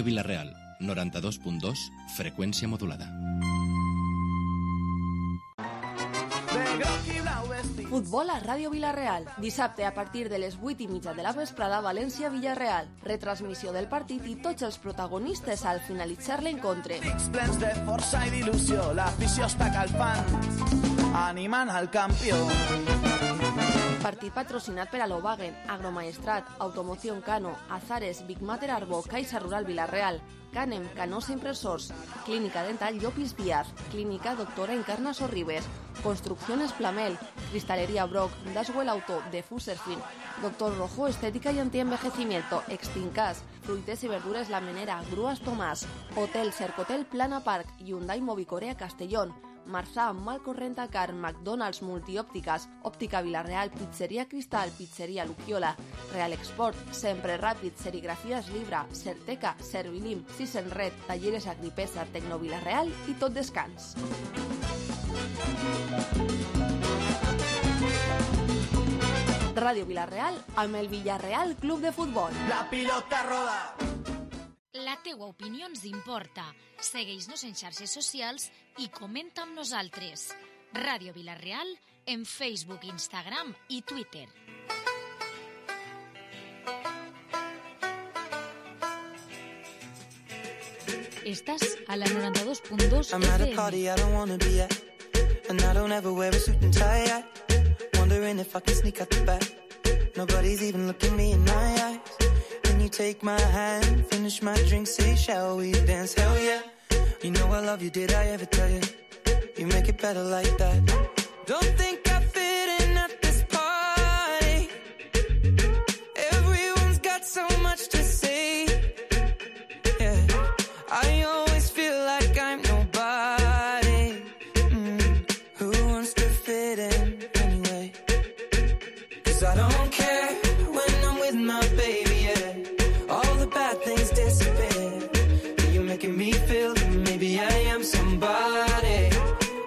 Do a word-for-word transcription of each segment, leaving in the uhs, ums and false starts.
Vilareal, noranta-dos punt dos, freqüència modulada. Futbol a Ràdio Vilareal. Dissabte a partir de les vuit i mitja de la vesprada, València-Villarreal. Retransmissió del partit i tots els protagonistes al finalitzar l'encontre. Plens de força i d'il·lusió, l'afició està calfant, animant al campió. Partit patrocinat per Alobagen, Agromaestrat, Automoción Cano, Azares, Big Mater Arbo, Caixa Rural Vilareal, Canem, Canosa Impresors, Clínica Dental Llopis Díaz, Clínica Doctora Encarna Sorribes, Construcciones Plamel, Cristalería Brock, Daswell Auto, de Fuserfin, Doctor Rojo, Estética y Antienvejecimiento, Extincas, Fruites y Verduras La Menera, Grúas Tomás, Hotel Cercotel Plana Park, Hyundai Movicorea Castellón, Marzà, Malco Rentacar, McDonald's Multiòptiques, Òptica Vilareal, Pizzeria Cristal, Pizzeria Luquiola, Real Export, Sempre Ràpid, Serigrafies Libra, Certeca, Servilim, Sisen Red, Talleres Agripesa, Tecno Vilareal i Tot Descans. Ràdio Vilareal amb el Villarreal Club de Futbol. La pilota roda. La teua opinió ens importa. Segueix-nos en xarxes socials i comenta amb nosaltres. Ràdio Vilareal en Facebook, Instagram i Twitter. Estàs a la noranta-dos punt dos I'm at a party I don't wanna be at, and I don't ever wear a suit and tie at. Wondering if I can sneak out the back. Nobody's even looking me in my eyes. You take my hand, finish my drink, say shall we dance, hell yeah. You know I love you, did I ever tell you? You make it better like that. Don't think I fit in at this party. Everyone's got so much to say. Yeah, I always feel like I'm nobody. Mm, who wants to fit in anyway? Cause I don't care when I'm with my baby. Bad things disappear. You're making me feel that maybe I am somebody.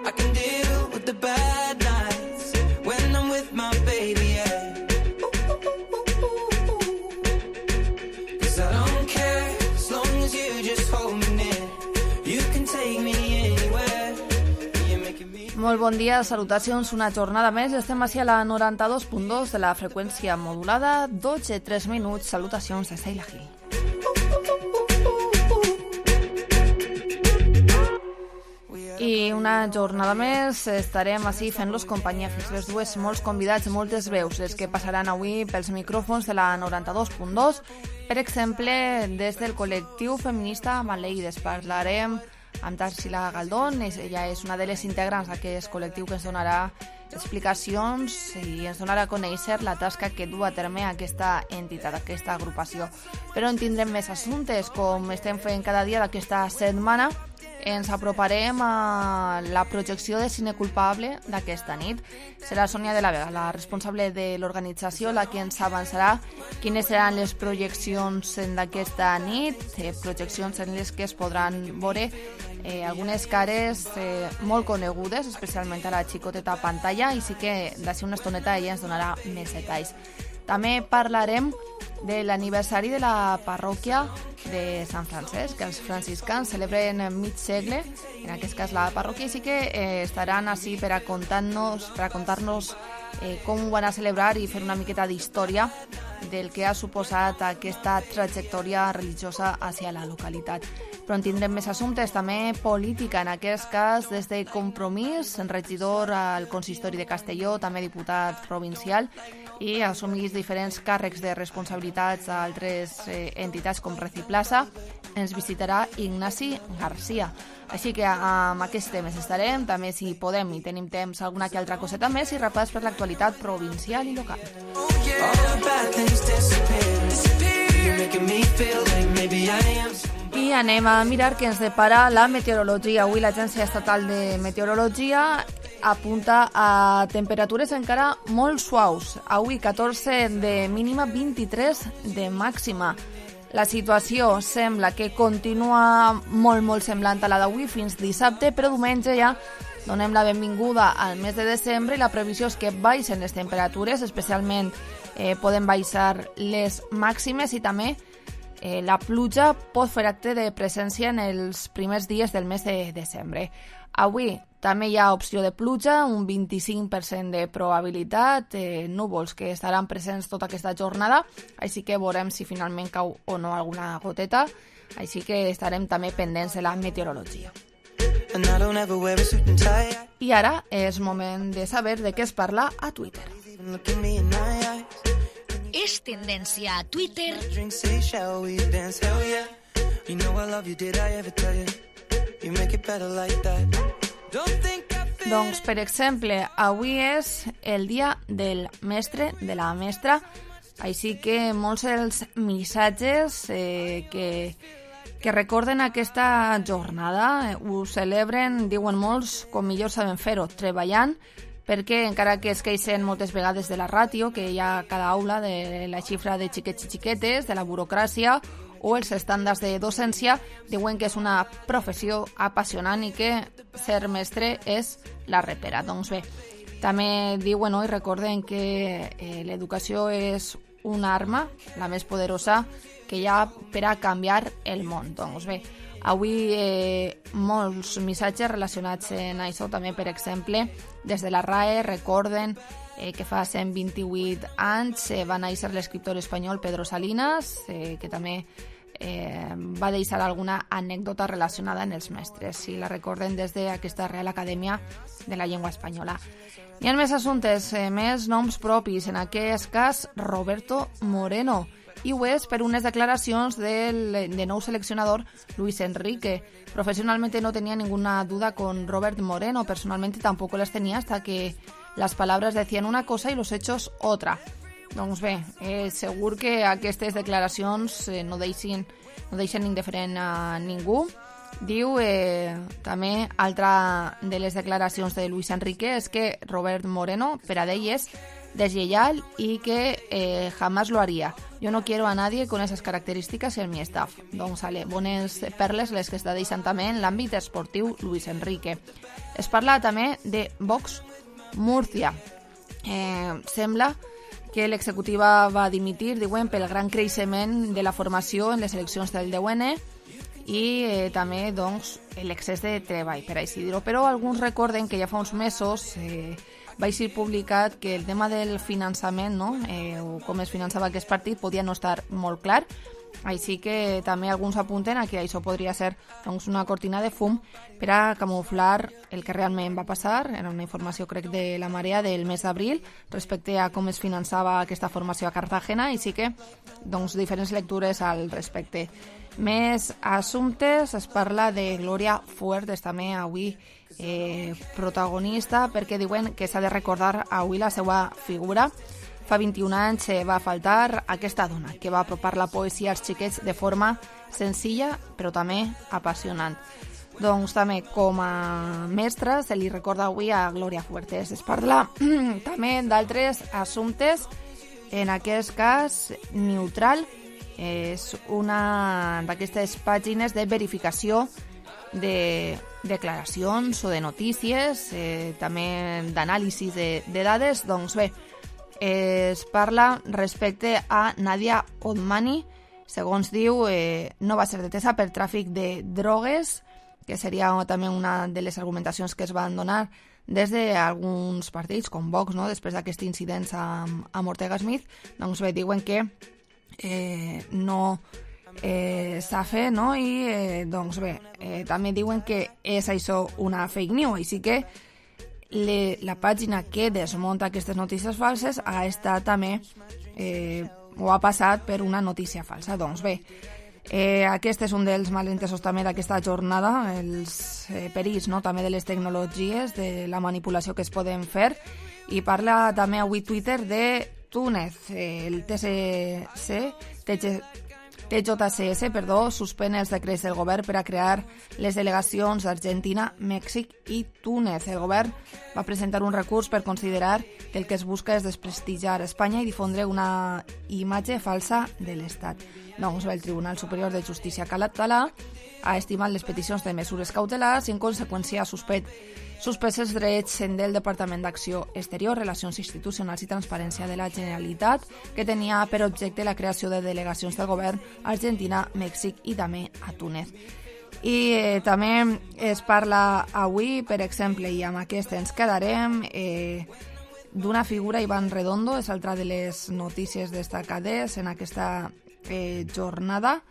I can deal with the bad nights when I'm with my baby, yeah. Cause I don't care as long as you just hold me near. You can take me anywhere. You're making me... Molt bon dia, salutacions, una jornada més. Estem així a la noranta-dos punt dos de la freqüència modulada, dotze i tres minuts. Salutacions de Seila Gil. I una jornada més estarem així fent-los companyia fins les dues, molts convidats, moltes veus les que passaran avui pels micròfons de la noranta-dos punt dos. Per exemple, des del col·lectiu feminista Maleïdes parlarem amb Tarsila Galdón. Ella és una de les integrants d'aquest col·lectiu que ens donarà explicacions i ens donarà a conèixer la tasca que du a terme aquesta entitat, aquesta agrupació. Però en tindrem més assumptes, com estem fent cada dia d'aquesta setmana. Ens aproparem a la projecció de Cine Culpable d'aquesta nit. Serà Sònia de la Vega, la responsable de l'organització, la que ens avançarà quines seran les projeccions d'aquesta nit, eh, projeccions en les que es podran veure eh, algunes cares eh, molt conegudes, especialment a la xicoteta pantalla, i sí que d'ací una estoneta ella ens donarà més detalls. També parlarem de l'aniversari de la parròquia de Sant Francesc, que els franciscans celebren mig segle, en aquest cas la parròquia, i sí que eh, estaran així per a contar-nos per a contar-nos eh, com ho van a celebrar i fer una miqueta d'història del que ha suposat aquesta trajectòria religiosa hacia la localitat. Però en tindrem més assumptes, també política, en aquest cas des de Compromís, regidor al consistori de Castelló, també diputat provincial, i assumís diferents càrrecs de responsabilitats a altres eh, entitats com Reciplaza. Ens visitarà Ignasi Garcia. Així que amb aquests temes estarem, també si podem i tenim temps alguna que altra coseta més, i repàs per l'actualitat provincial i local. I anem a mirar què ens depara la meteorologia. Avui l'Agència Estatal de Meteorologia apunta a temperatures encara molt suaus. Avui catorze de mínima, vint-i-tres de màxima. La situació sembla que continua molt, molt semblant a la d'avui fins dissabte, però diumenge ja donem la benvinguda al mes de desembre i la previsió és que baixen les temperatures, especialment eh, poden baixar les màximes i també eh, la pluja pot fer acte de presència en els primers dies del mes de desembre. Avui també hi ha opció de pluja, un vint-i-cinc per cent de probabilitat, eh, núvols que estaran presents tota aquesta jornada, així que veurem si finalment cau o no alguna goteta, així que estarem també pendents de la meteorologia. I ara és moment de saber de què es parla a Twitter. És tendència a Twitter. Doncs, per exemple, avui és el dia del mestre, de la mestra, així que molts dels missatges eh, que, que recorden aquesta jornada eh, ho celebren, diuen molts, com millor saben fer-ho, treballant, perquè encara que es queixen moltes vegades de la ràtio que hi ha a cada aula, de la xifra de xiquets i xiquetes, de la burocràcia o els estàndards de docència, diuen que és una professió apassionant i que ser mestre és la repera. Doncs bé, també diuen no, i recorden que eh, l'educació és una arma, la més poderosa que hi ha per a canviar el món. Doncs bé, avui eh, molts missatges relacionats amb això, també per exemple, des de la R A E recorden eh, que fa cent vint-i-vuit anys eh, va néixer l'escriptor espanyol Pedro Salinas, eh, que també eh, va deixar alguna anècdota relacionada amb els mestres, si la recorden des d'aquesta Real Acadèmia de la Llengua Espanyola. Hi ha més assumptes, eh, més noms propis, en aquest cas Roberto Moreno, i ho és per unes declaracions del de nou seleccionador Luis Enrique. Profesionalmente no tenía ninguna duda con Robert Moreno, personalmente tampoco las tenía hasta que las palabras decían una cosa y los hechos otra. Doncs bé, eh, segur que aquestes declaracions eh, no deixin, no deixen indiferent a ningú. Diu eh, també, altra de les declaracions de Luis Enrique és que Robert Moreno, per a ell, és deslleial y que eh, jamás lo haría. Yo no quiero a nadie con esas características en mi staff. Doncs sale, bones perles les que està deixant també en l'àmbit esportiu Luis Enrique. Es parla també de Vox Murcia. Eh, sembla que l'executiva va dimitir, diuen, pel gran creixement de la formació en les eleccions del deu ene i eh, també doncs, l'excés de treball, per així dir-ho. Però alguns recorden que ja fa uns mesos eh, va ser publicat que el tema del finançament, no? eh, o com es finançava aquest partit, podia no estar molt clar, així que també alguns apunten a que això podria ser doncs, una cortina de fum per a camuflar el que realment va passar. Era una informació, crec, de la Marea del mes d'abril respecte a com es finançava aquesta formació a Cartagena, així que doncs, diferents lectures al respecte. Més assumptes, es parla de Glòria Fuertes, també avui eh, protagonista, perquè diuen que s'ha de recordar avui la seva figura. Fa vint-i-un anys eh, va faltar aquesta dona que va apropar la poesia als xiquets de forma senzilla però també apassionant. Doncs també com a mestra se li recorda avui a Glòria Fuertes. Es parla també d'altres assumptes, en aquest cas Neutral, és una d'aquestes pàgines de verificació de declaracions o de notícies, eh, també d'anàlisis de, de dades. Doncs bé, es parla respecte a Nadia Otmani, segons diu, eh, no va ser detesa per tràfic de drogues, que seria també una de les argumentacions que es van donar des d'alguns partits, com Vox, no? Després d'aquests incidents amb, amb Ortega Smith. Doncs bé, diuen que eh, no eh, s'ha fet, no? I eh, doncs bé, eh, també diuen que és això una fake news, així que Le, la pàgina que desmunta aquestes notícies falses ha estat també eh, o ha passat per una notícia falsa. Doncs bé, eh, aquest és un dels malentesos també d'aquesta jornada, els eh, perills, no? també de les tecnologies, de la manipulació que es poden fer, i parla també avui Twitter de Túnez, eh, el T C C, T J C S, perdó, suspèn els decrets del govern per a crear les delegacions d'Argentina, Mèxic i Túnez. El govern va presentar un recurs per considerar que el que es busca és desprestigiar Espanya i difondre una imatge falsa de l'Estat. Doncs el Tribunal Superior de Justícia català ha estimat les peticions de mesures cautelars i en conseqüència ha suspès suspès els drets del Departament d'Acció Exterior, Relacions Institucionals i Transparència de la Generalitat, que tenia per objecte la creació de delegacions del govern a Argentina, Mèxic i també a Túnez. I eh, també es parla avui, per exemple, i amb aquest ens quedarem, eh, d'una figura, Iván Redondo, és altra de les notícies destacades en aquesta eh, jornada.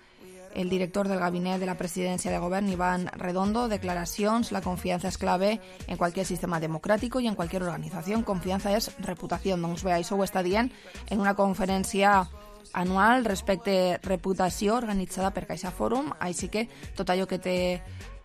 El director del Gabinet de la Presidencia de Gobierno, Iván Redondo, declaracions: la confianza es clave en cualquier sistema democrático y en cualquier organización. Confianza és reputació. Doncs bé, això ho està dient en una conferència anual respecte reputació organitzada per Caixa Fòrum, així que tot allò que té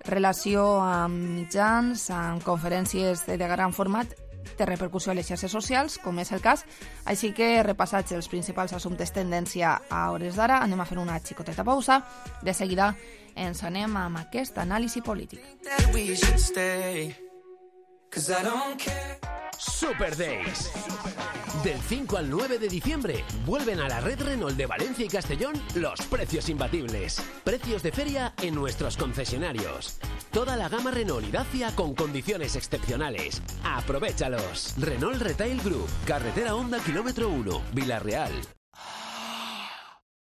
relació amb mitjans, amb conferències de gran format, té repercussió a les xarxes socials, com és el cas. Així que, repassats els principals assumptes tendència a hores d'ara, anem a fer una xicoteta pausa. De seguida ens anem amb aquest anàlisi polític. Super Days. Del cinco al nueve de diciembre vuelven a la red Renault de Valencia y Castellón los precios imbatibles. Precios de feria en nuestros concesionarios. Toda la gama Renault y Dacia con condiciones excepcionales. ¡Aprovéchalos! Renault Retail Group, carretera Honda kilómetro uno, Vila-real.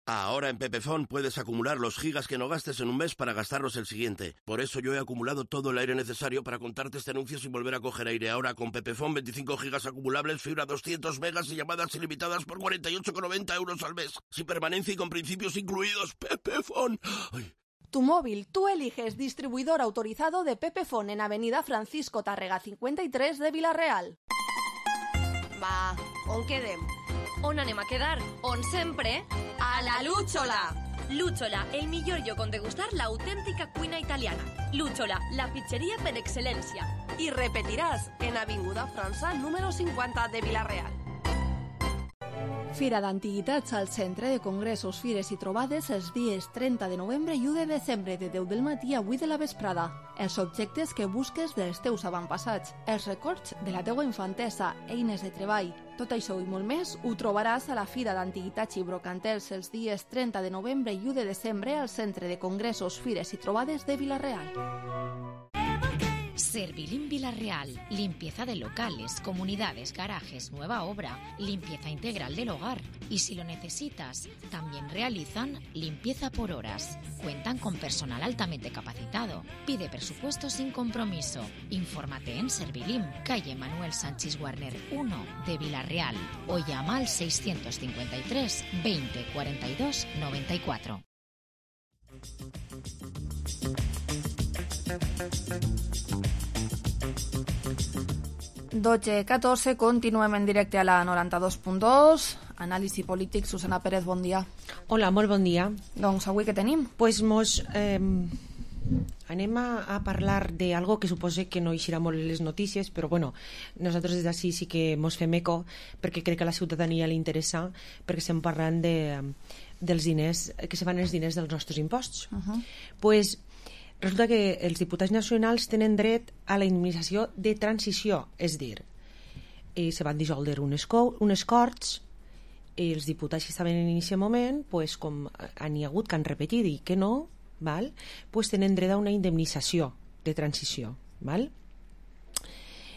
Ahora en Pepefon puedes acumular los gigas que no gastes en un mes para gastarlos el siguiente. Por eso yo he acumulado todo el aire necesario para contarte este anuncio sin volver a coger aire. Ahora con Pepefon, veinticinco gigas acumulables, fibra doscientos megas y llamadas ilimitadas por cuarenta y ocho con noventa euros al mes. Sin permanencia y con principios incluidos. Pepefon. Ay. Tu móvil, tú eliges distribuidor autorizado de Pepefon en Avenida Francisco Tárrega cincuenta y tres de Vila-real. Va, on quedem? On anem a quedar? On sempre? A la Lúchola! Lúchola, el millor lloc on degustar l'autèntica cuina italiana. Lúchola, la pizzeria per excel·lència. I repetiràs en Avinguda França número cinquanta de Vila-real. Fira d'Antiguitats al Centre de Congressos, Fires i Trobades els dies trenta de novembre i u de desembre de deu del matí a vuit de la vesprada. Els objectes que busques dels teus avantpassats, els records de la teua infantesa, eines de treball. Tot això i molt més ho trobaràs a la Fira d'Antiguitats i Brocantels els dies trenta de novembre i u de desembre al Centre de Congressos, Fires i Trobades de Vila-real. Servilim Vila-real, limpieza de locales, comunidades, garajes, nueva obra, limpieza integral del hogar. Y si lo necesitas, también realizan limpieza por horas. Cuentan con personal altamente capacitado. Pide presupuesto sin compromiso. Infórmate en Servilim, calle Manuel Sánchez Guarner uno de Vila-real o llama al seiscientos cincuenta y tres veinte cuarenta y dos noventa y cuatro. dotze catorze, continuem en directe a la noranta-dos punt dos. Anàlisi polític, Susana Pérez, bon dia. Hola, molt bon dia. Doncs avui què tenim? Pues mos, eh, anem a, a parlar d'algo que suposo que no eixirà molt en les notícies, però bueno, nosaltres des d'ací sí que mos fem eco, perquè crec que a la ciutadania li interessa, perquè estem parlant de, dels diners, que se van els diners dels nostres imposts. Uh-huh. Pues resulta que els diputats nacionals tenen dret a la indemnització de transició, és dir, eh, se van dissoldre unes, unes corts, i els diputats que estaven en aquest moment, pues, com han hi hagut que han repetit i que no, val? Pues, tenen dret a una indemnització de transició. Val?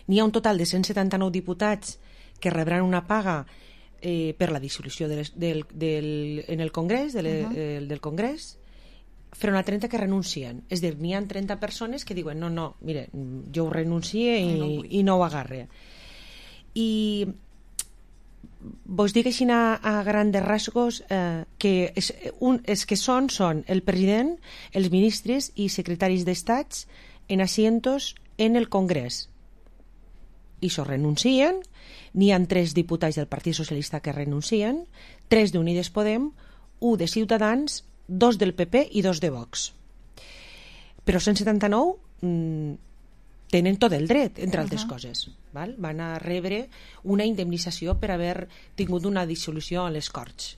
N'hi ha un total de cent setanta-nou diputats que rebran una paga eh, per la dissolució de les, del, del, en el Congrés, de le, uh-huh. eh, del Congrés, front a trenta que renuncien. És dir, n'hi ha trenta persones que diuen no, no, mire, jo ho renuncie i no, i no ho agarre. I vos dic així a, a grandes rasgos eh, que, és, un, és que són, són el president, els ministres i secretaris d'estats en asientos en el Congrés. I això renuncien, n'hi ha tres diputats del Partit Socialista que renuncien, tres d'Unides Podem, un de Ciutadans, dos del P P i dos de Vox. Però cent setanta-nou mmm, tenen tot el dret, entre altres uh-huh. coses. Val? Van a rebre una indemnització per haver tingut una dissolució a les Corts.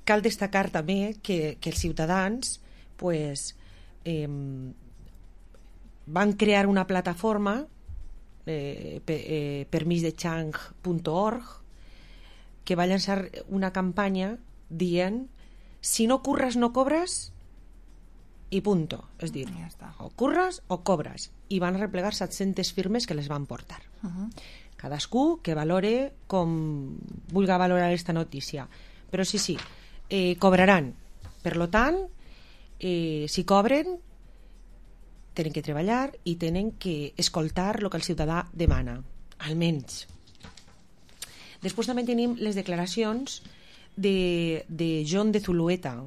Cal destacar també que, que els ciutadans pues, eh, van crear una plataforma eh, per, eh, permís de chang punt org que va llançar una campanya dient si no curres no cobres i punto. És dir, Ja està. o curres o cobres. I van replegar set-centes firmes que les van portar. Uh -huh. Cadascú que valore com vulga valorar esta notícia. Però sí, sí, eh, cobraran. Per lo tant, eh, si cobren, tenen que treballar i tenen que escoltar el que el ciutadà demana, almenys. Després també tenim les declaracions de, de John de Zulueta.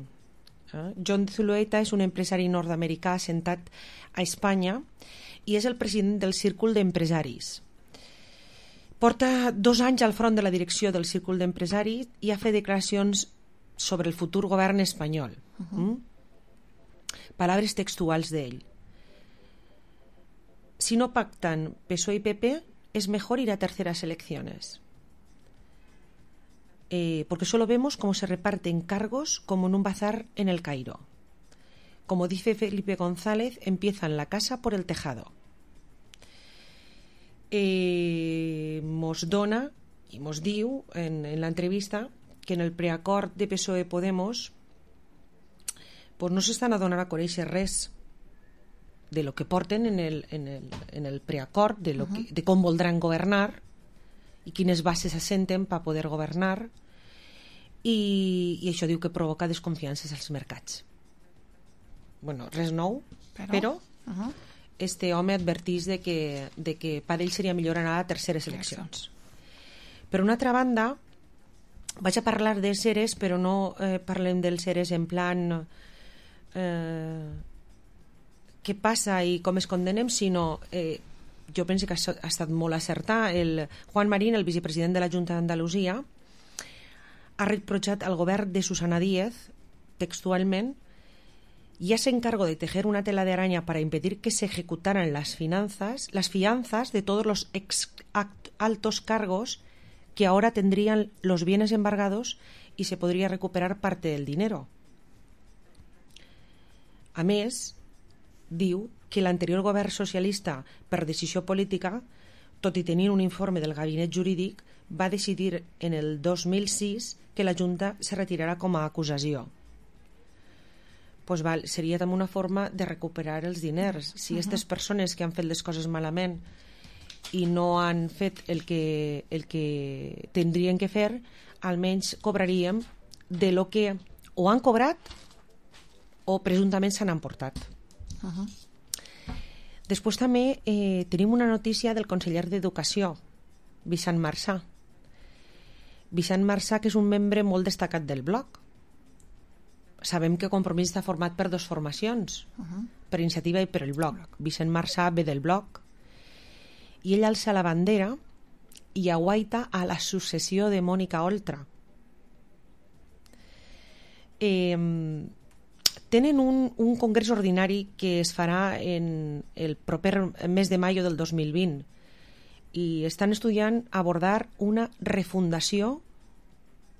Eh? John de Zulueta és un empresari nord-americà assentat a Espanya i és el president del Círcul d'Empresaris. Porta dos anys al front de la direcció del Círcul d'Empresaris i ha fet declaracions sobre el futur govern espanyol. Uh-huh. mm? Palabres textuals d'ell. Si no pactan P S O E y P P, es mejor ir a terceras elecciones. Eh, porque solo vemos cómo se reparten cargos como en un bazar en el Cairo. Como dice Felipe González, empiezan la casa por el tejado. Eh, mos dona i mos diu en, en l'entrevista que en el preacord de P S O E Podemos pues no s'estan a donar a conèixer res de lo que porten en el, en el, en el preacord, de, lo que, de com voldran governar i quines bases assenten per poder governar, i, i això diu que provoca desconfiances als mercats. Bueno, res nou, però, però uh -huh. este home advertís de que, de que per ell seria millor anar a terceres eleccions. Per una altra banda, vaig a parlar dels seres, però no eh, parlem dels seres en plan eh, què passa i com es condenem, sinó eh, jo penso que ha estat molt acertat. El Juan Marín, el vicepresident de la Junta d'Andalusia, ha reprochado al gobierno de Susana Díaz, textualmente: ya se encargó de tejer una tela de araña para impedir que se ejecutaran las finanzas, las fianzas de todos los ex altos cargos que ahora tendrían los bienes embargados y se podría recuperar parte del dinero. A més, diu que l'anterior govern socialista, per decisió política, tot i tenir un informe del gabinet jurídic, va decidir en el dos mil sis que la Junta se retirarà com a acusació. Pues val, seria també una forma de recuperar els diners. Si aquestes persones que han fet les coses malament i no han fet el que, el que tindrien que fer, almenys cobraríem de lo que o han cobrat o presumptament s'han emportat. Uh-huh. Després també eh, tenim una notícia del conseller d'Educació, Vicent Marsà. Vicent Marsà, que és un membre molt destacat del bloc. Sabem que Compromís està format per dues formacions, uh-huh. per Iniciativa i per el bloc. Vicent Marsà ve del bloc i ell alça la bandera i aguaita a la successió de Mònica Oltra. Eh, tenen un, un congrés ordinari que es farà en el proper mes de maio del dos mil vint i estan estudiant abordar una refundació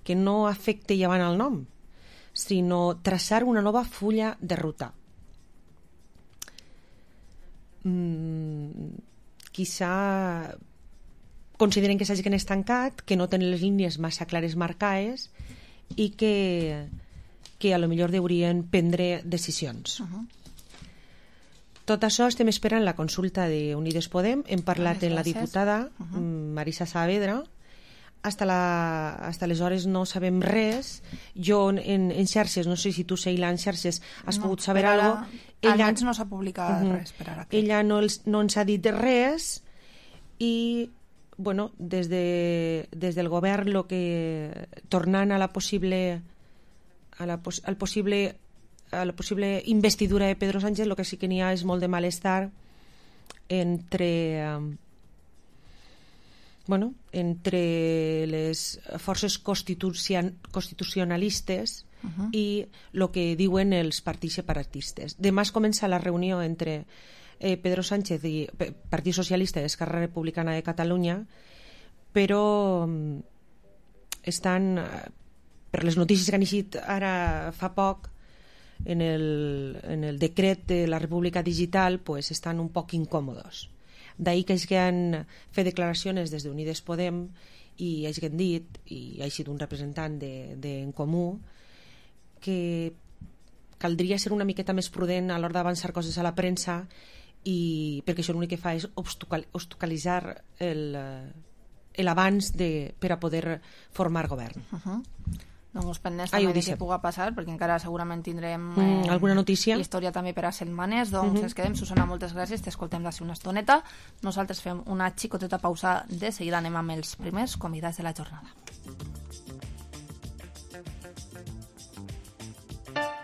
que no afecte llevant el nom, sinó traçar una nova fulla de ruta. Mm, quizà consideren que s'hagin estancat, que no tenen les línies massa clares marcades i que, que a lo millor deurien prendre decisions. Uh-huh. Tot això estem esperant la consulta d'Unides Podem. Hem parlat amb la diputada uh-huh. Marisa Saavedra. Hasta, la, hasta aleshores no sabem res. Jo en, en xarxes, no sé si tu, Sheila, en xarxes has no, pogut saber alguna cosa. Ella no s'ha publicat uh-huh. res per ara. Ella no, els, no ens ha dit res i bueno, des, de, des del govern lo que, tornant a la possible a la, al possible a la possible investidura de Pedro Sánchez, el que sí que n'hi ha és molt de malestar entre um, bueno, entre les forces constitucion, constitucionalistes uh-huh. i el que diuen els partits separatistes. Demà es comença la reunió entre eh, Pedro Sánchez i Partit Socialista i Esquerra Republicana de Catalunya, però um, estan, per les notícies que han eixit ara fa poc, en el, en el decret de la República Digital, pues estan un poc incòmodos. D'ahí que hagin fet declaracions des d'Unides Podem i hagin dit, i ha sigut un representant d'En Comú, que caldria ser una miqueta més prudent a l'hora d'avançar coses a la premsa, i perquè això l'únic que fa és obstaculitzar l'abans per a poder formar govern. Uh-huh. Doncs pendents també de què pugui passar, perquè encara segurament tindrem eh, mm, alguna notícia, història també per a setmanes. Doncs uh-huh. ens quedem. Susana, moltes gràcies, t'escoltem d'ací una estoneta. Nosaltres fem una xicoteta pausa, de seguida anem amb els primers convidats de la jornada.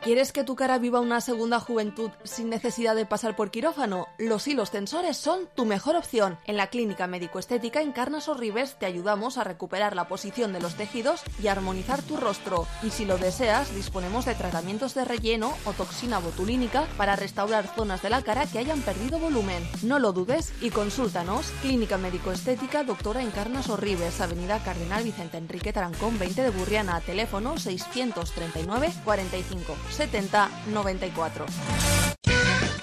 ¿Quieres que tu cara viva una segunda juventud sin necesidad de pasar por quirófano? Los hilos tensores son tu mejor opción. En la Clínica Médico-Estética Encarnas Ribes te ayudamos a recuperar la posición de los tejidos y a armonizar tu rostro. Y si lo deseas, disponemos de tratamientos de relleno o toxina botulínica para restaurar zonas de la cara que hayan perdido volumen. No lo dudes y consúltanos. Clínica Médico-Estética Doctora Encarnas Ribes, Avenida Cardenal Vicente Enrique Tarancón veinte de Burriana, teléfono seiscientos treinta y nueve cuarenta y cinco setenta noventa y cuatro.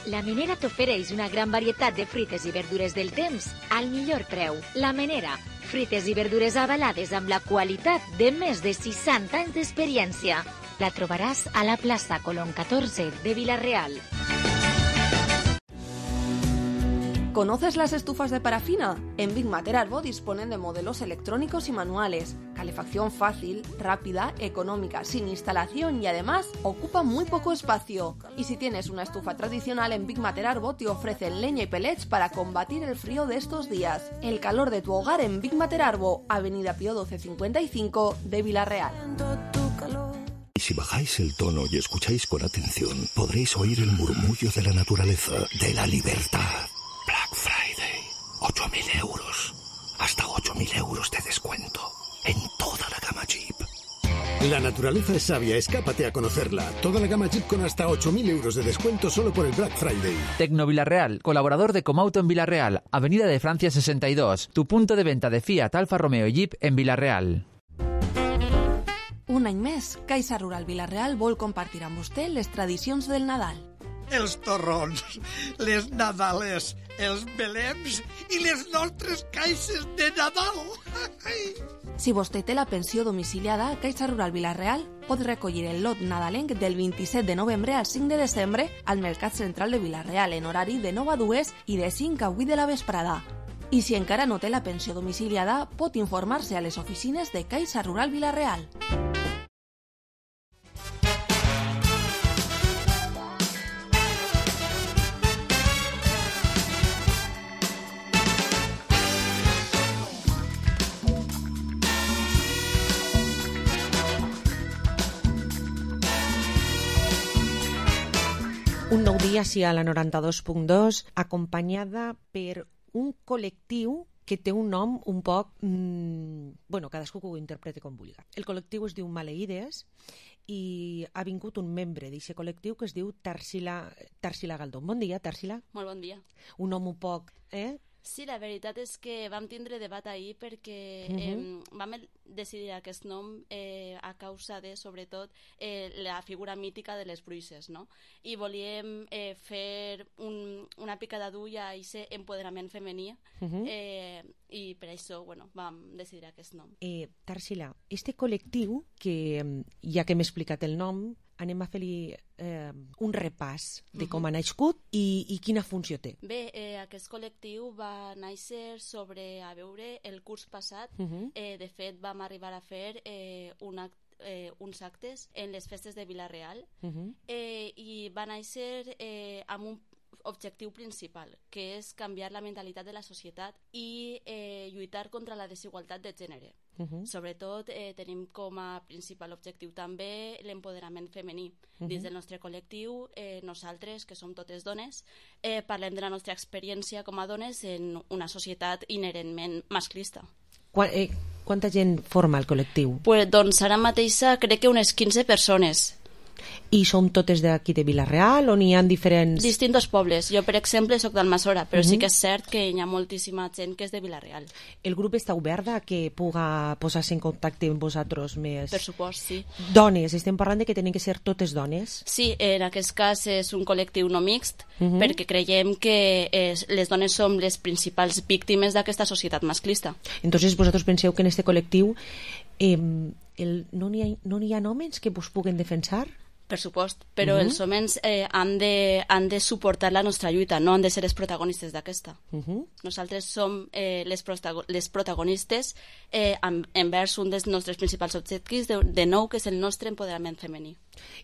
La Menera t'ofereix una gran varietat de fruites i verdures del temps al millor preu. La Menera, fruites i verdures avalades amb la qualitat de més de seixanta anys d'experiència. La trobaràs a la plaça Colón catorze de Vila-real. ¿Conoces las estufas de parafina? En Big Mater Arbo disponen de modelos electrónicos y manuales, calefacción fácil, rápida, económica, sin instalación y además ocupa muy poco espacio. Y si tienes una estufa tradicional, en Big Mater Arbo te ofrecen leña y pellets para combatir el frío de estos días. El calor de tu hogar en Big Mater Arbo, Avenida Pío doce cincuenta y cinco de Vila-real. Y si bajáis el tono y escucháis con atención, podréis oír el murmullo de la naturaleza, de la libertad. Black Friday, ocho mil euros, hasta ocho mil euros de descuento en toda la gama Jeep. La naturaleza es sabia, escápate a conocerla. Toda la gama Jeep con hasta ocho mil euros de descuento solo por el Black Friday. Tecno Vila-real, colaborador de Comauto en Vila-real, Avenida de Francia sesenta y dos, tu punto de venta de Fiat, Alfa Romeo y Jeep en Vila-real. Un any més, Caixa Rural Vila-real vol compartir amb vostè les tradicions del Nadal. Els torrons, les nadales, els belems i les nostres caixes de Nadal. Si vostè té la pensió domiciliada, Caixa Rural Vila-real pot recollir el lot nadalenc del vint-i-set de novembre al cinc de desembre al Mercat Central de Vila-real en horari de nou a dues i de cinc a vuit de la vesprada. I si encara no té la pensió domiciliada, pot informar-se a les oficines de Caixa Rural Vila-real. Un nou dia, sí, a la noranta-dos punt dos, acompanyada per un col·lectiu que té un nom un poc... Mmm, bueno, cadascú que ho interpreti com vulgui. El col·lectiu es diu Maleïdes i ha vingut un membre d'aquest col·lectiu que es diu Tarsila, Tarsila Galdón. Bon dia, Tarsila. Molt bon dia. Un nom un poc... Eh? Sí, la veritat és que vam tindre debat ahir perquè Mhm. eh, vam decidir aquest nom eh, a causa de, sobretot, eh, la figura mítica de les bruixes, no? I volíem eh, fer un, una picada d'ull a aquest empoderament femení Mhm. eh, i per això, bueno, vam decidir aquest nom. Eh, Tarsila, este col·lectiu, que mm, ja que m'he explicat el nom, anem a fer-li eh, un repàs de com Mhm. ha nascut i, i quina funció té. Bé, eh, aquest col·lectiu va néixer sobre a veure el curs passat. Mhm. eh, de fet, vam arribar a fer eh, un act, eh, uns actes en les festes de Vila-real Mhm. eh, i va néixer eh, amb un objectiu principal, que és canviar la mentalitat de la societat i eh, lluitar contra la desigualtat de gènere. Mhm. Sobretot eh, tenim com a principal objectiu també l'empoderament femení. Mhm. Dins del nostre col·lectiu, eh, nosaltres, que som totes dones, eh, parlem de la nostra experiència com a dones en una societat inherentment masclista. Qua, eh, quanta gent forma el col·lectiu? Pues, doncs ara mateix crec que unes quinze persones. I som totes d'aquí de Vila-real o n'hi ha diferents... Distintos pobles. Jo, per exemple, sóc d'Almassora, però sí Mhm. que és cert que hi ha moltíssima gent que és de Vila-real. El grup està obert a que puga posar-se en contacte amb vosaltres més... Per supost, sí. Dones, estem parlant de que tenen que ser totes dones. Sí, en aquest cas és un col·lectiu no mixt, Mhm. perquè creiem que és, les dones som les principals víctimes d'aquesta societat masclista. Entonces vosaltres penseu que en este col·lectiu eh, el, no n'hi ha, no n'hi ha homes que vos puguen defensar? Per supost, però Mhm. els homes eh, han, de, han de suportar la nostra lluita, no han de ser els protagonistes d'aquesta. Mhm. Nosaltres som eh, les, protago les protagonistes eh, en, envers un dels nostres principals objectius, de, de nou, que és el nostre empoderament femení.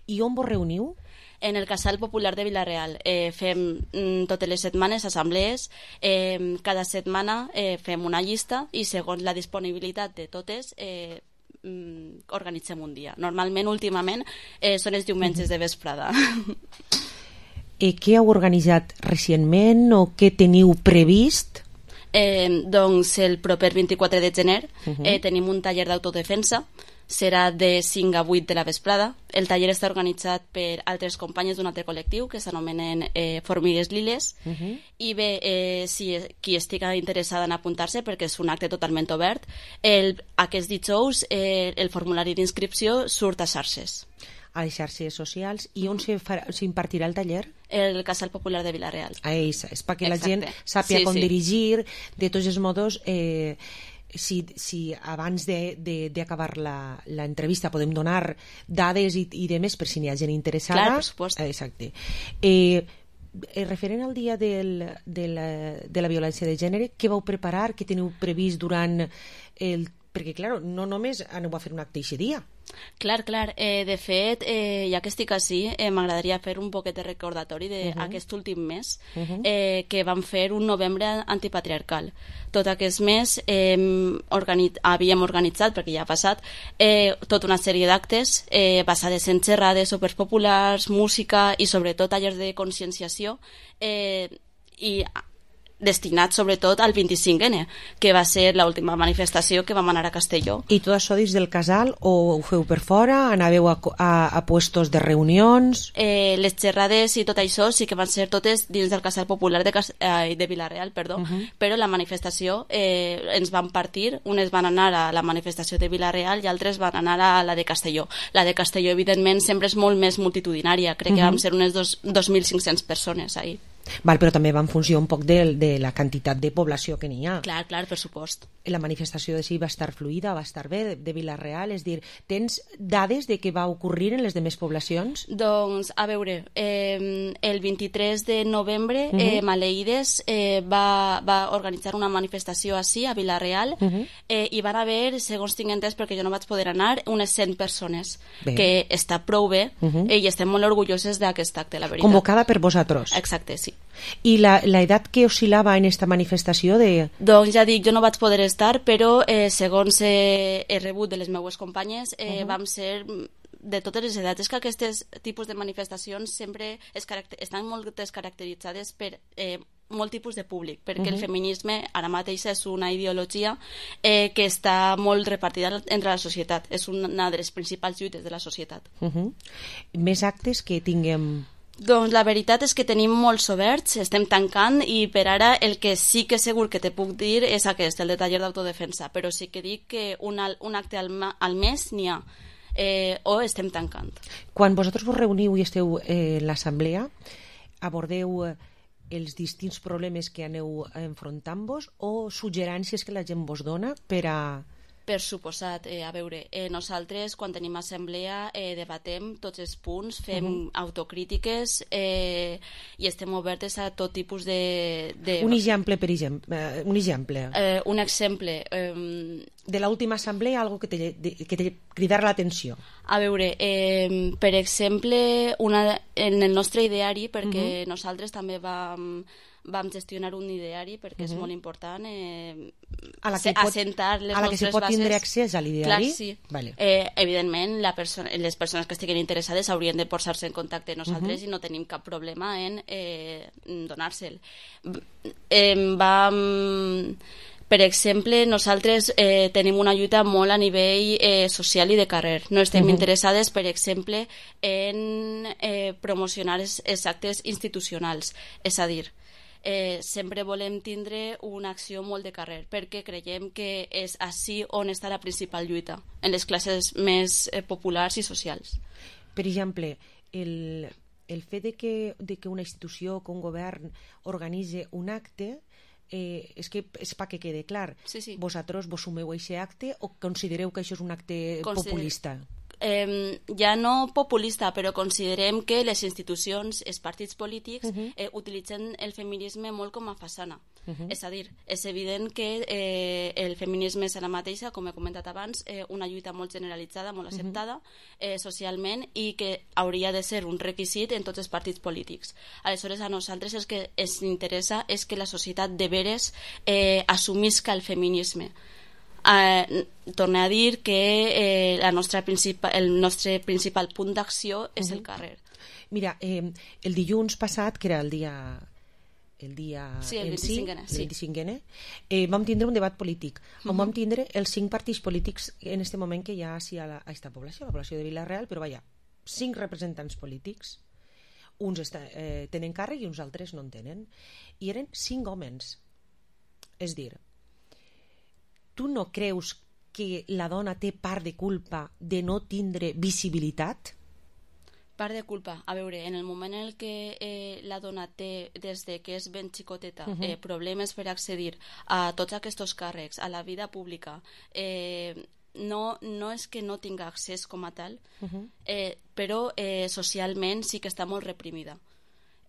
I on vos reuniu? En el Casal Popular de Vila-real. Eh, fem mm, totes les setmanes assemblees, eh, cada setmana eh, fem una llista i segons la disponibilitat de totes eh, mm, organitzem un dia. Normalment, últimament, eh, són els diumenges de vesprada. Eh, què heu organitzat recentment o què teniu previst? Eh, doncs el proper vint-i-quatre de gener Uh -huh. eh, tenim un taller d'autodefensa, serà de cinc a vuit de la vesprada. El taller està organitzat per altres companyes d'un altre col·lectiu que s'anomenen eh, Formigues Liles. Uh -huh. I bé, eh, si qui estigui interessada en apuntar-se, perquè és un acte totalment obert, el, aquest dijous eh, el formulari d'inscripció surt a xarxes. A les xarxes socials. I on s'impartirà el taller? El Casal Popular de Vila-real. A ells, és perquè la Exacte. gent sàpiga Sí, com sí. dirigir. De tots els modos, eh, si, si abans d'acabar l'entrevista podem donar dades i, i demés per si n'hi ha gent interessada. Clar, per supost. Eh, exacte. Eh, eh, referent al dia del, de, la, de la violència de gènere, què vau preparar, què teniu previst durant el... Perquè, clar, no només aneu a fer un acte aquest dia. Clar, clar. Eh, de fet, eh, ja que estic així, eh, m'agradaria fer un poquet de recordatori d'aquest uh -huh. últim mes Uh -huh. eh, que vam fer un novembre antipatriarcal. Tot aquest mes eh, organit havíem organitzat, perquè ja ha passat, eh, tota una sèrie d'actes eh, basades en xerrades, sopars populars, música i sobretot tallers de conscienciació eh, i destinat sobretot al vint-i-cinc ene, que va ser l'última manifestació que vam anar a Castelló. I tot això dins del casal o ho feu per fora? Anàveu a, a, a puestos de reunions? Eh, les xerrades i tot això sí que van ser totes dins del Casal Popular de, Cas eh, de Vila-real, perdó, uh -huh. però la manifestació eh, ens van partir, unes van anar a la manifestació de Vila-real i altres van anar a la de Castelló. La de Castelló, evidentment, sempre és molt més multitudinària, crec uh -huh. que vam ser unes dos mil cinc-cents persones ahir. Val, però també va en funció un poc de, de la quantitat de població que n'hi ha. Clar, clar, per supost. La manifestació de si va estar fluida, va estar bé, de, de Vila-real, és dir, tens dades de què va ocorrir en les demés poblacions? Doncs, a veure, eh, el vint-i-tres de novembre Uh -huh. eh, Maleïdes eh, va, va organitzar una manifestació així, a Vila-real, uh -huh. eh, i van haver, segons tinc entès, perquè jo no vaig poder anar, unes cent persones, bé. que està prou bé, Uh -huh. eh, i estem molt orgulloses d'aquest acte, la veritat. Convocada per vosaltres? Exacte, sí. I la, la edat que oscil·lava en esta manifestació de... Doncs ja dic, jo no vaig poder estar, però eh, segons eh, he rebut de les meues companyes, eh, Uh-huh. vam ser de totes les edats. És que aquests tipus de manifestacions sempre es estan molt descaracteritzades per eh, molt tipus de públic, perquè uh-huh. el feminisme ara mateix és una ideologia eh, que està molt repartida entre la societat. És una de les principals lluites de la societat. Uh-huh. Més actes que tinguem... Doncs la veritat és que tenim molts oberts, estem tancant i per ara el que sí que segur que te puc dir és aquest, el de taller d'autodefensa, però sí que dic que un, un acte al, al mes n'hi ha, eh, o estem tancant. Quan vosaltres vos reuniu i esteu eh, en l'assemblea, abordeu eh, els distints problemes que aneu enfrontant-vos o suggerències que la gent vos dona per a... Per suposat, eh, a veure, eh, nosaltres quan tenim assemblea eh, debatem tots els punts, fem uh-huh. autocrítiques eh, i estem obertes a tot tipus de... de... Un exemple, per exemple. Eh, un exemple. Eh, un exemple. Eh... De l'última assemblea, algo que te, de, que te cridar l'atenció. A veure, eh, per exemple, una, en el nostre ideari, perquè uh-huh. nosaltres també vam... vam gestionar un ideari perquè uh-huh. és molt important eh, a la que pot, assentar les a la que se pot bases. tindre accés a l'ideari? Clar, sí. Vale. Eh, evidentment, la persona, les persones que estiguin interessades haurien de posar-se en contacte amb nosaltres uh-huh. i no tenim cap problema en eh, donar-se'l. Eh, vam... Per exemple, nosaltres eh, tenim una lluita molt a nivell eh, social i de carrer. No estem uh-huh. interessades, per exemple, en eh, promocionar els, els actes institucionals. És a dir, eh, sempre volem tindre una acció molt de carrer, perquè creiem que és així on està la principal lluita, en les classes més eh, populars i socials. Per exemple, el, el fet de que, de que una institució, que un govern organitze un acte, eh, és que és perquè quede clar. Sí, sí. Vosaltres vos sumeu a aquest acte o considereu que això és un acte Consider... populista? eh, ja no populista, però considerem que les institucions, els partits polítics, uh-huh. eh, utilitzen el feminisme molt com a façana. Uh-huh. És a dir, és evident que eh, el feminisme és ara mateixa, com he comentat abans, eh, una lluita molt generalitzada, molt acceptada uh-huh. eh, socialment, i que hauria de ser un requisit en tots els partits polítics. Aleshores, a nosaltres el que ens interessa és que la societat de veres eh, assumisca el feminisme. Eh, torno a dir que eh, la nostra principal, el nostre principal punt d'acció és uh-huh. el carrer. Mira, eh, el dilluns passat, que era el dia el dia sí, el en si, vint-i-cinquè, el vint-i-cinquè, eh, vam tindre un debat polític on uh-huh. vam tindre els cinc partits polítics en este moment que hi ha a, la, a esta població, la població de Vila-real, però vaja, cinc representants polítics, uns està, eh, tenen càrrec i uns altres no en tenen, i eren cinc homes. És dir, tu no creus que la dona té part de culpa de no tindre visibilitat? Part de culpa. A veure, en el moment en què eh, la dona té, des de que és ben xicoteta, uh-huh. eh, problemes per accedir a tots aquests càrrecs, a la vida pública, eh, no, no és que no tinga accés com a tal, uh-huh. eh, però eh, socialment sí que està molt reprimida.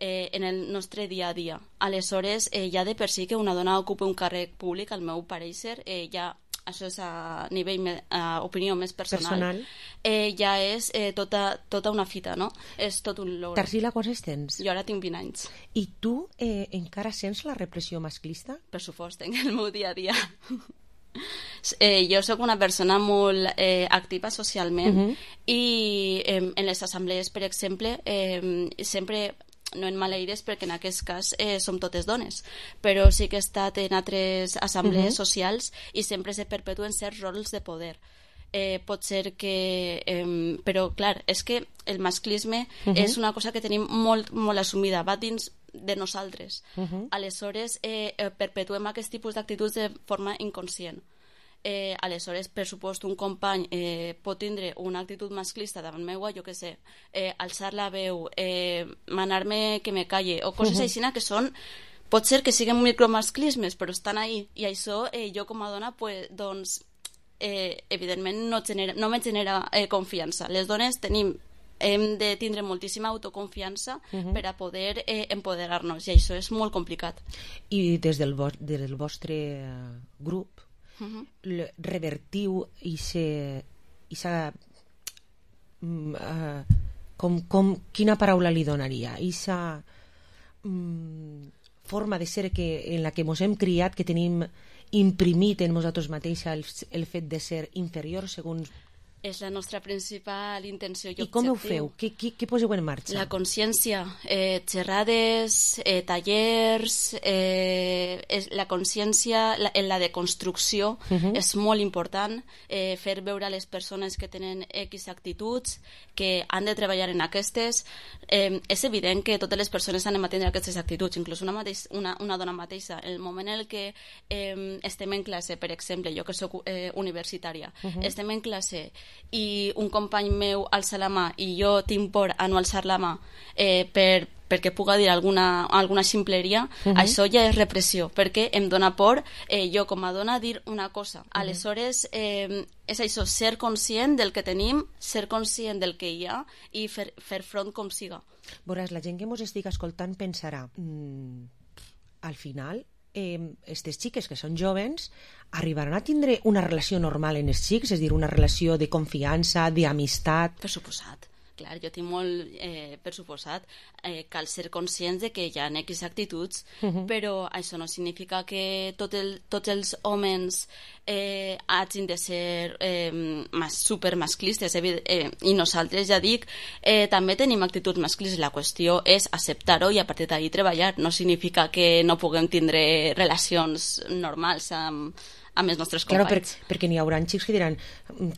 Eh, en el nostre dia a dia. Aleshores, eh, ja de per si que una dona ocupa un càrrec públic, al meu pareixer, eh, ja, això és a nivell, me, a opinió més personal, personal. Eh, ja és eh, tota, tota una fita, no? És tot un logro. Tarsila, quants tens? Jo ara tinc vint anys. I tu eh, encara sents la repressió masclista? Per supost, en el meu dia a dia. Eh, jo sóc una persona molt eh, activa socialment uh-huh. i eh, en les assemblees, per exemple, eh, sempre... no en maleires perquè en aquest cas eh, som totes dones, però sí que he estat en altres assemblees uh-huh. socials i sempre se perpetuen certs rols de poder. Eh, pot ser que... Eh, però, clar, és que el masclisme uh-huh. és una cosa que tenim molt, molt assumida, va dins de nosaltres. Uh-huh. Aleshores, eh, perpetuem aquest tipus d'actituds de forma inconscient. Eh, aleshores, per supost, un company eh, pot tindre una actitud masclista davant meua, jo què sé, eh, alçar la veu, eh, manar-me que me calle, o coses uh-huh. així que són, pot ser que siguin micromasclismes, però estan ahí, i això eh, jo com a dona, pues, doncs, eh, evidentment no, genera, no me genera eh, confiança. Les dones tenim hem de tindre moltíssima autoconfiança uh-huh. per a poder eh, empoderar-nos, i això és molt complicat. I des del, vo- del vostre grup Uh-huh. revertiu i se, i sa, mm, uh, com, com, quina paraula li donaria? I sa mm, forma de ser que, en la que mos hem criat, que tenim imprimit en nosaltres mateixa el, el fet de ser inferior segons... És la nostra principal intenció i objectiu. I com ho feu? Què, què, què poseu en marxa? La consciència, eh, xerrades, eh, tallers, eh, és, la consciència, la, la deconstrucció uh-huh. és molt important, eh, fer veure a les persones que tenen X actituds, que han de treballar en aquestes. Eh, és evident que totes les persones han de tenir aquestes actituds, inclús una, mateix, una, una dona mateixa. En el moment en el que eh, estem en classe, per exemple, jo que soc eh, universitària, uh-huh. estem en classe i un company meu alça la mà i jo tinc por a no alçar la mà eh, per, perquè puga dir alguna, alguna ximpleria, uh-huh. això ja és repressió, perquè em dona por eh, jo com a dona dir una cosa. Uh-huh. Aleshores, eh, és això, ser conscient del que tenim, ser conscient del que hi ha i fer, fer front com siga. Veuràs, la gent que mos estigui escoltant pensarà mmm, al final eh, estes xiques que són jovens arribaran a tindre una relació normal en els xics, és a dir, una relació de confiança, d'amistat? Per suposat. Clar, jo tinc molt, eh, per suposat, eh, cal ser conscients de que hi ha X actituds, uh-huh. però això no significa que tot el, tots els homes eh, hagin de ser eh, mas, supermasclistes, eh, i nosaltres, ja dic, eh, també tenim actituds masclistes. La qüestió és acceptar-ho i a partir d'ahí treballar. No significa que no puguem tindre relacions normals amb amb els nostres companys. Claro, per, perquè n'hi haurà xics que diran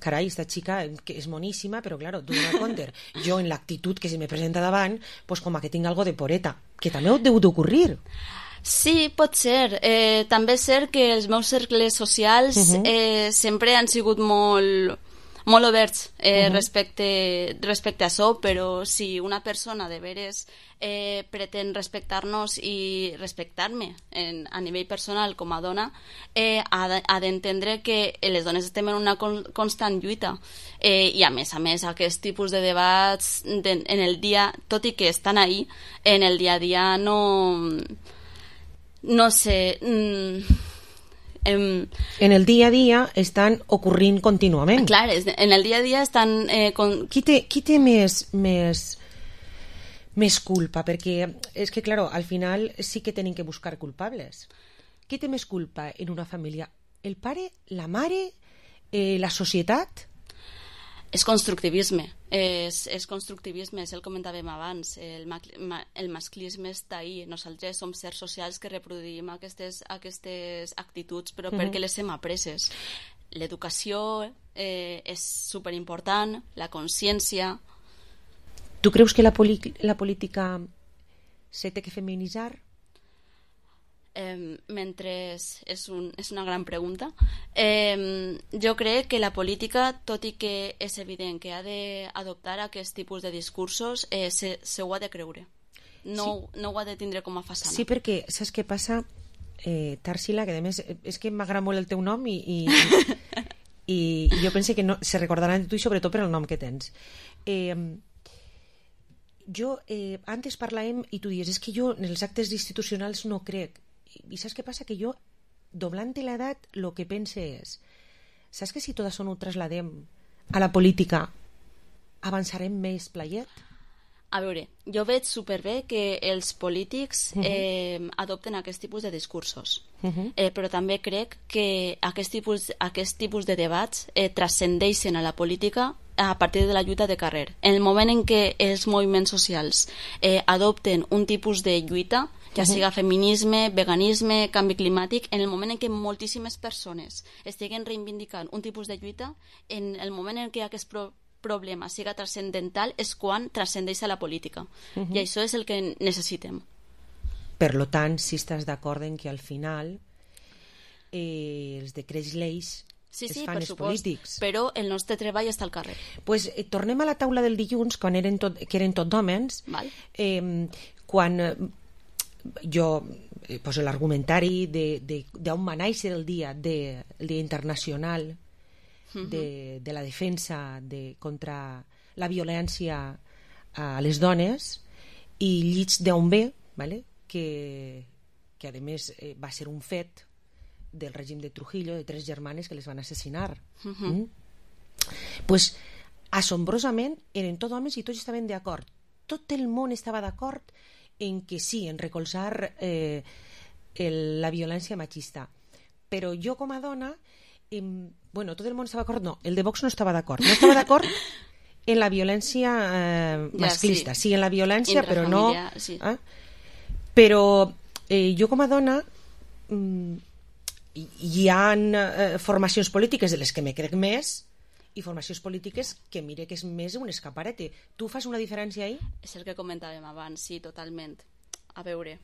carai, esta xica que és moníssima, però claro, tu dones compte, jo en l'actitud que se me presenta davant, pues com a que tinc algo de poreta, que també ho deu d'ocorrir. Sí, pot ser. Eh, també és cert que els meus cercles socials uh-huh. eh, sempre han sigut molt molt oberts eh, uh-huh. respecte, respecte a això, però si una persona de veres eh, pretén respectar-nos i respectar-me en, a nivell personal com a dona, eh, ha d'entendre que les dones estem en una con constant lluita eh, i a més a més aquest tipus de debats de, en el dia, tot i que estan ahí, en el dia a dia no no sé mm, em, en el dia a dia estan ocorrint contínuament. Clar, en el dia a dia estan eh, con... qui té, qui té més, més més culpa? Perquè és que, claro, al final sí que tenim que buscar culpables. Qui té més culpa en una família? El pare, la mare, eh, la societat? És constructivisme, és, és constructivisme, és el comentàvem abans, el, el masclisme està ahí, nosaltres som sers socials que reproduïm aquestes, aquestes actituds, però uh-huh. perquè les hem apreses. L'educació eh, és superimportant, la consciència... Tu creus que la, la política se té que feminitzar? Eh, mentre és, un, és una gran pregunta. Eh, jo crec que la política, tot i que és evident que ha d'adoptar aquest tipus de discursos, eh, se, se ho ha de creure. No, sí. no ho ha de tindre com a façana. Sí, perquè saps què passa, eh, Tarsila, que a més és que m'agrada molt el teu nom i, i, i, i jo penso que no, se recordaran de tu i sobretot per el nom que tens. Eh, jo, eh, antes parlàvem i tu dius, és que jo en els actes institucionals no crec. I saps què passa? Que jo, doblant l'edat, el que pense és, saps que si tot això no ho trasladem a la política, avançarem més playet? A veure, jo veig superbé que els polítics eh, adopten aquest tipus de discursos, uh-huh. eh, però també crec que aquest tipus, aquest tipus de debats eh, transcendeixen a la política a partir de la lluita de carrer. En el moment en què els moviments socials eh, adopten un tipus de lluita, ja siga feminisme, veganisme, canvi climàtic, en el moment en què moltíssimes persones estiguen reivindicant un tipus de lluita, en el moment en què aquest pro problema siga transcendental és quan transcendeix a la política. Uh-huh. I això és el que necessitem. Per lo tant, si estàs d'acord en que al final eh, els decrets lleis sí, es sí, fan per els supost, polítics. Però el nostre treball està al carrer. Pues, eh, tornem a la taula del dilluns, quan eren tot, que eren tot d'hòmens, eh, quan eh, jo eh, poso l'argumentari d'on va néixer el dia, de, el dia internacional de, de la defensa de, contra la violència a les dones, i llits d'on ve, vale? que, que a més eh, va ser un fet del règim de Trujillo, de tres germanes que les van assassinar. Uh-huh. mm? Pues, assombrosament, eren tots homes i tots estaven d'acord. Tot el món estava d'acord en que sí, en recolzar eh, el, la violència machista. Però jo com a dona, eh, bueno, tot el món estava d'acord, no, el de Vox no estava d'acord. No estava d'acord en la violència eh, masclista. Ja, sí. sí, en la violència, però no... Sí. Eh? Però eh, jo com a dona... Mm, hi ha eh, formacions polítiques de les que me crec més i formacions polítiques que mire que és més un escaparate. Tu fas una diferència ahí? És el que comentàvem abans, sí, totalment. A veure,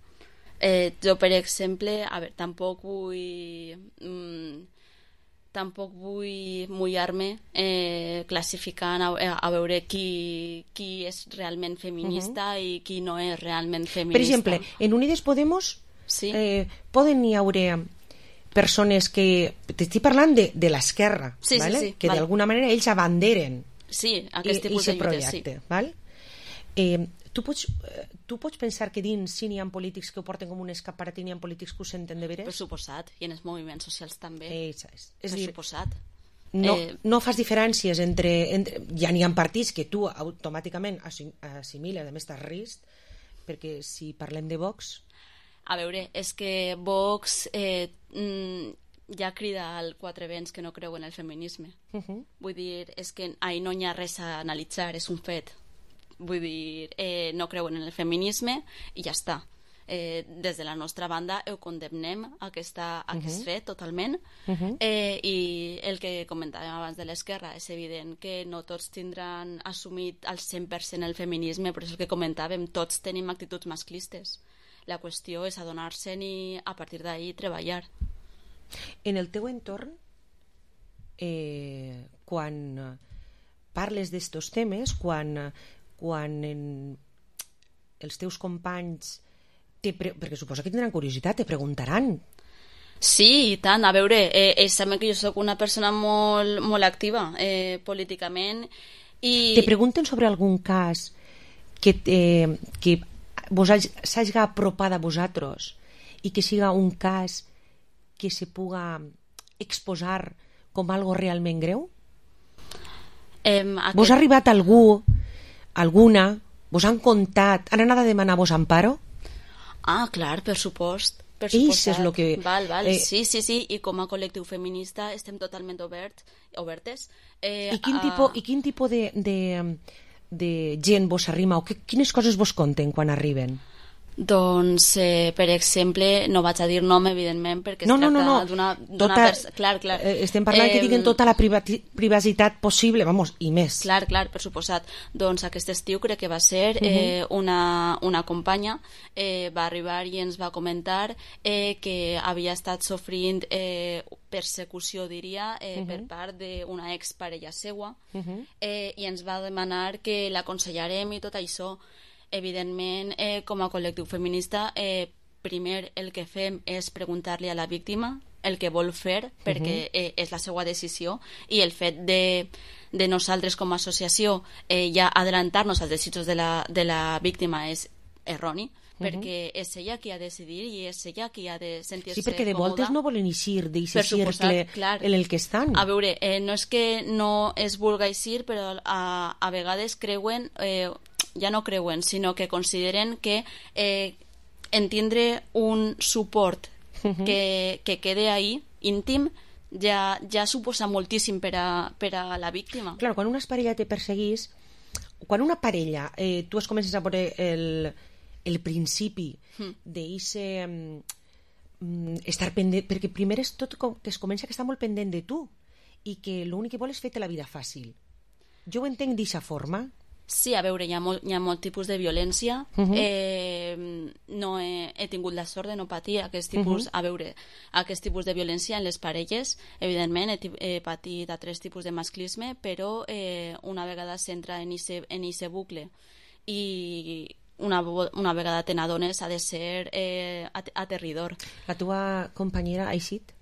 eh, jo per exemple, a veure, tampoc vull mm, tampoc vull mullar-me eh, classificant a, a veure qui, qui és realment feminista uh-huh. i qui no és realment feminista. Per exemple, en Unides Podemos sí? eh, poden hi haure persones que... T'estic parlant de, de l'esquerra, sí, ¿vale? sí, sí, que vale. d'alguna manera ells abanderen sí, aquest tipus i, de projecte. Sí. Val? Eh, tu, pots, tu pots pensar que dins sí n'hi ha polítics que ho porten com un escaparat i n'hi ha polítics que ho senten de veres? Per suposat, i en els moviments socials també. Eh, és, és, és per dir, suposat. No, eh... no fas diferències entre, entre... Ja n'hi ha partits que tu automàticament assimiles, a més estàs risc, perquè si parlem de Vox... A veure, és que Vox eh, mm, ja crida al quatre vents que no creu en el feminisme. Uh-huh. Vull dir, és que ahí no hi ha res a analitzar, és un fet. Vull dir, eh, no creuen en el feminisme i ja està. Eh, des de la nostra banda ho condemnem aquesta, aquest uh-huh. fet totalment uh-huh. eh, i el que comentàvem abans de l'esquerra és evident que no tots tindran assumit al cent per cent el feminisme, però és el que comentàvem, tots tenim actituds masclistes. La qüestió és adonar-se'n i a partir d'ahí treballar. En el teu entorn, eh, quan parles d'estos temes quan, quan en, els teus companys, te pre... perquè suposo que tindran curiositat, te preguntaran. Sí, i tant. A veure, eh, ells saben que jo sóc una persona molt, molt activa eh, políticament. I... Te pregunten sobre algun cas que, eh, que vos s'hagi apropat a vosaltres i que siga un cas que se puga exposar com algo realment greu? Eh, aquest... Vos ha arribat algú, alguna, vos han contat, han anat a demanar-vos amparo? Ah, clar, per supost. Per Ells és el que... Val, val. Eh... Sí, sí, sí, i com a col·lectiu feminista estem totalment obert, obertes. Eh, I quin a... tipus, i quin tipus de, de, de gent vos arrima o que, quines coses vos conten quan arriben? Doncs, eh, per exemple, no vaig a dir nom, evidentment, perquè es no, no, tracta no, no. d'una... Tota, pers... Clar, clar. Eh, estem parlant eh, que diguen tota la privati... privacitat possible, vamos, i més. Clar, clar, per suposat. Doncs aquest estiu crec que va ser eh, una, una companya eh, va arribar i ens va comentar eh, que havia estat sofrint eh, persecució, diria, eh, uh -huh. per part d'una exparella seua uh -huh. eh, i ens va demanar que l'aconsellarem i tot això. Evidentment, eh, com a col·lectiu feminista, eh, primer el que fem és preguntar-li a la víctima el que vol fer, perquè eh, és la seva decisió, i el fet de, de nosaltres com a associació eh, ja adelantar-nos als desitjos de la, de la víctima és erroni, perquè és ella qui ha de decidir i és ella qui ha de sentir-se còmoda. Sí, perquè de voltes no volen eixir d'aquest cercle clar. en el que estan. A veure, eh, no és que no es vulga eixir, però a, a vegades creuen... Eh, ja no creuen, sinó que consideren que eh, entendre un suport uh-huh. que, que quede ahí, íntim, ja, ja suposa moltíssim per a, per a la víctima. Clar, quan una parella te perseguís, quan una parella, eh, tu es comences a veure el, el principi mm. d'eixe um, estar pendent, perquè primer és tot com, que es comença que està molt pendent de tu i que l'únic que vol és fer-te la vida fàcil. Jo ho entenc d'eixa forma. Sí, a veure, hi ha molt, hi ha molt tipus de violència. Uh-huh. eh, no he, he tingut la sort de no patir aquest tipus, uh-huh. a veure, aquest tipus de violència en les parelles. Evidentment, he, he patit altres tipus de masclisme, però eh, una vegada s'entra en ese, en ese bucle i una, una vegada te n'adones ha de ser eh, aterridor. La teva companyera ha eixit?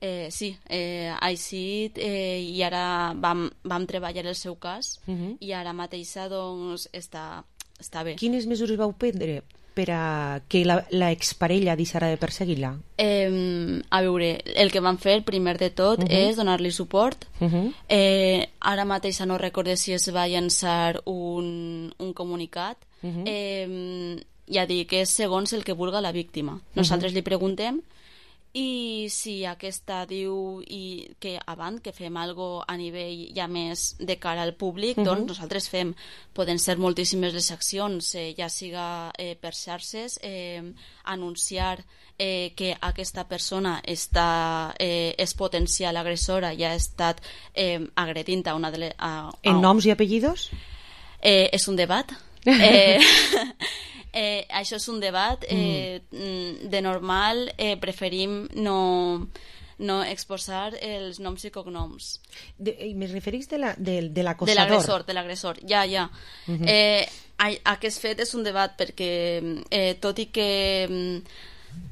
Eh, sí, eh, ha eixit eh, i ara vam, vam treballar el seu cas uh-huh. i ara mateixa doncs està, està bé. Quines mesures vau prendre per a que la, la exparella deixara de perseguir-la? Eh, a veure, el que vam fer primer de tot uh-huh. és donar-li suport. Uh-huh. eh, ara mateixa no recorde si es va llançar un, un comunicat. Uh-huh. eh, ja dic que és segons el que vulga la víctima. Nosaltres uh-huh. li preguntem i si aquesta diu i que abans que fem algo a nivell ja més de cara al públic, uh-huh. doncs nosaltres fem, poden ser moltíssimes les accions, eh, ja siga eh, per xarxes, eh, anunciar eh, que aquesta persona està, eh, és potencial agressora i ha estat eh, agredint a una de les... A, a, en noms i apellidos? Eh, és un debat. eh, Eh, això és un debat eh, mm. de normal eh, preferim no, no exposar els noms i cognoms de, i me referís de, la, de, de l'acosador de l'agressor, de l'agressor, ja, ja uh -huh. eh, aquest fet és un debat perquè eh, tot i que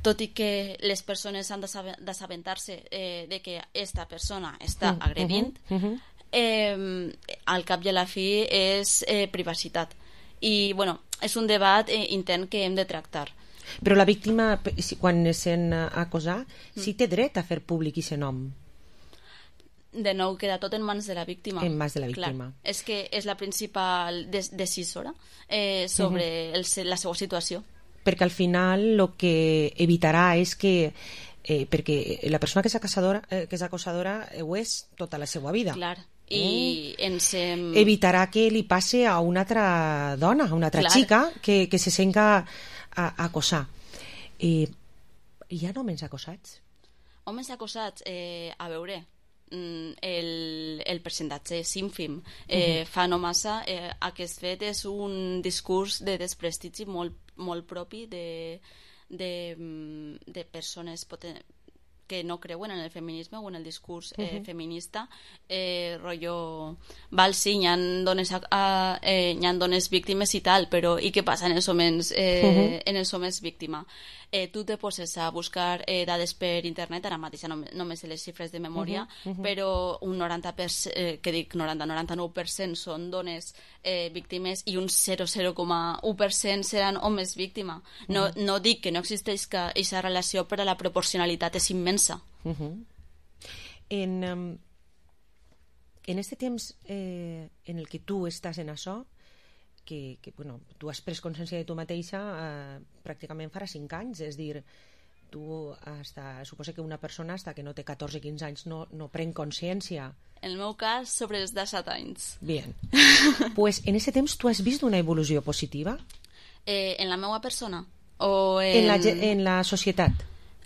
tot i que les persones han d'assabentar-se eh, de que esta persona està agredint uh -huh. eh, al cap i a la fi és eh, privacitat i bueno, és un debat eh, intern que hem de tractar. Però la víctima, quan es sent acosar, mm. sí té dret a fer públic aquest nom. De nou, queda tot en mans de la víctima. En mans de la víctima. Clar, és que és la principal des decisora eh, sobre uh-huh. el, la seva situació. Perquè al final el que evitarà és que eh, perquè la persona que és acosadora, eh, que és acosadora ho és tota la seva vida. Clar. I mm. ens hem... evitarà que li passe a una altra dona, a una altra Clar. xica que, que se senga a, a acosar. Eh, hi ha homes acosats? Homes acosats, eh, a veure, el, el percentatge és ínfim. Eh, uh-huh. Fa no massa, eh, aquest fet és un discurs de desprestigi molt, molt propi de, de, de persones poten que no creuen en el feminisme o en el discurs eh, uh-huh. feminista, eh, rotllo, val, sí, hi ha dones, a, a, eh, hi ha dones víctimes i tal, però i què passa en els homes, eh, uh-huh. en els homes víctima? Eh, tu te poses a buscar eh, dades per internet, ara mateix no, no me sé les xifres de memòria, uh-huh, uh-huh. però un noranta per cent, eh, que dic noranta, noranta-nou per cent són dones eh, víctimes i un zero coma zero coma u per cent seran homes víctima. No, uh-huh. no dic que no existeix aquesta relació, però la proporcionalitat és immensa. Uh-huh. En, um, en este temps eh, en el que tu estàs en això, que, que bueno, tu has pres consciència de tu mateixa eh, pràcticament farà cinc anys, és dir, tu hasta, suposa que una persona hasta que no té catorze o quinze anys no, no pren consciència. En el meu cas, sobre els disset anys. Bien. Pues en aquest temps tu has vist una evolució positiva? Eh, en la meva persona? O en... En, la, en la societat?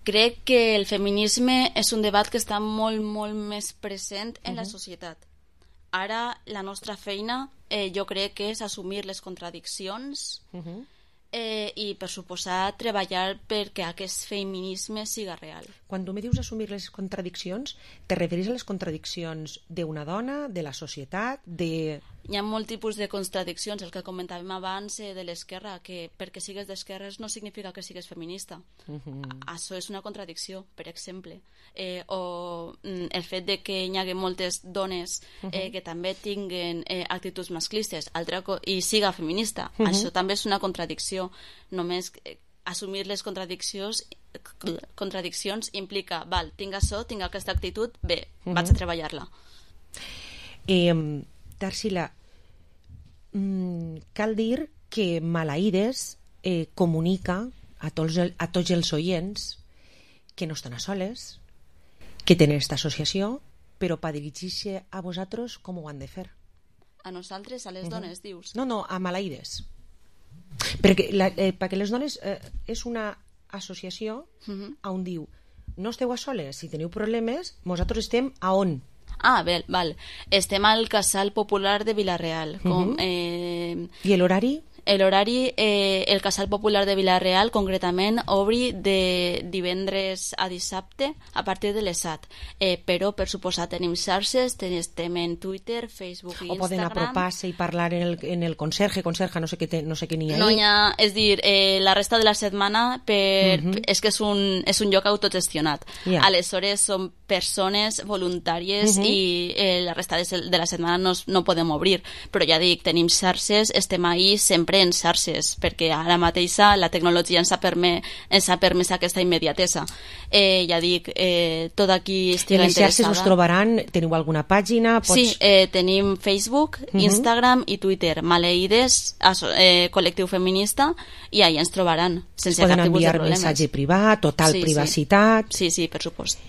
Crec que el feminisme és un debat que està molt, molt més present en uh-huh. la societat. Ara la nostra feina eh, jo crec que és assumir les contradiccions uh-huh. eh, i per suposar treballar perquè aquest feminisme siga real. Quan tu me dius assumir les contradiccions, te referís a les contradiccions d'una dona, de la societat, de... Hi ha molt tipus de contradiccions, el que comentàvem abans eh, de l'esquerra, que perquè sigues d'esquerres no significa que sigues feminista. Uh-huh. Això és una contradicció, per exemple. Eh, o mm, el fet de que hi hagi moltes dones eh, uh-huh. que també tinguen eh, actituds masclistes altra co- i siga feminista. Uh-huh. Això també és una contradicció. Només eh, assumir les contradiccions contradiccions implica, val, tinc això, tinc aquesta actitud, bé, uh-huh. vaig a treballar-la. Eh... Tarsila, mm, cal dir que Malaides eh, comunica a tots, el, a tots els oients que no estan a soles, que tenen aquesta associació, però per dirigir-se a vosaltres com ho han de fer? A nosaltres, a les uh-huh. dones, dius? No, no, a Malaides. Perquè, la, eh, perquè les dones eh, és una associació uh-huh. on diu no esteu a soles, si teniu problemes, vosaltres estem a on? Ah, bé, val. Estem al Casal Popular de Vila-real. Com, uh-huh. eh... I l'horari? L'horari, eh, el Casal Popular de Vila-real, concretament, obri de divendres a dissabte a partir de les set. Eh, però, per suposar, tenim xarxes, estem en Twitter, Facebook i Instagram. O poden apropar-se i parlar en el, en el conserge, conserja, no sé què, te, no sé què n'hi ha no hi ha, és dir, eh, la resta de la setmana per, uh-huh. és que és un, és un lloc autogestionat. Yeah. Aleshores, són persones voluntàries uh-huh. i eh, la resta de, de la setmana no, no podem obrir. Però ja dic, tenim xarxes, estem ahí sempre en xarxes, perquè ara mateixa la tecnologia ens ha permès, ens ha permès aquesta immediatesa. Eh, ja dic, eh, tot aquí estiga interessada. En les xarxes us trobaran, teniu alguna pàgina? Pots... Sí, eh, tenim Facebook, uh-huh. Instagram i Twitter, Malaides, eh, col·lectiu feminista, i allà ens trobaran, sense cap tipus de problemes. Poden enviar missatge privat, total sí, privacitat... Sí, sí, per supost.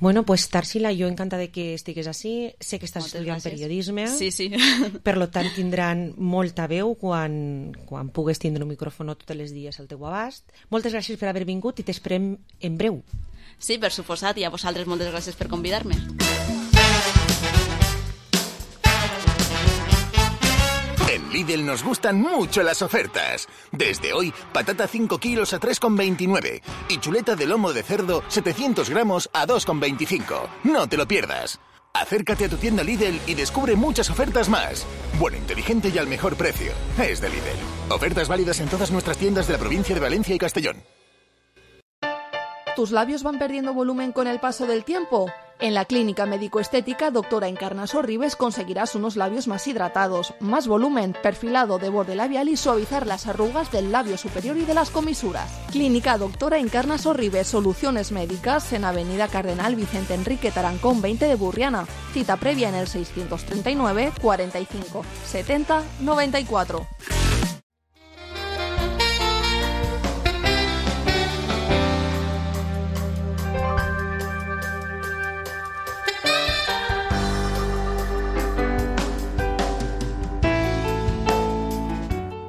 Bueno, pues Tarsila, jo encantada de que estigues així. Sé que estàs Moltes estudiant gràcies. Periodisme. Sí, sí. Per lo tant, tindran molta veu quan, quan pugues tindre un micròfon tots els dies al teu abast. Moltes gràcies per haver vingut i t'esperem en breu. Sí, per suposat, i a vosaltres moltes gràcies per convidar-me. En Lidl nos gustan mucho las ofertas. Desde hoy, patata cinco kilos a tres con veintinueve y chuleta de lomo de cerdo setecientos gramos a dos con veinticinco. No te lo pierdas. Acércate a tu tienda Lidl y descubre muchas ofertas más. Bueno, inteligente y al mejor precio. Es de Lidl. Ofertas válidas en todas nuestras tiendas de la provincia de Valencia y Castellón. ¿Tus labios van perdiendo volumen con el paso del tiempo? En la clínica médico-estética Doctora Encarnaso Ribes conseguirás unos labios más hidratados, más volumen, perfilado de borde labial y suavizar las arrugas del labio superior y de las comisuras. Clínica Doctora Encarnaso Ribes, soluciones médicas en Avenida Cardenal Vicente Enrique Tarancón veinte de Burriana. Cita previa en el seiscientos treinta y nueve, cuarenta y cinco, setenta, noventa y cuatro.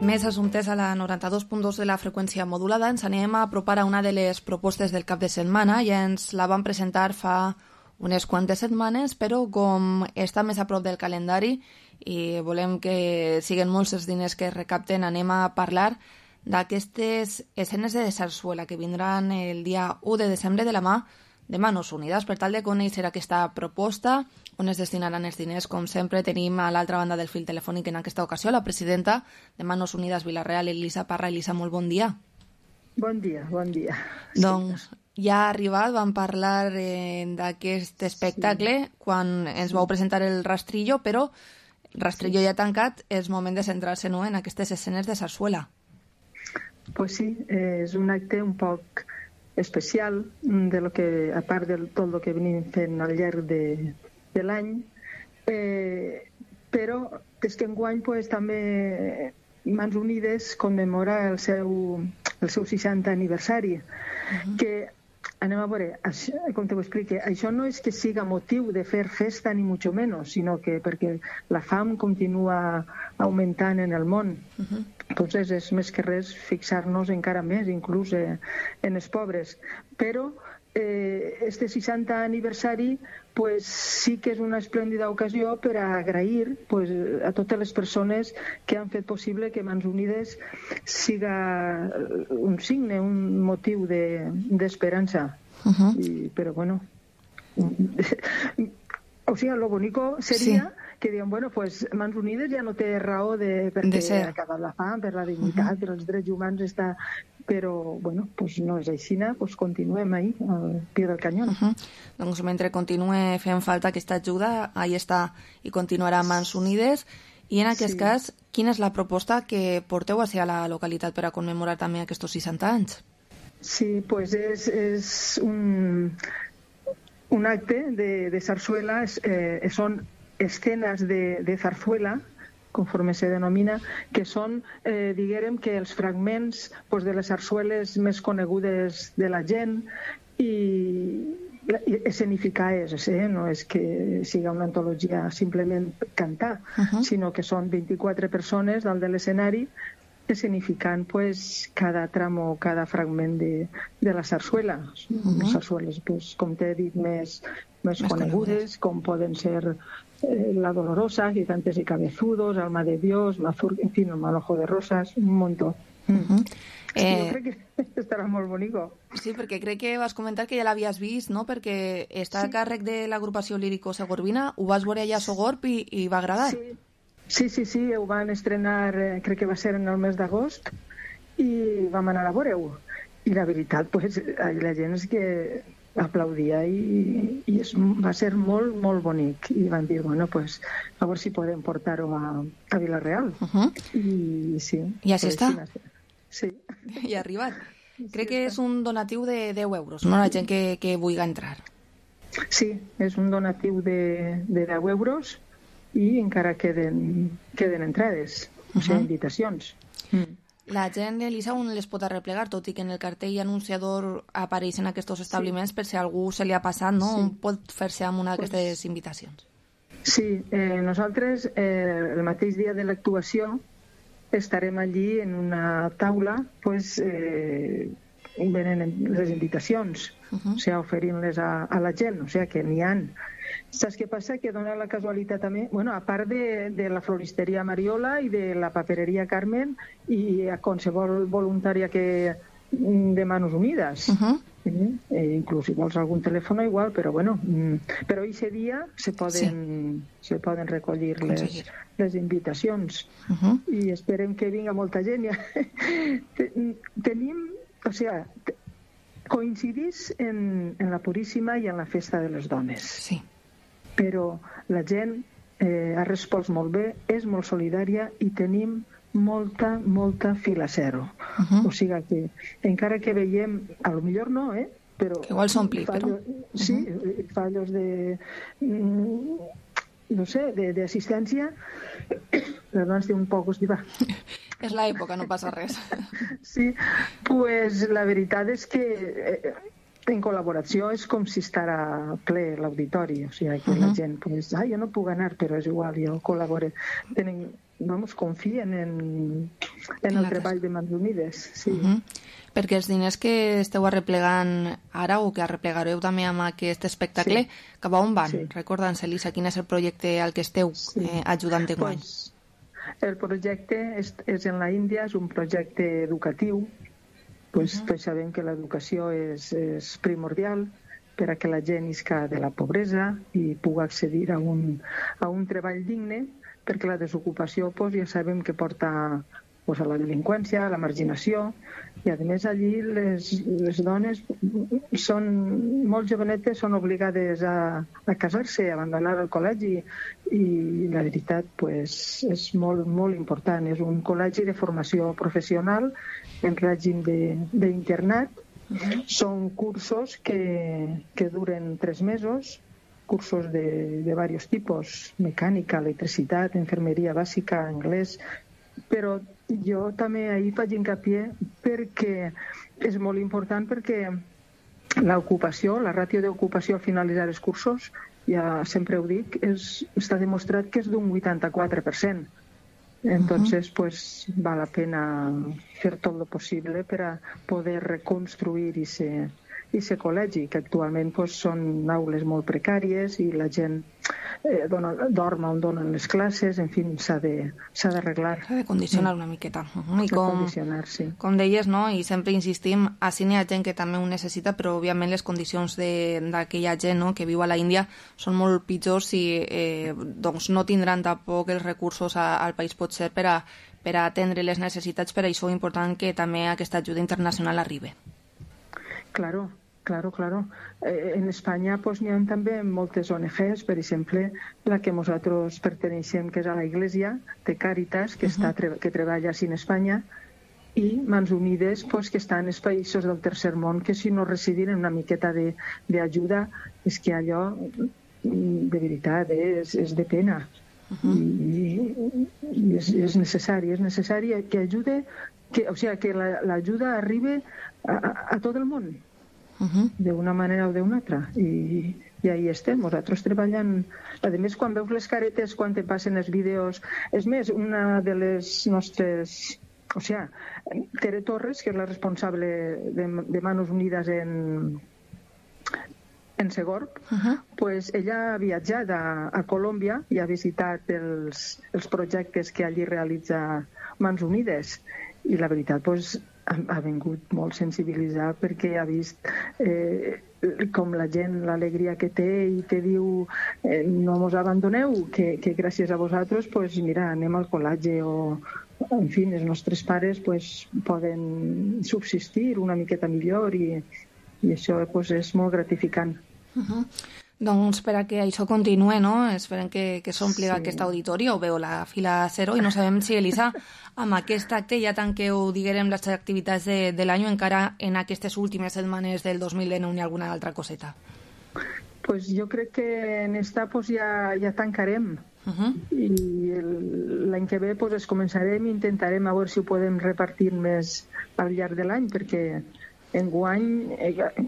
Més assumptes a la noranta-dos punt dos de la freqüència modulada. Ens anem a apropar a una de les propostes del cap de setmana. Ja ens la van presentar fa unes quantes setmanes, però com està més a prop del calendari i volem que siguin molts els diners que es recapten, anem a parlar d'aquestes escenes de sarsuela que vindran el dia u de desembre de la mà de Manos Unides. Per tal de conèixer aquesta proposta, on es destinaran els diners, com sempre, tenim a l'altra banda del fil telefònic en aquesta ocasió la presidenta de Manos Unides Vila-real, Elisa Parra. Elisa, molt bon dia. Bon dia, bon dia. Doncs ja ha arribat, vam parlar eh, d'aquest espectacle sí. quan ens vau presentar el Rastrillo, però el Rastrillo sí. ja tancat, és moment de centrar-se no, en aquestes escenes de sarsuela. Pues sí, eh, és un acte un poc especial, de lo que, a part de tot el que venim fent al llarg de, de l'any, eh, però és que enguany pues, també Mans Unides commemora el seu, el seu seixantè aniversari, uh-huh. que anem a veure, això, com t'ho explique, això no és que siga motiu de fer festa ni mucho menos, sinó que perquè la fam continua augmentant en el món. Uh-huh. Entonces és més que res fixar-nos encara més, inclús eh, en els pobres. Però eh, este seixantè aniversari pues, sí que és una esplèndida ocasió per a agrair pues, a totes les persones que han fet possible que Mans Unides siga un signe, un motiu d'esperança. De, uh-huh. I, però bueno, o sigui, lo bonico seria sí. que diuen, bueno, pues Mans Unides ja no té raó de, perquè de ha acabat la fam, per la dignitat, uh-huh. per els drets humans està... Però, bueno, pues no és així, pues continuem ahí, al pie del canyón. Uh-huh. Doncs mentre continue fent falta aquesta ajuda, ahí està i continuarà Mans Unides. I en aquest sí. cas, quina és la proposta que porteu a ser a la localitat per a commemorar també aquests seixanta anys? Sí, pues és, és un, un acte de, de sarsuela, eh, són escenes de, de zarzuela, conforme se denomina, que són, eh, diguérem, que els fragments pues, de les sarsueles més conegudes de la gent i, i escenificar és, eh? No és que siga una antologia simplement cantar, uh-huh. sinó que són vint-i-quatre persones dalt de l'escenari escenificant pues, cada tramo, cada fragment de, de la sarsuela. Uh-huh. Les sarsueles, pues, com t'he dit, més, més conegudes, com poden ser eh, La Dolorosa, Gigantes y Cabezudos, Alma de Dios, Mazur, en fin, El Manojo de Rosas, un montón. Uh-huh. Sí, eh... jo crec que estarà molt bonico. Sí, perquè crec que vas comentar que ja l'havies vist, no? Perquè està sí. a càrrec de l'agrupació lírico-segorbina, ho vas veure allà a Sogorb i, i va agradar. Sí. Sí, sí, sí, ho van estrenar, eh, crec que va ser en el mes d'agost, i vam anar a veure-ho. I la veritat, pues, la gent és que aplaudia i, i es, va ser molt, molt bonic. I van dir, bueno, pues, a veure si podem portar-ho a, a Vila-real. Uh-huh. I sí. I així està? Sí. I ha arribat. Crec que és un donatiu de deu euros, no? La gent que, que vulgui entrar. Sí, és un donatiu de, de deu euros, i encara queden, queden entrades, o sigui, uh-huh. invitacions. Mm. La gent, Elisa, on les pot arreplegar, tot i que en el cartell anunciador apareixen aquests establiments, sí. per si a algú se li ha passat, no? Sí. On pot fer-se amb una d'aquestes pues, invitacions? Sí, eh, nosaltres eh, el mateix dia de l'actuació estarem allí en una taula pues, eh, venent les invitacions, uh-huh. o sigui, oferint-les a, a la gent, o sigui, que n'hi ha. Saps què passa? Que dona la casualitat també, bueno, a part de, de la floristeria Mariola i de la papereria Carmen i a qualsevol voluntària que de Manos Unides. Uh-huh. eh, inclús si vols algun telèfon igual, però bueno, mm, però aquest dia se poden, sí. se poden recollir les, les invitacions. Uh-huh. I esperem que vinga molta gent. Tenim, o sigui, coincidís en, en la Puríssima i en la Festa de les Dones. Sí. Però la gent eh, ha respost molt bé, és molt solidària i tenim molta, molta fila zero. Uh-huh. O sigui que, encara que veiem, a lo millor no, eh? Però que igual s'ompli, però... Sí, uh-huh. fallos de... no sé, d'assistència, perdó, estic un poc estiva. És l'època, no passa res. Sí, pues la veritat és que eh, en col·laboració és com si estarà ple l'auditori, o sigui que uh-huh. la gent, pues, ah, jo no puc anar, però és igual, jo col·labore. Tenen, vamos, confien en, en el treball de Mans Unides, sí. Uh-huh. Perquè els diners que esteu arreplegant ara o que arreplegareu també amb aquest espectacle, sí. cap a on van? Sí. Recorda'ns, Elisa, quin és el projecte al que esteu sí. eh, ajudant enguany? Pues, el projecte és, és en la Índia, és un projecte educatiu. Pues, uh-huh. Tots sabem que l'educació és, és primordial per a que la gent isca de la pobresa i pugui accedir a un, a un treball digne, perquè la desocupació pues, ja sabem que porta pues, a la delinqüència, a la marginació, i a més allí les, les dones són molt jovenetes, són obligades a, a casar-se, a abandonar el col·legi, i la veritat pues, és molt, molt important. És un col·legi de formació professional en règim d'internat. Uh-huh. Són cursos que, que duren tres mesos, cursos de, de varios tipos, mecànica, electricitat, enfermeria bàsica, anglès, però jo també ahir faig hincapié perquè és molt important, perquè l'ocupació, la ràtio d'ocupació al finalitzar els cursos, ja sempre ho dic, és, està demostrat que és d'un vuitanta-quatre per cent. Entonces, uh-huh. pues, val la pena fer tot lo possible per a poder reconstruir ese, ese col·legi, que actualment pues, són aules molt precàries i la gent eh, dona, dorm on donen les classes, en fi, s'ha d'arreglar. S'ha de condicionar una miqueta. Uh-huh. I com, sí. com deies, no? I sempre insistim, així n'hi ha gent que també ho necessita, però òbviament les condicions d'aquella gent, no? Que viu a la Índia són molt pitjors i eh, doncs no tindran tampoc els recursos a, al país potser per a, per a atendre les necessitats. Per això és important que també aquesta ajuda internacional arribi. Claro. Claro, claro. Eh, en Espanya pues, n'hi ha també moltes O N Ges, per exemple, la que nosaltres perteneixem, que és a la Iglesia, de Càritas, que, uh-huh. està, que treballa així en Espanya, i Mans Unides, pues, que està en els països del tercer món, que si no recibin una miqueta d'ajuda, és que allò, de veritat, eh, és, és de pena. Uh-huh. I, i és, és necessari, és necessari que ajude, que, o sigui, que l'ajuda arribi a, a, a tot el món. Uh-huh. D'una manera o d'una altra, i, i ahí estem, nosaltres treballant. A més, quan veus les caretes, quan te passen els vídeos, és més, una de les nostres, o sigui, Tere Torres, que és la responsable de, de Manos Unides en en Segorb, uh-huh. pues ella ha viatjat a, a Colòmbia i ha visitat els, els projectes que allí realitza Mans Unides, i la veritat, pues, ha, ha vingut molt sensibilitzar, perquè ha vist eh, com la gent, l'alegria que té, i te diu eh, no mos abandoneu, que, que gràcies a vosaltres pues, mira, anem al col·legi, o en fi, els nostres pares pues, poden subsistir una miqueta millor, i, i això pues, és molt gratificant. Uh-huh. Doncs per a que això continuï, no? Esperem que, que s'ompli sí. aquest auditori, o veu la fila zero, i no sabem si, Elisa, amb aquest acte ja tanqueu, diguem, les activitats de, de l'any, o encara en aquestes últimes setmanes del dos mil dinou ni alguna altra coseta. Pues jo crec que en esta pues, ja, ja tancarem. Uh-huh. I l'any que ve pues, es començarem i intentarem a veure si ho podem repartir més al llarg de l'any, perquè enguany,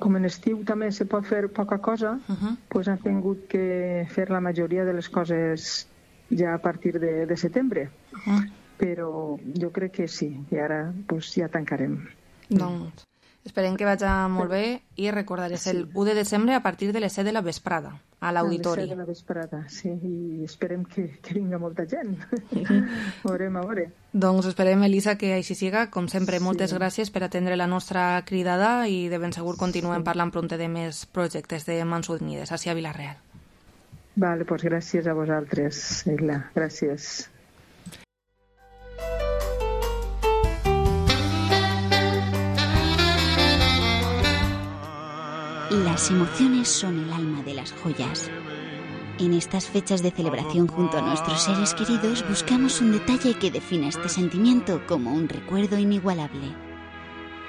com en estiu també se pot fer poca cosa, uh-huh. pues han tingut que fer la majoria de les coses ja a partir de, de setembre. Uh-huh. Però jo crec que sí, i ara pues, ja tancarem. Doncs esperem que vagi molt bé, i recordar, és el u de desembre a partir de les set de la vesprada, a l'auditori. A les set de la vesprada, sí, i esperem que, que vinga molta gent. Uh-huh. Veurem a veure. Doncs esperem, Elisa, que així siga. Com sempre, moltes sí. gràcies per atendre la nostra cridada, i de ben segur continuem sí. parlant prompte de més projectes de Mans Unides, així a Vila-real. Vale, doncs gràcies a vosaltres, Eila. Gràcies. Las emociones son el alma de las joyas. En estas fechas de celebración junto a nuestros seres queridos buscamos un detalle que defina este sentimiento como un recuerdo inigualable.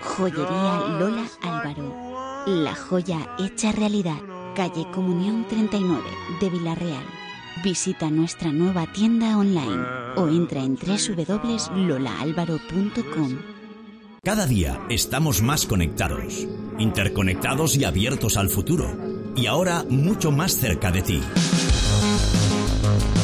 Joyería Lola Álvaro. La joya hecha realidad. Calle Comunión treinta y nueve de Vila-real. Visita nuestra nueva tienda online o entra en doble u doble u doble u punto lola álvaro punto com. Cada día estamos más conectados, interconectados y abiertos al futuro. Y ahora mucho más cerca de ti.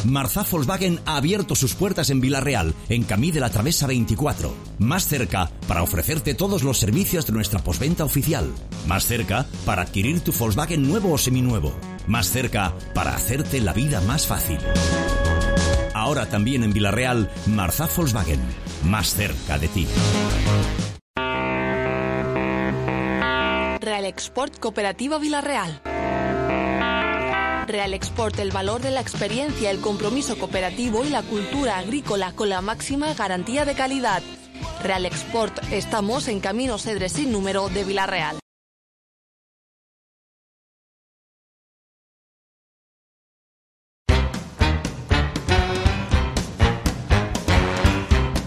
Marzá Volkswagen ha abierto sus puertas en Vila-real, en Camí de la Travesa veinticuatro. Más cerca para ofrecerte todos los servicios de nuestra postventa oficial. Más cerca para adquirir tu Volkswagen nuevo o seminuevo. Más cerca para hacerte la vida más fácil. Ahora también en Vila-real, Marzá Volkswagen. Más cerca de ti. Real Export Cooperativa Vila-real. Real Export, el valor de la experiencia, el compromiso cooperativo y la cultura agrícola con la máxima garantía de calidad. Real Export, estamos en Camino Cedres sin número de Vila-real.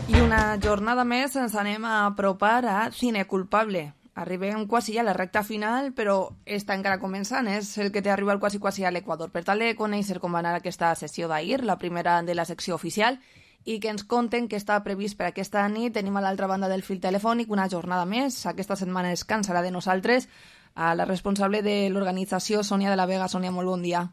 I una jornada més ens anem a apropar a Cine Culpable. Arribem quasi a la recta final, però està encara començant, és el que té arribat quasi quasi a l'Equador. Per tal de conèixer com va anar aquesta sessió d'ahir, la primera de la secció oficial, i que ens conten que està previst per aquesta nit, tenim a l'altra banda del fil telefònic una jornada més. Aquesta setmana es cansarà de nosaltres a la responsable de l'organització, Sònia de la Vega. Sònia, molt bon dia.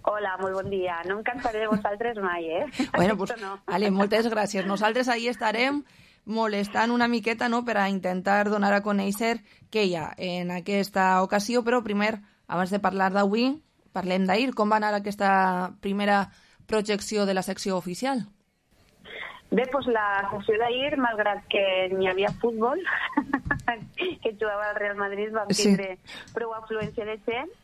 Hola, molt bon dia. No em cansaré de vosaltres mai, eh? Bueno, pues, no. Ale, moltes gràcies. Nosaltres ahí estarem molestant una miqueta, no?, per a intentar donar a conèixer què hi ha en aquesta ocasió, però primer, abans de parlar d'avui, parlem d'ahir. Com va anar aquesta primera projecció de la secció oficial? Bé, doncs la secció d'ahir, malgrat que n'hi havia futbol, que jugava al Real Madrid, vam tindre sí. prou afluència de gent,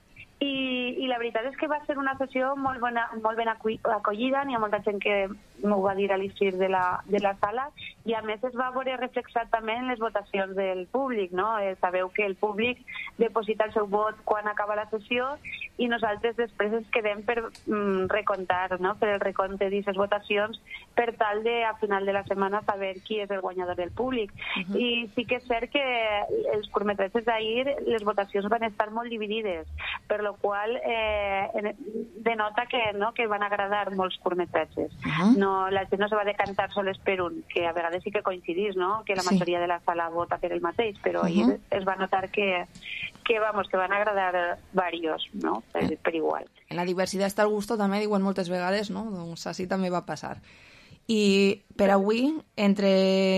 i, i la veritat és que va ser una sessió molt, bona, molt ben acollida. N'hi ha molta gent que m'ho va dir a l'issir de, la, de la sala, i a més es va veure reflexat també en les votacions del públic, no? Eh, sabeu que el públic deposita el seu vot quan acaba la sessió i nosaltres després ens quedem per mm, recontar, no?, per el recompte d'aquestes votacions, per tal de a final de la setmana saber qui és el guanyador del públic. Uh-huh. I sí que és cert que els curtmetratges d'ahir, les votacions van estar molt dividides, per lo qual eh, denota que, no, que van agradar molts curtmetratges. Uh-huh. No, la gent no se va decantar sols per un, que a vegades sí que coincidís, no?, que la sí. majoria de la sala vota per el mateix, però uh-huh. ahir es va notar que, que, vamos, que van agradar varios, no?, per, eh. per igual. En la diversitat està el gusto, també diuen moltes vegades, no?, doncs així també va passar. I per avui, entre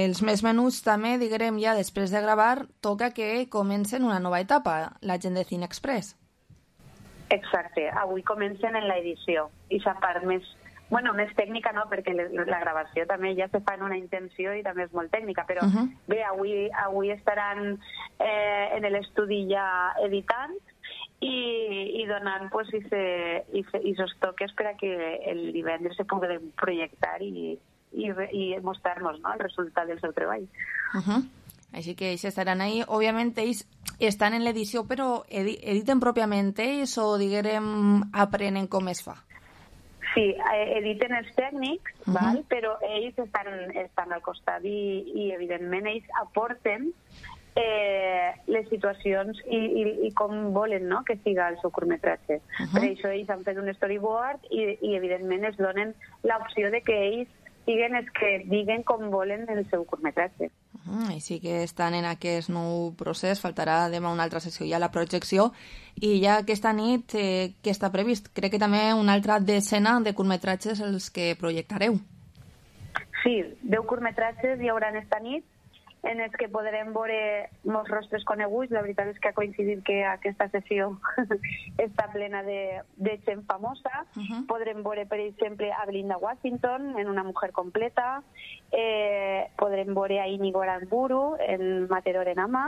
els més menuts també, diguem ja després de gravar, toca que comencen una nova etapa, la gent de Cine Express. Exacte, avui comencen en l'edició, i la part més, bueno, més tècnica, no?, perquè la gravació també ja se fa en una intenció i també és molt tècnica, però uh-huh. bé, avui, avui estaran eh, en l'estudi ja editant i, i donant pues, aquests toques per a que el divendres se pugui projectar i, i, i mostrar-nos, no?, el resultat del seu treball. Uh-huh. Així que ells estaran ahí. Òbviament ells estan en l'edició, però edi editen pròpiament ells o, diguem, aprenen com es fa? Sí, editen els tècnics, uh-huh. val? Però ells estan, estan al costat i, i evidentment ells aporten eh, les situacions i, i, i com volen, no?, que siga el seu curtmetratge. Uh-huh. Per això ells han fet un storyboard i, i evidentment es donen l'opció de que ells siguen els que diguen com volen el seu curtmetratge. Uh-huh. Així que estan en aquest nou procés. Faltarà demà una altra sessió ja la projecció, i ja aquesta nit eh, què està previst? Crec que també una altra decena de curtmetratges els que projectareu. Sí, deu curtmetratges hi haurà esta nit en els que podrem veure molts rostres coneguts. La veritat és que ha coincidit que aquesta sessió està plena de, de gent famosa. Uh-huh. Podrem veure, per exemple, a Belinda Washington en Una mujer completa, eh, podrem veure a Íñigo Aramburu en Matador en Ama,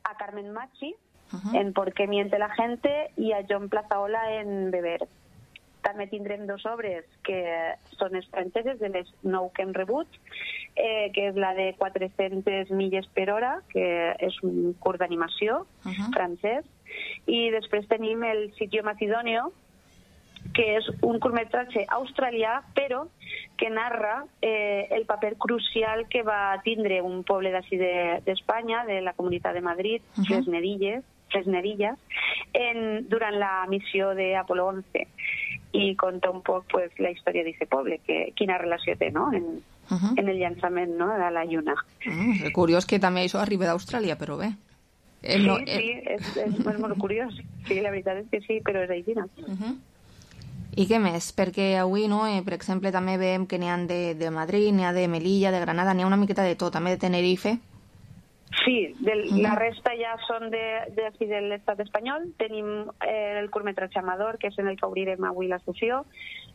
a Carmen Machi uh-huh. en Por qué miente la gente i a John Plazaola en Beber. També tindrem dos obres que són les franceses de les nou que hem rebut, eh, que és la de quatre-centes milles per hora, que és un curt d'animació uh-huh. francès, i després tenim el Sitio Macedonio, que és un curtmetratge australià, però que narra eh, el paper crucial que va tindre un poble d'ací d'Espanya, de, de la Comunitat de Madrid, uh-huh. les Nedilles, les Nedillas, en, durant la missió d'Apolo once. I conta un poc pues, la història d'aquest poble, que, quina relació té, no?, en, uh-huh. en el llançament, no?, de la Lluna. Uh, és curiós que també això arriba d'Austràlia, però bé. Eh, sí, no, eh... sí, és, és molt, molt curiós. Sí, la veritat és que sí, però és així, no? Uh-huh. I què més? Perquè avui, no, eh, per exemple, també veiem que n'hi ha de, de Madrid, n'hi ha de Melilla, de Granada, n'hi ha una miqueta de tot, també de Tenerife. Sí, del, uh-huh. la resta ja són de, de, de, de l'estat espanyol. Tenim eh, el curtmetratge Amador, que és en el que obrirem avui la sessió,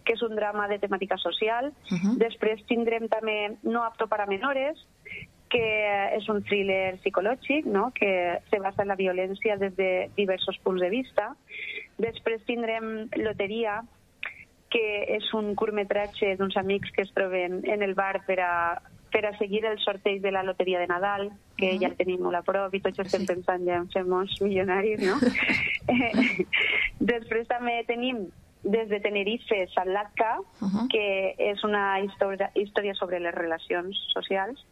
que és un drama de temàtica social. Uh-huh. Després tindrem també No apto para menores, que és un thriller psicològic, no?, que se basa en la violència des de diversos punts de vista. Després tindrem Loteria, que és un curtmetratge d'uns amics que es troben en el bar per a, per a seguir el sorteig de la Loteria de Nadal, que uh-huh. ja el tenim molt a prop i tots estem sí. pensant ja en fer-nos milionaris, no? Després també tenim des de Tenerife Salatka, uh-huh. que és una història, història sobre les relacions socials,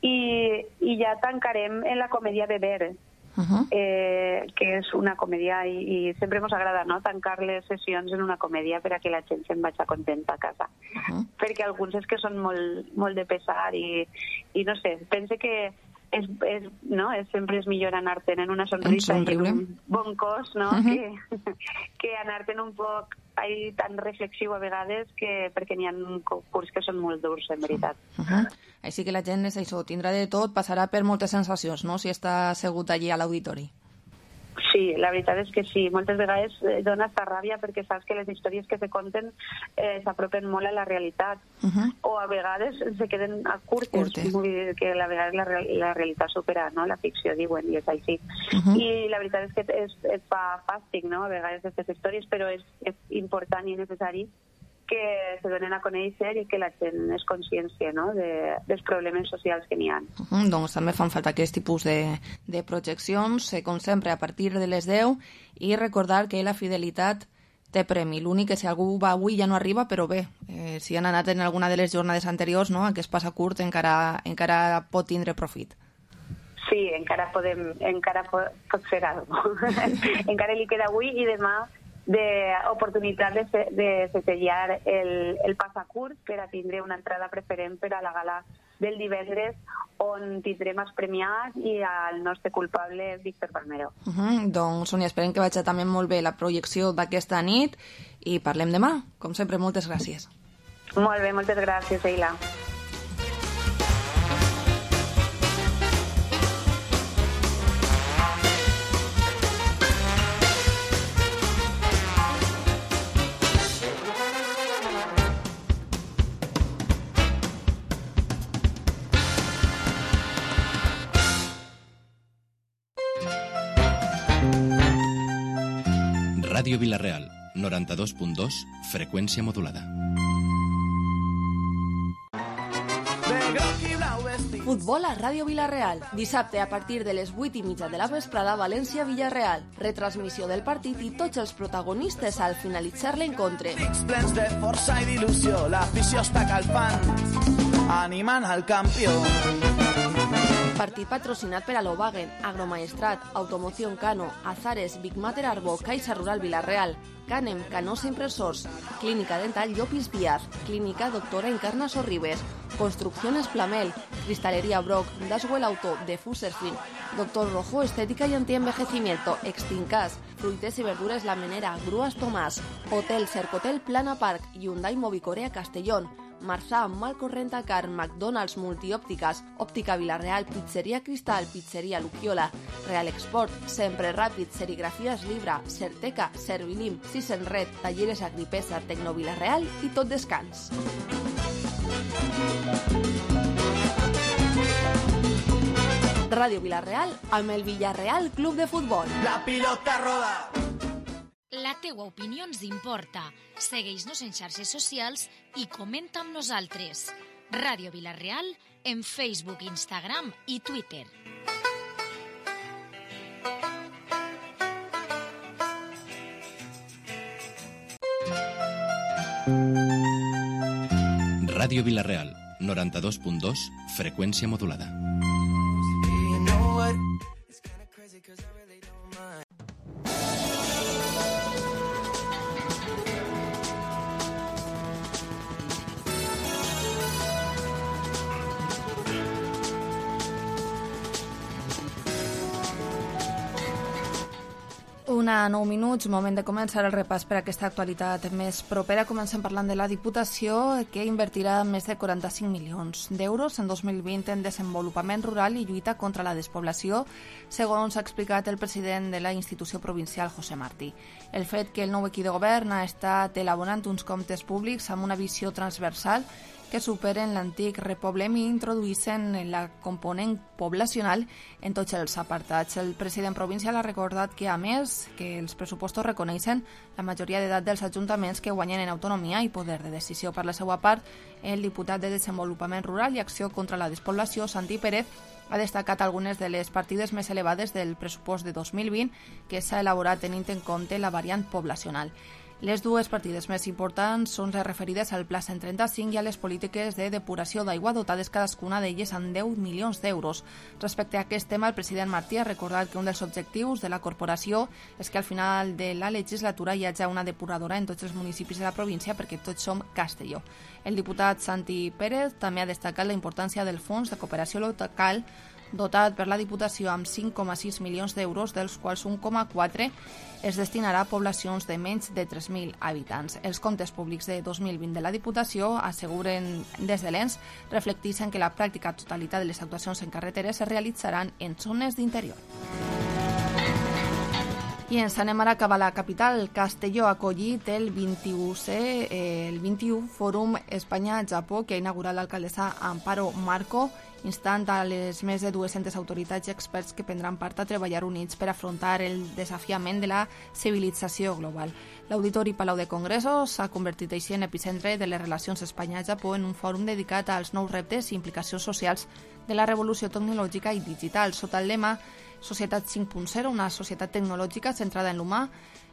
i, i ja tancarem en la comèdia Beber, uh-huh. eh, que és una comèdia, i, i sempre ens agrada, no?, tancar les sessions en una comèdia per a que la gent se'n vagi contenta a casa. Uh-huh. Perquè alguns és que són molt, molt de pesar i, i no sé, pense que és, és, no? és, sempre és millor anar-te'n en una sonrisa i en un bon cos, no? Uh-huh. que, que anar-te'n un poc ahí tan reflexiu a vegades, que, perquè n'hi ha curs que són molt durs, en veritat. Uh-huh. Així que la gent és això, tindrà de tot, passarà per moltes sensacions, no?, si està assegut allí a l'auditori. Sí, la veritat és que sí. Moltes vegades dona esta ràbia perquè saps que les històries que se conten eh, s'apropen molt a la realitat. Uh-huh. O a vegades se queden a curtes, curtes. Vull dir que a vegades la, la realitat supera, no?, la ficció, diuen, i és així. Uh-huh. I la veritat és que és, és fa fàstic, no?, a vegades aquestes històries, però és, és important i necessari que se donen a conèixer i que la gent es consciència, no?, de, dels problemes socials que n'hi ha. Uh-huh, doncs també fan falta aquest tipus de, de projeccions, com sempre, a partir de les deu, i recordar que la fidelitat té premi. L'únic que si algú va avui ja no arriba, però bé, eh, si han anat en alguna de les jornades anteriors, no?, que es passa curt, encara, encara pot tindre profit. Sí, encara podem, encara pot, pot fer alguna cosa. Encara li queda avui i demà d'oportunitat de, de setellar el, el passacurt per a tindre una entrada preferent per a la gala del divendres, on tindrem els premiats i el nostre culpable, Víctor Palmero. Uh-huh. Doncs, Sònia, esperem que vagi també molt bé la projecció d'aquesta nit i parlem demà. Com sempre, moltes gràcies. Molt bé, moltes gràcies, Eila. Ràdio Vila-real, noranta-dos punt dos, freqüència modulada. Futbol a Ràdio Vila-real. Dissabte a partir de les vuit i mitja de la vesprada, València-Villarreal. Retransmissió del partit i tots els protagonistes al finalitzar l'encontre. Plens de força i d'il·lusió, l'afició està calfant, animant al campió. Partit patrocinat per Alovagen, Agromaestrat, Automoción Cano, Azares, Big Mater Arbo, Caixa Rural Vila-real, Canem, Canosa Impresors, Clínica Dental Llopis Díaz, Clínica Doctora Encarna Sorribes, Construcciones Plamel, Cristalería Brock, Daswell Auto, de Fuserfin, Doctor Rojo Estética y Antienvejecimiento, Extincas, Fruites y Verduras La Menera, Grúas Tomás, Hotel Cercotel Plana Park, Hyundai Movicorea Castellón, Marzà, Malco Rentacar, McDonald's Multiòptiques, Òptica Vila-real, Pizzeria Cristal, Pizzeria Luquiola, Real Export, Sempre Ràpid, Serigrafies Libra, Certeca, Servilim, Sisen Red, Talleres Agripesa, Tecno Vila-real i Tot Descans. Ràdio Vila-real amb el Villarreal Club de Futbol. La pilota roda. La teua opinió ens importa. Segueix-nos en xarxes socials i comenta amb nosaltres. Ràdio Vila-real en Facebook, Instagram i Twitter. Ràdio Vila-real, noranta-dos punt dos, freqüència modulada. Una nou minuts, moment de començar el repàs per a aquesta actualitat més propera. Comencem parlant de la Diputació, que invertirà més de quaranta-cinc milions d'euros en dos mil vint en desenvolupament rural i lluita contra la despoblació, segons ha explicat el president de la institució provincial, José Martí. El fet que el nou equip de govern ha estat elaborant uns comptes públics amb una visió transversal que superen l'antic repoblem i introduïssin la component poblacional en tots els apartats. El president provincial ha recordat que, a més, que els pressupostos reconeixen la majoria d'edat dels ajuntaments que guanyen en autonomia i poder de decisió. Per la seva part, el diputat de Desenvolupament Rural i Acció contra la Despoblació, Santi Pérez, ha destacat algunes de les partides més elevades del pressupost de dos mil vint que s'ha elaborat tenint en compte la variant poblacional. Les dues partides més importants són les referides al Pla cent trenta-cinc i a les polítiques de depuració d'aigua, dotades cadascuna d'elles amb deu milions d'euros. Respecte a aquest tema, el president Martí ha recordat que un dels objectius de la corporació és que al final de la legislatura hi hagi una depuradora en tots els municipis de la província perquè tots som Castelló. El diputat Santi Pérez també ha destacat la importància del Fons de Cooperació Local dotat per la Diputació amb cinc coma sis milions d'euros, dels quals un coma quatre es destinarà a poblacions de menys de tres mil habitants. Els comptes públics de dos mil vint de la Diputació, asseguren des de l'E N S, reflecteixen que la pràctica totalitat de les actuacions en carreteres es realitzaran en zones d'interior. I ens anem ara cap a la capital. Castelló ha acollit el vint-i-unè el vint-i-u Fòrum Espanya-Japó que ha inaugurat l'alcaldessa Amparo Marco, instant a les més de dues-centes autoritats i experts que prendran part a treballar units per afrontar el desafiament de la civilització global. L'Auditori Palau de Congressos s'ha convertit així en epicentre de les relacions Espanya-Japó en un fòrum dedicat als nous reptes i implicacions socials de la revolució tecnològica i digital. Sota el lema Societat cinc punt zero, una societat tecnològica centrada en l'humà,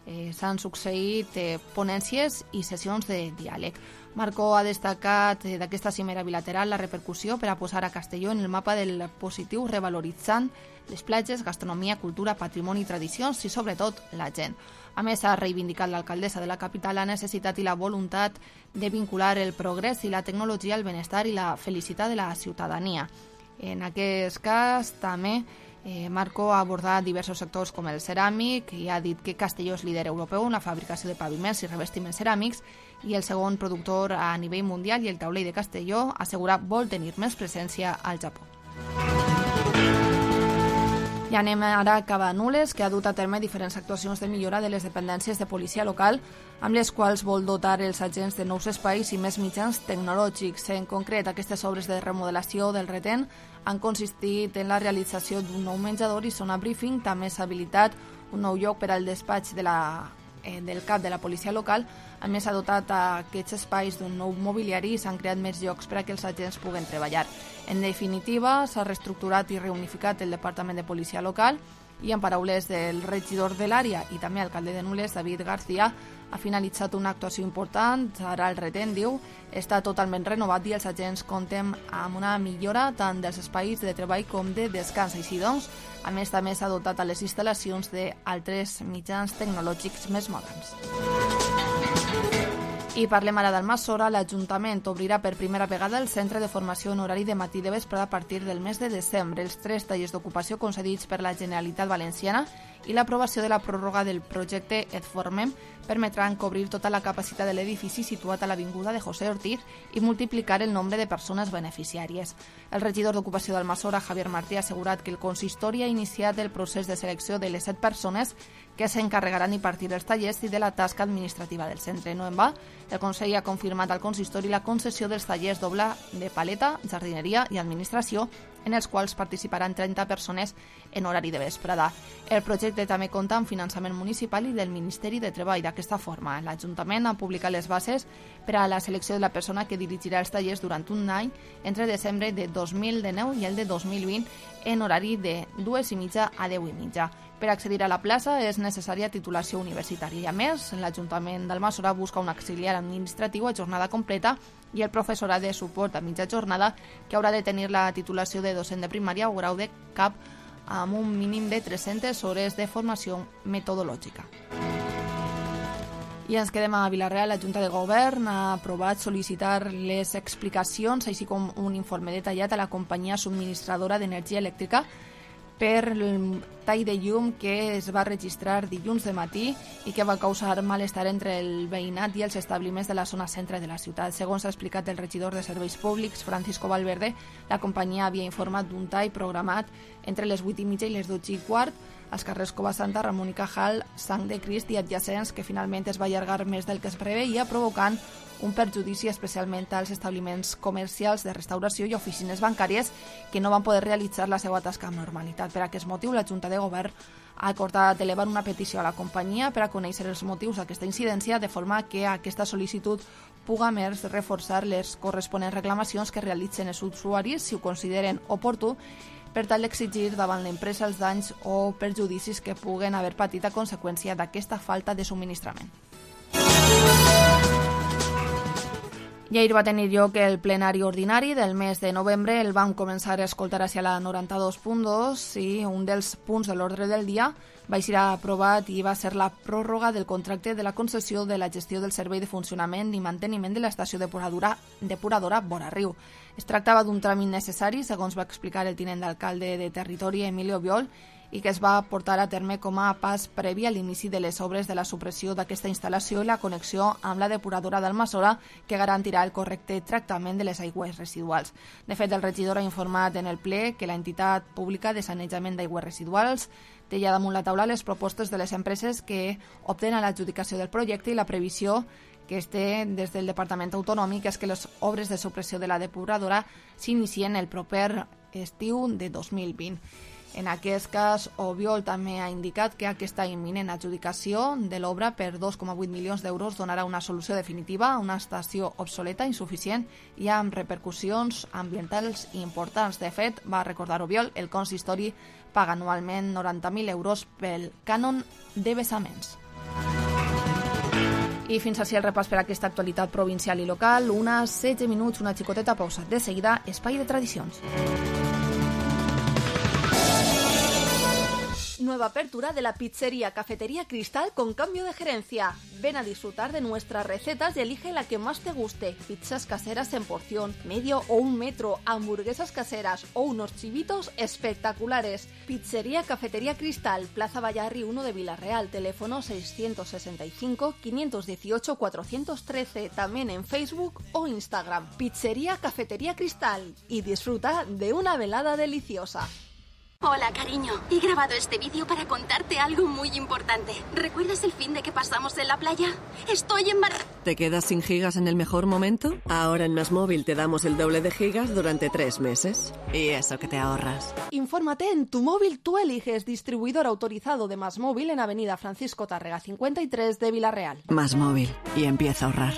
eh, s'han succeït eh, ponències i sessions de diàleg. Marco ha destacat eh, d'aquesta cimera bilateral la repercussió per a posar a Castelló en el mapa del positiu, revaloritzant les platges, gastronomia, cultura, patrimoni i tradicions i, sobretot, la gent. A més, ha reivindicat l'alcaldessa de la capital la necessitat i la voluntat de vincular el progrés i la tecnologia al benestar i la felicitat de la ciutadania. En aquest cas, també, Eh, Marco ha abordat diversos sectors com el ceràmic i ha dit que Castelló és líder europeu en la fabricació de paviments i revestiments ceràmics i el segon productor a nivell mundial, i el taulell de Castelló assegura vol tenir més presència al Japó. I anem ara cap a Nules, que ha dut a terme diferents actuacions de millora de les dependències de policia local, amb les quals vol dotar els agents de nous espais i més mitjans tecnològics. En concret, aquestes obres de remodelació del retén han consistit en la realització d'un nou menjador i zona briefing. També s'ha habilitat un nou lloc per al despatx de la, eh, del cap de la policia local. A més, s'ha dotat a aquests espais d'un nou mobiliari i s'han creat més llocs per a que els agents puguen treballar. En definitiva, s'ha reestructurat i reunificat el Departament de Policia Local i, en paraules del regidor de l'àrea i també alcalde de Nules, David García, ha finalitzat una actuació important. Ara el retén, diu, està totalment renovat i els agents compten amb una millora tant dels espais de treball com de descans. Així doncs, a més, també s'ha dotat a les instal·lacions d'altres mitjans tecnològics més moderns. I parlem ara d'Almassora. L'Ajuntament obrirà per primera vegada el centre de formació en horari de matí de vespre a partir del mes de desembre. Els tres tallers d'ocupació concedits per la Generalitat Valenciana i l'aprovació de la pròrroga del projecte Et Formem permetran cobrir tota la capacitat de l'edifici situat a l'avinguda de José Ortiz i multiplicar el nombre de persones beneficiàries. El regidor d'Ocupació d'Almassora, Javier Martí, ha assegurat que el consistori ha iniciat el procés de selecció de les set persones que s'encarregaran d'impartir els tallers i de la tasca administrativa del centre. No en va, el Consell ha confirmat al consistori la concessió dels tallers doble de paleta, jardineria i administració, en els quals participaran trenta persones en horari de vesprada. El projecte també compta amb finançament municipal i del Ministeri de Treball. D'aquesta forma, l'Ajuntament ha publicat les bases per a la selecció de la persona que dirigirà els tallers durant un any entre desembre de dos mil dinou i el de dos mil vint en horari de dues i mitja a deu i mitja. Per accedir a la plaça és necessària titulació universitària i, a més, l'Ajuntament d'Almassora busca un auxiliar administratiu a jornada completa i el professorat de suport a mitja jornada, que haurà de tenir la titulació de docent de primària o grau de cap amb un mínim de tres-centes hores de formació metodològica. I ens quedem a Vila-real. La Junta de Govern ha aprovat sol·licitar les explicacions, així com un informe detallat a la companyia subministradora d'energia elèctrica per tall de llum que es va registrar dilluns de matí i que va causar malestar entre el veïnat i els establiments de la zona centre de la ciutat. Segons ha explicat el regidor de Serveis Públics, Francisco Valverde, la companyia havia informat d'un tall programat entre les vuit i mitja i les dotze i quart als carrers Cova Santa, Ramon i Cajal, Sang de Crist i adjacents, que finalment es va allargar més del que es preveia, provocant un perjudici especialment als establiments comercials de restauració i oficines bancàries que no van poder realitzar la seva tasca amb normalitat. Per aquest motiu, la Junta de Govern ha acordat elevar una petició a la companyia per a conèixer els motius d'aquesta incidència, de forma que aquesta sol·licitud puga més reforçar les corresponents reclamacions que realitzen els usuaris si ho consideren oportú, per tal d'exigir davant l'empresa els danys o perjudicis que puguen haver patit a conseqüència d'aquesta falta de subministrament. I ahir va tenir lloc el plenari ordinari del mes de novembre. El vam començar a escoltar hacia la noranta-dos punt dos i un dels punts de l'ordre del dia va ser aprovat i va ser la pròrroga del contracte de la concessió de la gestió del servei de funcionament i manteniment de l'estació depuradora, depuradora Vora Riu. Es tractava d'un tràmit necessari, segons va explicar el tinent d'alcalde de territori, Emilio Biol, i que es va portar a terme com a pas previ a l'inici de les obres de la supressió d'aquesta instal·lació i la connexió amb la depuradora d'Almassora, que garantirà el correcte tractament de les aigües residuals. De fet, el regidor ha informat en el ple que l'entitat pública de sanejament d'aigües residuals té ja damunt la taula les propostes de les empreses que opten a l'adjudicació del projecte i la previsió que es té des del Departament Autonòmic és que les obres de supressió de la depuradora s'inicien el proper estiu de dos mil vint. En aquest cas, Obiol també ha indicat que aquesta imminent adjudicació de l'obra per dos coma vuit milions d'euros donarà una solució definitiva a una estació obsoleta, insuficient i amb repercussions ambientals importants. De fet, va recordar Obiol, el consistori paga anualment noranta mil euros pel cànon de vessaments. I fins així el repàs per a aquesta actualitat provincial i local. Unes setze minuts, una xicoteta pausa. De seguida, Espai de Tradicions. Nueva apertura de la pizzería Cafetería Cristal con cambio de gerencia. Ven a disfrutar de nuestras recetas y elige la que más te guste. Pizzas caseras en porción, medio o un metro, hamburguesas caseras o unos chivitos espectaculares. Pizzería Cafetería Cristal, Plaza Vallarri uno de Villarreal, teléfono seiscientos sesenta y cinco, quinientos dieciocho, cuatrocientos trece, también en Facebook o Instagram. Pizzería Cafetería Cristal y disfruta de una velada deliciosa. Hola, cariño. He grabado este vídeo para contarte algo muy importante. ¿Recuerdas el fin de que pasamos en la playa? Estoy embarazada. ¿Te quedas sin gigas en el mejor momento? Ahora en Más Móvil te damos el doble de gigas durante tres meses. Y eso que te ahorras. Infórmate en Tu Móvil Tú Eliges, distribuidor autorizado de Más Móvil en Avenida Francisco Tárrega cincuenta y tres de Villarreal. Más Móvil. Y empieza a ahorrar.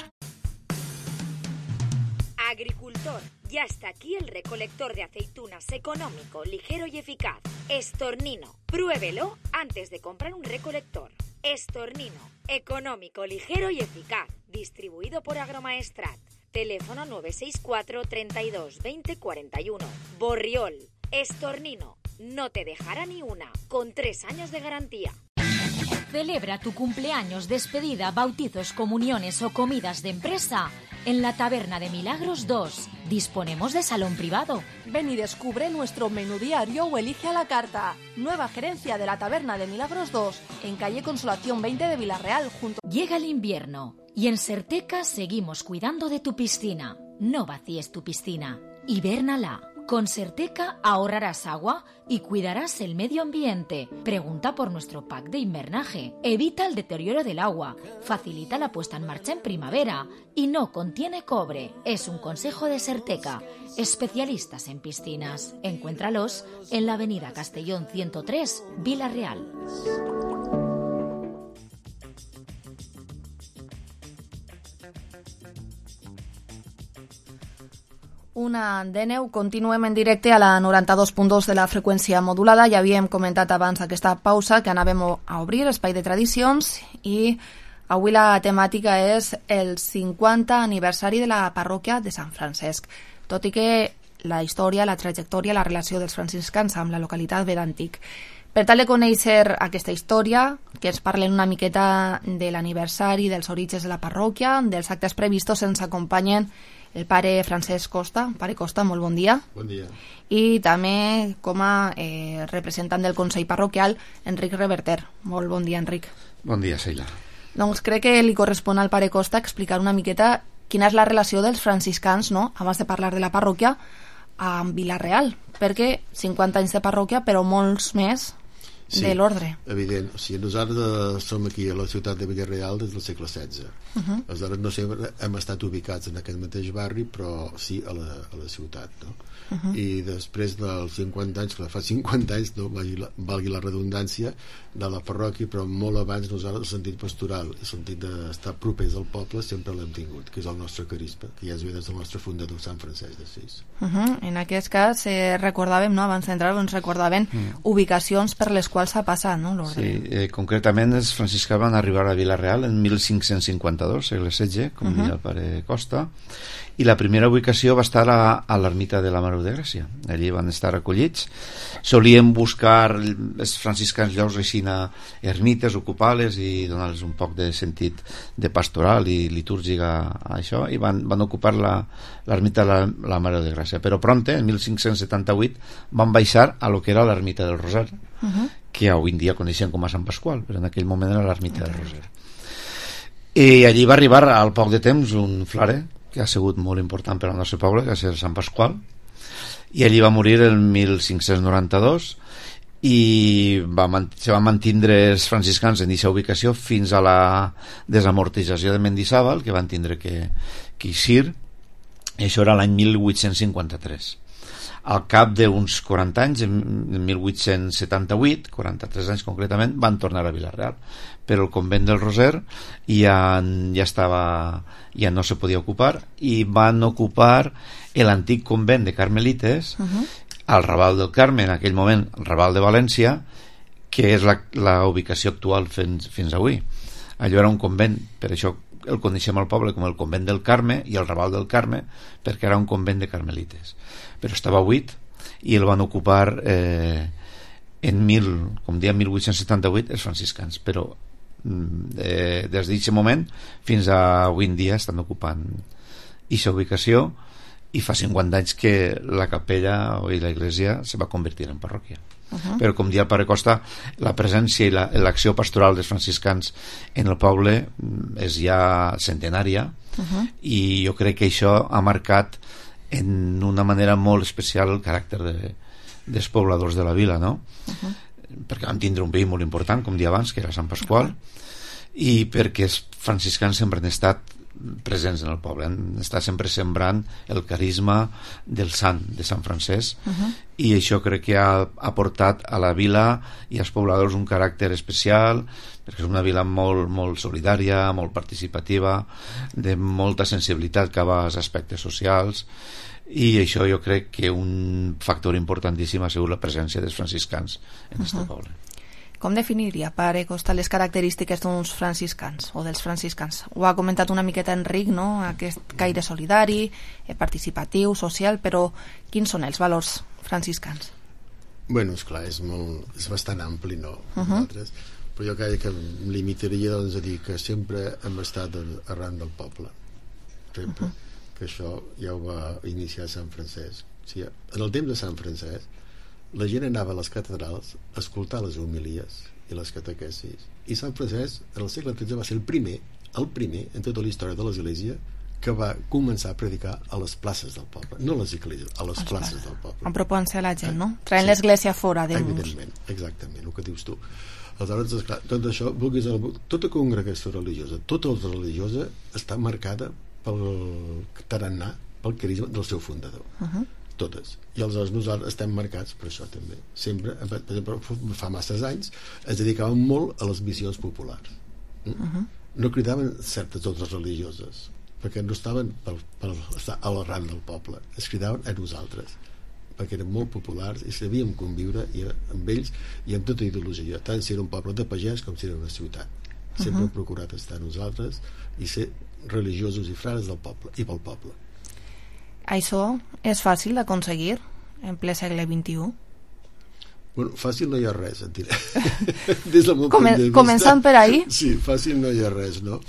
Agricultor, ya está aquí el recolector de aceitunas económico, ligero y eficaz. Estornino, pruébelo antes de comprar un recolector. Estornino, económico, ligero y eficaz. Distribuido por Agromaestrat. Teléfono nueve seis cuatro, treinta y dos, veinte, cuarenta y uno. Borriol, Estornino, no te dejará ni una, con tres años de garantía. Celebra tu cumpleaños, despedida, bautizos, comuniones o comidas de empresa en la Taberna de Milagros dos. Disponemos de salón privado. Ven y descubre nuestro menú diario o elige a la carta. Nueva gerencia de la Taberna de Milagros dos, en calle Consolación veinte de Villarreal. Junto. Llega el invierno y en Serteca seguimos cuidando de tu piscina. No vacíes tu piscina. Hibérnala. Con Serteca ahorrarás agua y cuidarás el medio ambiente. Pregunta por nuestro pack de invernaje. Evita el deterioro del agua. Facilita la puesta en marcha en primavera. Y no contiene cobre. Es un consejo de Serteca. Especialistas en piscinas. Encuéntralos en la avenida Castellón ciento tres, Villarreal. Una de neu, continuem en directe a la noranta-dos punt dos de la freqüència modulada. Ja havíem comentat abans aquesta pausa que anàvem a obrir Espai de Tradicions i avui la temàtica és el cinquanta aniversari de la parròquia de Sant Francesc. Tot i que la història, la trajectòria, la relació dels franciscans amb la localitat ve d'antic. Per tal de conèixer aquesta història, que ens parlen una miqueta de l'aniversari, dels orígens de la parròquia, dels actes previstos, ens acompanyen el pare Francesc Costa. Pare Costa, molt bon dia. Bon dia. I també com a eh, representant del Consell Parroquial, Enric Reverter. Molt bon dia, Enric. Bon dia, Sheila. Doncs crec que li correspon al pare Costa explicar una miqueta quina és la relació dels franciscans, no?, abans de parlar de la parròquia, amb Vila-real, perquè cinquanta anys de parròquia, però molts més sí, de l'ordre. Evident. O sigui, nosaltres som aquí a la ciutat de Vila-real des del segle setze. Uh -huh. Aleshores no sempre hem estat ubicats en aquest mateix barri, però sí a la, a la ciutat, no? Uh -huh. I després dels cinquanta anys, que fa cinquanta anys, no, valgui, la, valgui la redundància, de la parròquia, però molt abans nosaltres el sentit pastoral, el sentit d'estar propers al poble sempre l'hem tingut, que és el nostre carisma, que ja es ve des del nostre fundador Sant Francesc d'Assís. Uh -huh. En aquest cas eh, recordàvem, no, abans d'entrar ens recordaven mm. ubicacions per les quals s'ha passat, no, l'ordre. Sí, eh, concretament els franciscans van arribar a Vila-real en mil cinc-cents cinquanta-dos, segle setze, com uh -huh. deia el pare Costa, i la primera ubicació va estar a, a l'ermita de la Mare de Gràcia. Allí van estar recollits. Solíem buscar els franciscans llavors així a ermites, ocupar-les i donar-los un poc de sentit de pastoral i litúrgic a, a això, i van, van ocupar l'ermita de la, la Mare de Gràcia. Però prompte, en mil cinc-cents setanta-vuit, van baixar a lo que era l'ermita del Roser, uh -huh. que avui en dia coneixen com a Sant Pasqual, però en aquell moment era l'ermita okay. del Roser. I allí va arribar al poc de temps un frare que ha sigut molt important per al nostre poble, que és el Sant Pasqual, i allí va morir el mil cinc-cents noranta-dos i va, se van mantindre els franciscans en aquesta ubicació fins a la desamortització de Mendizábal, que van tindre que, que eixir, i això era l'any mil vuit-cents cinquanta-tres. Al cap d'uns quaranta anys, en mil vuit-cents setanta-vuit, quaranta-tres anys concretament, van tornar a Vila-real, però el convent del Roser ja, ja estava, ja no se podia ocupar, i van ocupar l'antic convent de Carmelites uh -huh. al Raval del Carme, en aquell moment el Raval de València, que és la, la ubicació actual fins, fins avui. Allò era un convent, per això el coneixem al poble com el convent del Carme i el Raval del Carme, perquè era un convent de Carmelites, però estava buit i el van ocupar eh, en mil, com dia mil vuit-cents setanta-vuit els franciscans, però eh, des d'aquest moment fins a avui en dia estan ocupant aquesta ubicació, i fa cinquanta anys que la capella i la iglesia se va convertir en parròquia. Uh -huh. Però com dia el pare Costa, la presència i l'acció la, pastoral dels franciscans en el poble és ja centenària, uh -huh. i jo crec que això ha marcat en una manera molt especial el caràcter de, dels pobladors de la vila, no? Uh -huh. Perquè vam tindre un veí molt important, com dia abans, que era Sant Pasqual, uh -huh. i perquè els franciscans sempre han estat presents en el poble, han estat sempre sembrant el carisma del sant, de Sant Francesc, uh -huh. i això crec que ha aportat a la vila i als pobladors un caràcter especial, perquè és una vila molt, molt solidària, molt participativa, de molta sensibilitat cap als aspectes socials, i això jo crec que un factor importantíssim ha sigut la presència dels franciscans en aquest uh -huh. poble. Com definiria, pare Costa, les característiques d'uns franciscans o dels franciscans? Ho ha comentat una miqueta Enric, no?, aquest caire solidari, participatiu, social, però quins són els valors franciscans? Bueno, esclar, és, molt, és bastant ampli, no? Uh -huh. Nosaltres, però jo crec que em limitaria, doncs, a dir que sempre hem estat arran del poble, sempre, uh -huh. que això ja ho va iniciar Sant Francesc. O sigui, en el temps de Sant Francesc la gent anava a les catedrals a escoltar les homilies i les catequesis, i Sant Francesc en el segle tretze va ser el primer el primer en tota la història de l'Església que va començar a predicar a les places del poble, no a les esglésies, a les places, places del poble, a propòs a la gent, no? Traient sí. l'església fora de evidentment, exactament, el que dius tu. Aleshores, esclar, tot això, vulguis, tota congregació religiosa, tota la religiosa està marcada pel tarannà, pel carisma del seu fundador. Uh -huh. Totes. I aleshores nosaltres estem marcats per això també. Sempre, per exemple, fa masses anys ens dedicàvem molt a les missions populars. Mm? Uh -huh. No cridaven certes altres religioses, perquè no estaven per, per estar a l'arran del poble. Es cridaven a nosaltres, perquè eren molt populars i sabíem conviure i amb ells i amb tota ideologia, tant si era un poble de pagès com si era una ciutat. Sempre uh -huh. hem procurat estar a nosaltres i ser religiosos i frares del poble i pel poble. Això és fàcil d'aconseguir en ple segle vint-i-u? Bueno, fàcil no hi ha res, et diré. Des del meu Comen punt de vista, començant per ahir? Sí, fàcil no hi ha res, no?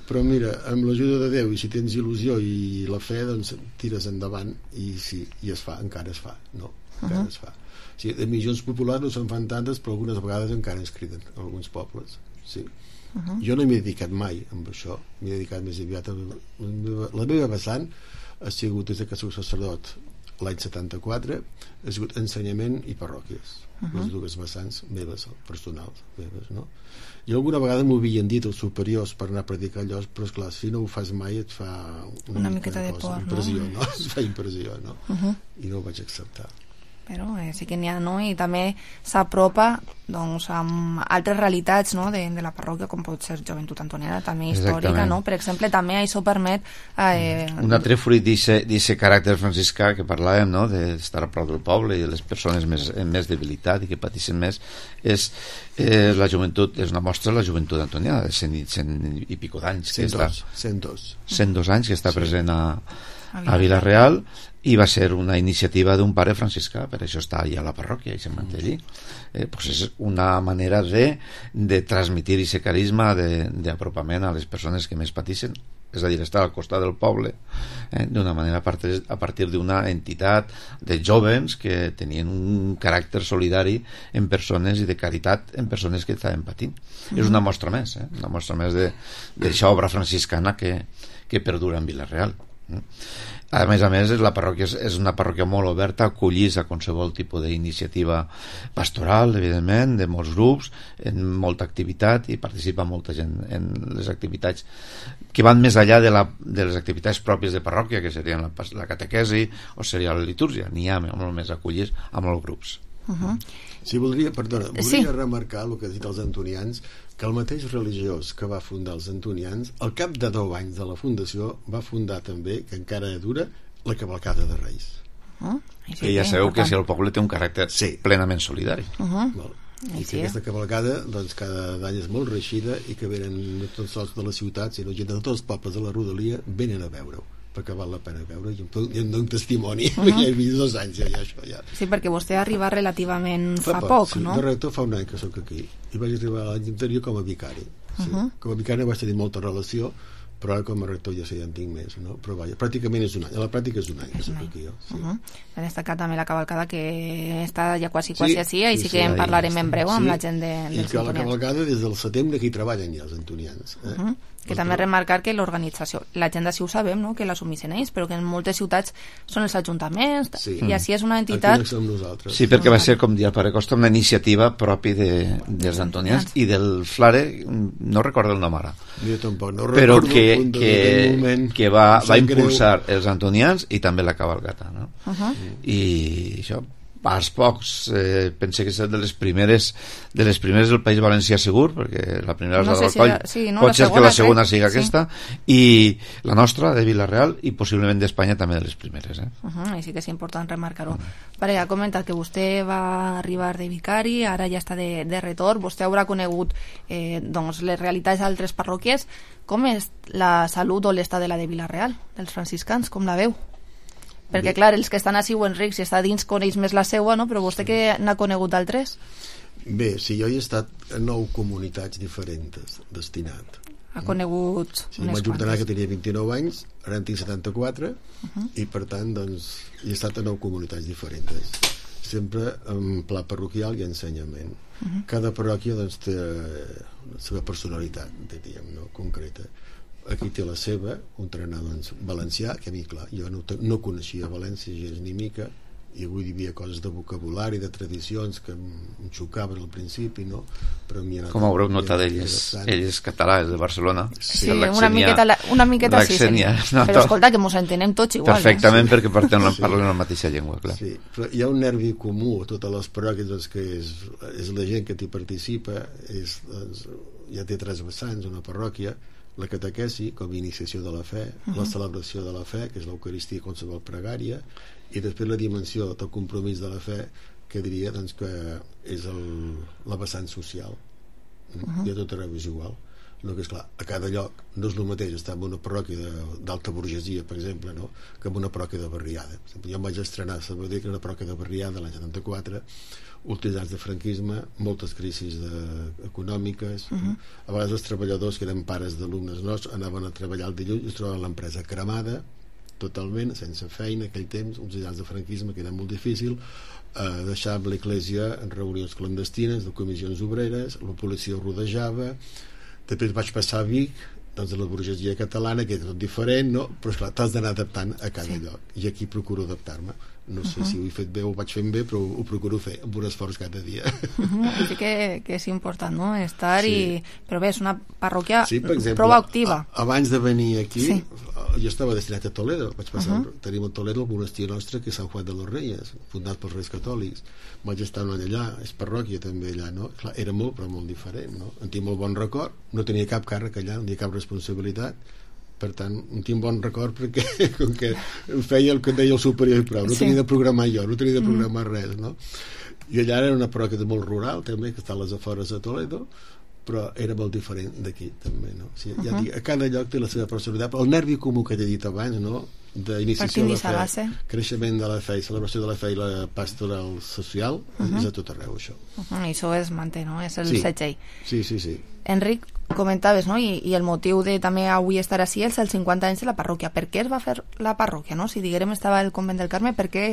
però mira, amb l'ajuda de Déu i si tens il·lusió i la fe, doncs tires endavant i sí, i es fa, encara es fa, no? Encara uh -huh. es fa. O sigui, de missions populars no se'n fan tantes, però algunes vegades encara es criden en alguns pobles, sí. Uh -huh. Jo no m'he dedicat mai amb això, m'he dedicat més aviat a la meva, la meva vessant ha sigut des que soc sacerdot l'any setanta-quatre, ha sigut ensenyament i parròquies, uh -huh. les dues vessants meves, personals meves, no? I alguna vegada m'ho havien dit els superiors per anar a predicar allò, però esclar, si no ho fas mai et fa una, una mica miqueta de, de cosa, por, impressió, no? no? Es fa impressió, no? Uh -huh. I no ho vaig acceptar. Però eh, sí que n'hi ha, no? I també s'apropa doncs, amb altres realitats, no? de, de la parròquia, com pot ser Joventut Antoniana, també històrica, Exactament. no? Per exemple, també això permet... Eh, un altre fruit d'aquest caràcter franciscà que parlàvem, no? D'estar a prop del poble i de les persones més, amb més debilitat i que pateixen més, és eh, la joventut, és una mostra de la joventut antoniana, de cent, cent i pico d'anys, que està, cent dos cent dos anys que està sí. present a, a Vila-real, i va ser una iniciativa d'un pare franciscà, per això està allà a la parròquia i se manté allí. Eh, pues és una manera de, de transmitir aquest carisma d'apropament a les persones que més pateixen, és a dir, estar al costat del poble eh, d'una manera a partir, a partir d'una entitat de jovens que tenien un caràcter solidari en persones i de caritat en persones que estaven patint. Mm-hmm. És una mostra més, eh? Una mostra més d'aquesta obra franciscana que, que perdura en Vila-real. A més a més, la parròquia és, és una parròquia molt oberta, acollís a qualsevol tipus d'iniciativa pastoral, evidentment, de molts grups, en molta activitat, i participa molta gent en les activitats que van més enllà de, la, de les activitats pròpies de parròquia, que serien la, la catequesi o seria la litúrgia. N'hi ha molt més acollís amb els grups. Uh-huh. Sí, voldria, perdona, voldria sí. remarcar el que ha dit els antonians, que el mateix religiós que va fundar els antonians, al cap de deu anys de la fundació, va fundar també, que encara dura, la cavalcada de Reis. Uh-huh. I sí, ja sabeu que si el poble té un caràcter sí. plenament solidari. Uh-huh. I que sí. aquesta cavalcada doncs, cada any és molt reeixida i que venen no tots sols de les ciutats, sinó gent de tots els pobles de la rodalia venen a veure-ho, perquè val la pena veure, i em dono un testimoni, uh -huh. ja he vist dos anys ja, ja, això, ja. Sí, perquè vostè ha arribat relativament fa, fa poc, poc sí. no? De rector fa un any que sóc aquí, i vaig arribar l'any anterior com a vicari. Sí. Uh -huh. Com a vicari vaig tenir molta relació, però ara com a rector ja sé, ja en tinc més, no? Però vaja, pràcticament és un any, a la pràctica és un any que soc aquí jo. Sí. Uh -huh. Ha destacat també la cavalcada que està ja quasi quasi sí, així, i sí, sí que sí, en parlarem en breu sí. amb la gent de, dels antonians. I que la cavalcada des del setembre que hi treballen ja els antonians. Eh? Uh -huh. Que també remarcar que l'organització, la gent d'ací ho sabem, no? Que l'assumeixen ells, però que en moltes ciutats són els ajuntaments, sí. i així és una entitat... Aquí som nosaltres. Sí, perquè va ser, com dir el pare Costa, una iniciativa propi de, dels antonians i del Flare, no recordo el nom ara. Jo tampoc, no però recordo que, el punt que, moment, que va, va impulsar greu. els antonians i també la cavalgata, no? Uh -huh. I això, als pocs, eh, pense que és de les primeres de les primeres del País Valencià segur, perquè la primera és no la sé del si Coll, la, sí, no, pot la ser segona, que la segona crec. sigui aquesta, sí. I la nostra, de Vila-real, i possiblement d'Espanya també de les primeres. Eh? Uh -huh, i sí que és important remarcar-ho. Uh -huh. Pare, ha comentat que vostè va arribar de vicari, ara ja està de, de retorn, vostè haurà conegut eh, doncs, les realitats d'altres parròquies. Com és la salut o l'estat de la de Vila-real, dels franciscans, com la veu? Perquè, bé. Clar, els que estan a Sigüenric, si està dins, coneix més la seua, no? Però vostè que n'ha conegut d'altres? Bé, sí, jo he estat a nou comunitats diferents destinat. Ha conegut sí, unes vaig ordenar quantes. que tenia vint-i-nou anys, ara en tinc setanta-quatre, uh -huh. i per tant, doncs, he estat a nou comunitats diferents. Sempre en pla parroquial i ensenyament. Uh -huh. Cada parròquia, doncs, té la seva personalitat, diríem, no? Concreta. Aquí té la seva, un trenar doncs, valencià, que a mi, clar, jo no, no coneixia València gens ni mica, i avui hi havia coses de vocabulari, de tradicions que em xocaven al principi, no? Però a mi anat, com haureu notat, ell és, ell és català, és de Barcelona. Sí, una miqueta, una miqueta sí, sí. No, però escolta, que mos entenem tots igual. Perfectament, eh? perquè parlem, sí. parlem la mateixa llengua, clar. Sí, però hi ha un nervi comú a totes les parròquies, doncs, que és, és la gent que t'hi participa, és, doncs, ja té tres vessants, una parròquia, la catequesi com a iniciació de la fe, uh -huh. la celebració de la fe, que és l'Eucaristia i qualsevol pregària, i després la dimensió del compromís de la fe, que diria doncs, que és el, la vessant social. Uh -huh. I a tot arreu és igual. no, que és clar, a cada lloc no és el mateix estar en una parròquia d'alta burgesia, per exemple, no? Que en una parròquia de barriada. Jo em vaig estrenar a Sabadell, que era una parròquia de barriada l'any setanta-quatre, últims anys de franquisme, moltes crisis de, econòmiques, uh -huh. a vegades els treballadors que eren pares d'alumnes nostres anaven a treballar el dilluns i es trobaven l'empresa cremada totalment, sense feina, aquell temps, uns anys de franquisme que era molt difícil, eh, deixava l'església en reunions clandestines de comissions obreres, la policia ho rodejava. Després vaig passar a Vic, doncs a la burgesia catalana, que és tot diferent, no? Però esclar, t'has d'anar adaptant a cada sí. lloc, i aquí procuro adaptar-me. No sé uh -huh. si ho he fet bé o ho vaig fent bé, però ho, ho procuro fer amb un esforç cada dia. Uh -huh. Sí que, que és important, no? Estar sí. i... Però bé, és una parròquia sí, exemple, prou activa. A, abans de venir aquí, sí. jo estava destinat a Toledo. Vaig passar, uh -huh. tenim a Toledo el monestir nostre, que és Sant Juan de los Reyes, fundat pels Reis Catòlics. Vaig estar un any allà, és parròquia també allà, no? Clar, era molt, però molt diferent, no? En tinc molt bon record, no tenia cap càrrec allà, no tenia cap responsabilitat, per tant, en tinc bon record perquè com que em feia el que deia el superior i prou, no sí. tenia de programar jo, no tenia de programar mm. res, no? I allà era una parròquia molt rural també, que està a les afores de Toledo, però era molt diferent d'aquí també, no? O sigui, ja uh -huh. dic, a cada lloc té la seva personalitat, el nervi comú que t'he dit abans, no? D'iniciació de la fe, creixement de la fe i celebració de la fe i la pastoral social, uh -huh. és a tot arreu això. Uh -huh. I això es manté, no? És el sí. setge. Sí, sí, sí. Enric, comentaves, no? I, i el motiu de també avui estar així és els cinquanta anys de la parròquia. Per què es va fer la parròquia, no? Si diguérem estava el convent del Carme, per què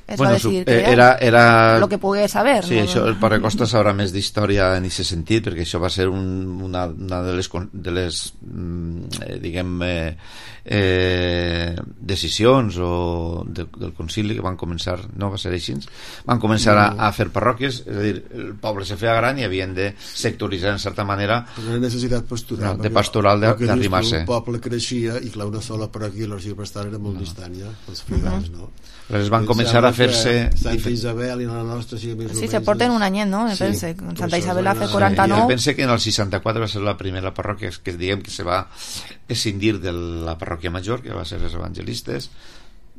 es bueno, va decidir crear? Era, era... Lo que pogués saber, sí, no? Això, el Pare Costa sabrà més d'història en aquest sentit, perquè això va ser un, una, una de les, de les eh, diguem eh, eh, decisions o de, del concili que van començar, no va ser així, van començar a, a fer parròquies, és a dir, el poble se feia gran i havien de sectoritzar en certa manera una necessitat pastoral, no, de pastoral d'arrimar-se. El poble creixia i clar, una sola parròquia i l'arxiprestal era molt no. distant ja, els fidels, uh -huh. no? Però es van començar a fer-se... Santa Isabel i la nostra... Sí, més sí se porten un anyet, no? Sí. Pense. Santa Isabel va fer quaranta-nou. Sí, jo pense que en el seixanta-quatre va ser la primera parròquia que diguem que se va escindir de la parròquia major, que va ser els evangelistes.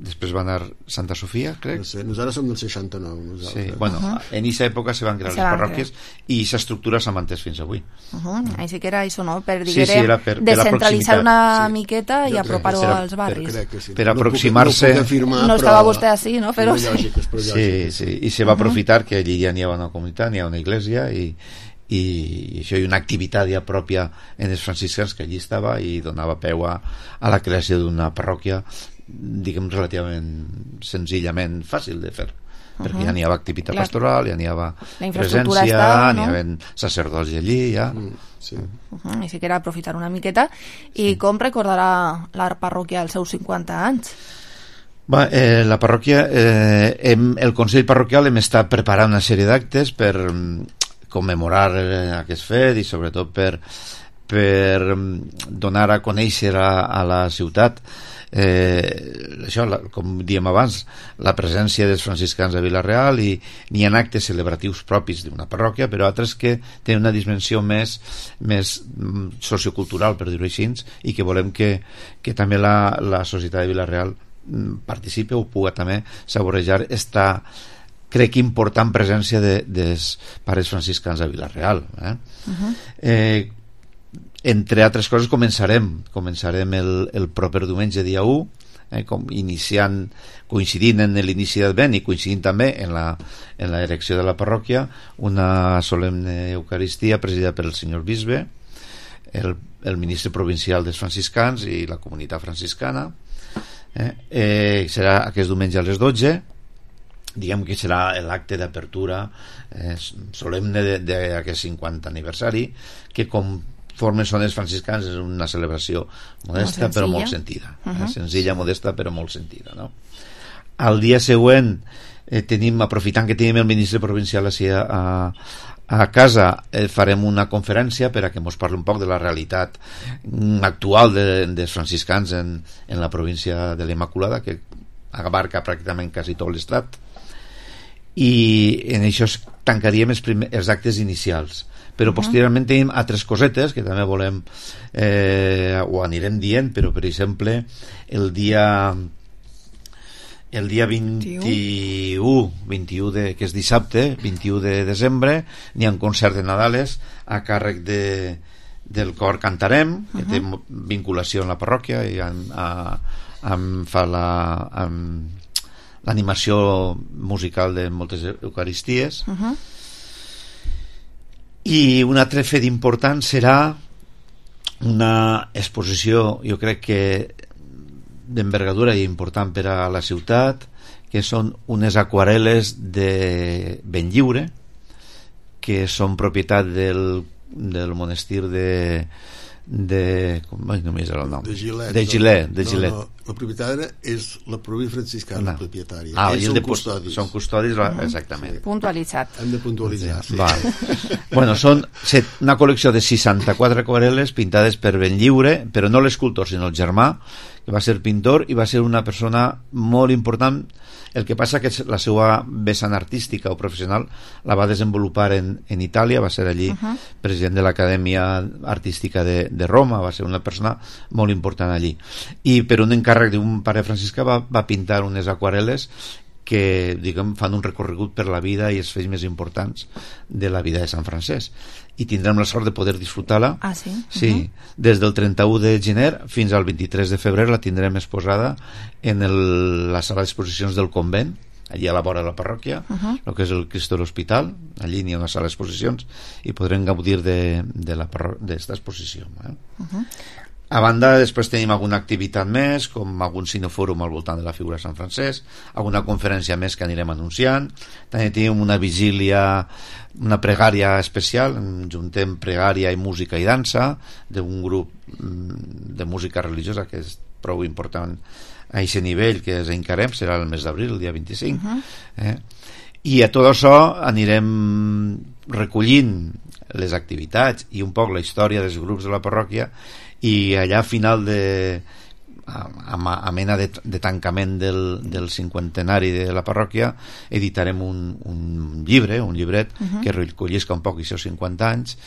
Després va anar Santa Sofia, crec. No sé, nosaltres som del seixanta-nou. Nosaltres. Sí, bueno, uh -huh. en aquesta època se van crear se les parròquies crear. I aquesta estructura s'ha mantès fins avui. Uh -huh. Així que era això, no? Per, diguem, sí, sí, per, descentralitzar una sí. miqueta i apropar-ho als barris. Per, sí. per aproximar-se... No, afirmar, no estava vostè així, no? Però sí. Sí, sí, i se va aprofitar que allí ja n'hi ha una comunitat, n'hi ha una església i i això hi ha una activitat ja pròpia en els franciscans que allí estava i donava peu a, a la creació d'una parròquia diguem relativament senzillament fàcil de fer uh -huh. perquè ja n'hi havia activitat Clar. pastoral, ja n'hi havia presència, estava, no? n'hi havia sacerdots allí ja mm, sí. uh -huh. i si que era aprofitar una miqueta i sí. com recordarà la parròquia els seus cinquanta anys? Va, eh, la parròquia eh, hem, el Consell Parroquial hem estat preparant una sèrie d'actes per commemorar eh, aquest fet i sobretot per, per donar a conèixer a, a la ciutat eh, això, la, com diem abans, la presència dels franciscans a Vila-real i n'hi ha actes celebratius propis d'una parròquia, però altres que tenen una dimensió més, més sociocultural, per dir-ho així, i que volem que, que també la, la societat de Vila-real participi o pugui també saborejar esta crec important presència de, dels pares franciscans a Vila-real eh? Uh-huh. eh, entre altres coses començarem començarem el, el proper diumenge dia u eh, com iniciant coincidint en l'inici d'Advent i coincidint també en la, en la erecció de la parròquia una solemne eucaristia presidida per el senyor bisbe el, el ministre provincial dels franciscans i la comunitat franciscana eh, eh, serà aquest diumenge a les dotze, diguem que serà l'acte d'apertura eh, solemne d'aquest cinquanta aniversari que conforme són els franciscans és una celebració modesta molt però molt sentida uh -huh. eh, senzilla, modesta però molt sentida no? Al dia següent eh, tenim, aprofitant que tenim el ministre provincial així a, a casa eh, farem una conferència per a que ens parli un poc de la realitat actual de, dels franciscans en, en la província de l'Immaculada que abarca pràcticament quasi tot l'estat i en això tancaríem els, primer, els actes inicials però uh -huh. posteriorment tenim altres cosetes que també volem eh, ho anirem dient però per exemple el dia el dia vint-i-u vint-i-u de, que és dissabte vint-i-u de desembre n'hi ha un concert de Nadales a càrrec de del cor Cantarem, que uh-huh. té vinculació amb la parròquia i amb, a, amb, fa la, amb l'animació musical de moltes eucaristies. Uh-huh. I un altre fet important serà una exposició, jo crec que d'envergadura i important per a la ciutat, que són unes aquarel·les de Benlliure, que són propietat del, del monestir de de com ai, només era el nom de Gilet, de Gilet, de Gilet. No, no, la propietària és la província franciscana, no. propietària. Ah, ells són de custodis, són custodis uh-huh. exactament. Sí. Puntualitzat. Hem de puntualitzar, sí. Val. Bueno, són set, una col·lecció de seixanta-quatre aquarel·les pintades per Benlliure, però no l'escultor sinó el germà, que va ser pintor i va ser una persona molt important. El que passa que la seva vessant artística o professional la va desenvolupar en, en Itàlia, va ser allí uh-huh. president de l'Acadèmia Artística de, de Roma, va ser una persona molt important allí. I per un encàrrec d'un pare franciscà va, va pintar unes aquarel·les que, diguem, fan un recorregut per la vida i els fets més importants de la vida de Sant Francesc. I tindrem la sort de poder disfrutar-la. Ah, sí? Sí, uh-huh. des del trenta-u de gener fins al vint-i-tres de febrer la tindrem exposada en el, la sala d'exposicions del convent, allí a la vora de la parròquia, uh-huh. el que és el Cristo de l'Hospital. Allí n'hi ha una sala d'exposicions i podrem gaudir d'esta exposició. Eh? Uh-huh. A banda, després tenim alguna activitat més, com algun cinefòrum al voltant de la figura de Sant Francesc, alguna conferència més que anirem anunciant. També tenim una vigília, una pregària especial, juntem pregària i música i dansa d'un grup de música religiosa que és prou important a aquest nivell, que és Encarem, serà el mes d'abril, el dia vint-i-cinc. Uh-huh. eh? I a tot això anirem recollint les activitats i un poc la història dels grups de la parròquia, i allà a final de a, a mena de, de tancament del, del cinquantenari de la parròquia editarem un, un llibre, un llibret uh-huh. que recollisca un poc els seus cinquanta anys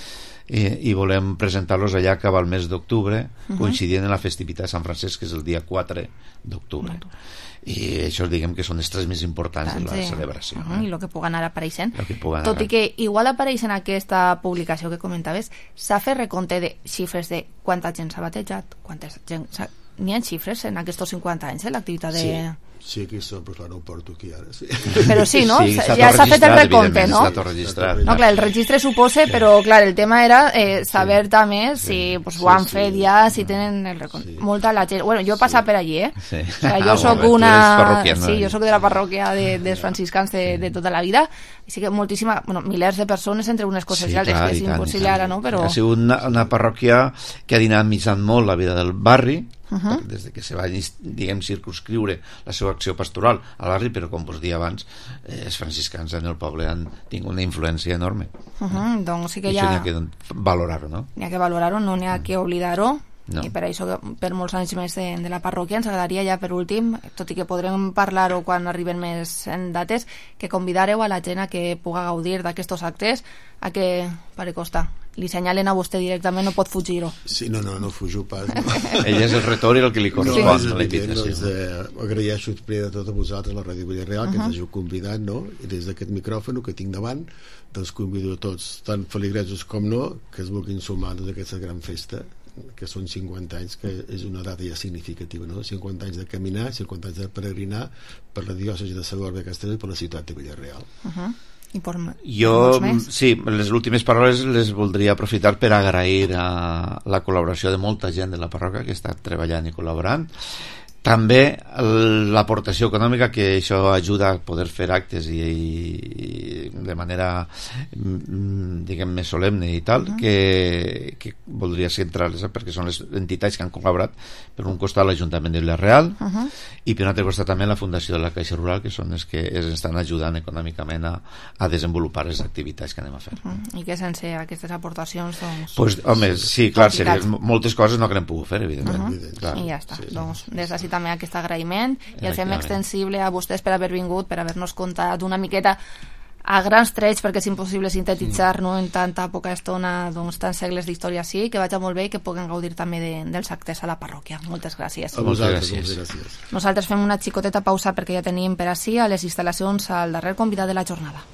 i, i volem presentar-los allà cap al mes d'octubre uh-huh. coincidint en la festivitat de Sant Francesc, que és el dia quatre d'octubre. Uh-huh. I això diguem que són els tres més importants Tant, de la sí. celebració. Uh-huh. eh? I el que puguen anar apareixent. Puguen Tot anar. I que igual apareix en aquesta publicació que comentaves, s'ha fet recompte de xifres de quanta gent s'ha batejat, quanta gent s'ha... N'hi ha xifres en aquests cinquanta anys, eh, l'activitat de... Sí. Sí, aquí són, però clar, no ho porto aquí ara. Sí. Però sí, no? Sí, ja s'ha fet el recompte, no? No, clar, el registre suposa, però clar, el tema era eh, saber sí. també si sí. pues, ho han sí, fet sí. ja, si tenen el recompte. Sí. Molta la gent... Bueno, jo he passat sí. per allí, eh? Sí. O sea, jo ah, soc bueno, una... Sí, jo soc de la parròquia de, dels franciscans de, de tota la vida, i sí que moltíssima... Bueno, milers de persones entre unes coses sí, i altres, clar, que és impossible ara, no? Però... Ha sigut una, una parròquia que ha dinamitzat molt la vida del barri, Uh-huh. des de que se va, diguem, circunscriure la seva acció pastoral al barri, però com vos deia abans, eh, els franciscans en el poble han tingut una influència enorme. Uh-huh. Doncs sí que I ja... n'hi ha que valorar-ho, no? N'hi ha que valorar-ho, no n'hi ha que oblidar-ho. No. I per això, per molts anys més de, de la parròquia, ens agradaria ja per últim, tot i que podrem parlar-ho quan arriben més en dates, que convidareu a la gent a que puga gaudir d'aquests actes, a que, pare Costa, li senyalen a vostè directament, no pot fugir-ho. Sí, no, no, no fujo pas. No. Ell és el retor i el que li correspon no, a la invitació. No, és, eh, agraeixo primer de tot a vosaltres, la Ràdio Vilareal, uh-huh. que ens hàgiu convidat, no? I des d'aquest micròfon que tinc davant, doncs convido a tots, tant feligresos com no, que es vulguin sumar a aquesta gran festa, que són cinquanta anys, que és una data ja significativa, no? cinquanta anys de caminar, cinquanta anys de peregrinar per la diòcesi de Segorbe de Castelló i per la ciutat de Vilareal. Uh-huh. I per, jo, sí, les últimes paraules les voldria aprofitar per agrair a la col·laboració de molta gent de la parròquia que està treballant i col·laborant, també l'aportació econòmica, que això ajuda a poder fer actes i, i de manera diguem més solemne i tal, uh-huh. que, que voldria centrar-les perquè són les entitats que han col·laborat, per un costat l'Ajuntament de Vilareal uh-huh. i per un altre costat també la Fundació de la Caixa Rural, que són les que ens estan ajudant econòmicament a, a desenvolupar les activitats que anem a fer. Uh-huh. I que sense aquestes aportacions doncs... Pues, home, sí, clar, serien moltes coses no que n'hem pogut fer, evidentment. Uh-huh. Clar. I ja està, sí, doncs des d'ací també aquest agraïment i el fem extensible a vostès per haver vingut, per haver-nos contat una miqueta a grans trets, perquè és impossible sintetitzar no, en tanta poca estona doncs, tants segles d'història així, que vagi molt bé i que puguem gaudir també de, dels actes a la parròquia. Moltes gràcies. A vosaltres, moltes gràcies. Nosaltres fem una xicoteta pausa perquè ja tenim per ací a les instal·lacions al darrer convidat de la jornada.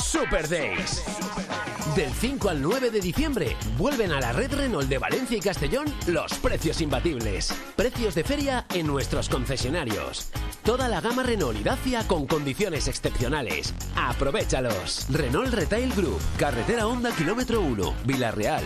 Super Days. Del cinco al nueve de diciembre vuelven a la red Renault de Valencia y Castellón los precios imbatibles. Precios de feria en nuestros concesionarios. Toda la gama Renault y Dacia con condiciones excepcionales. ¡Aprovéchalos! Renault Retail Group, carretera Honda kilómetro uno, Vila-real.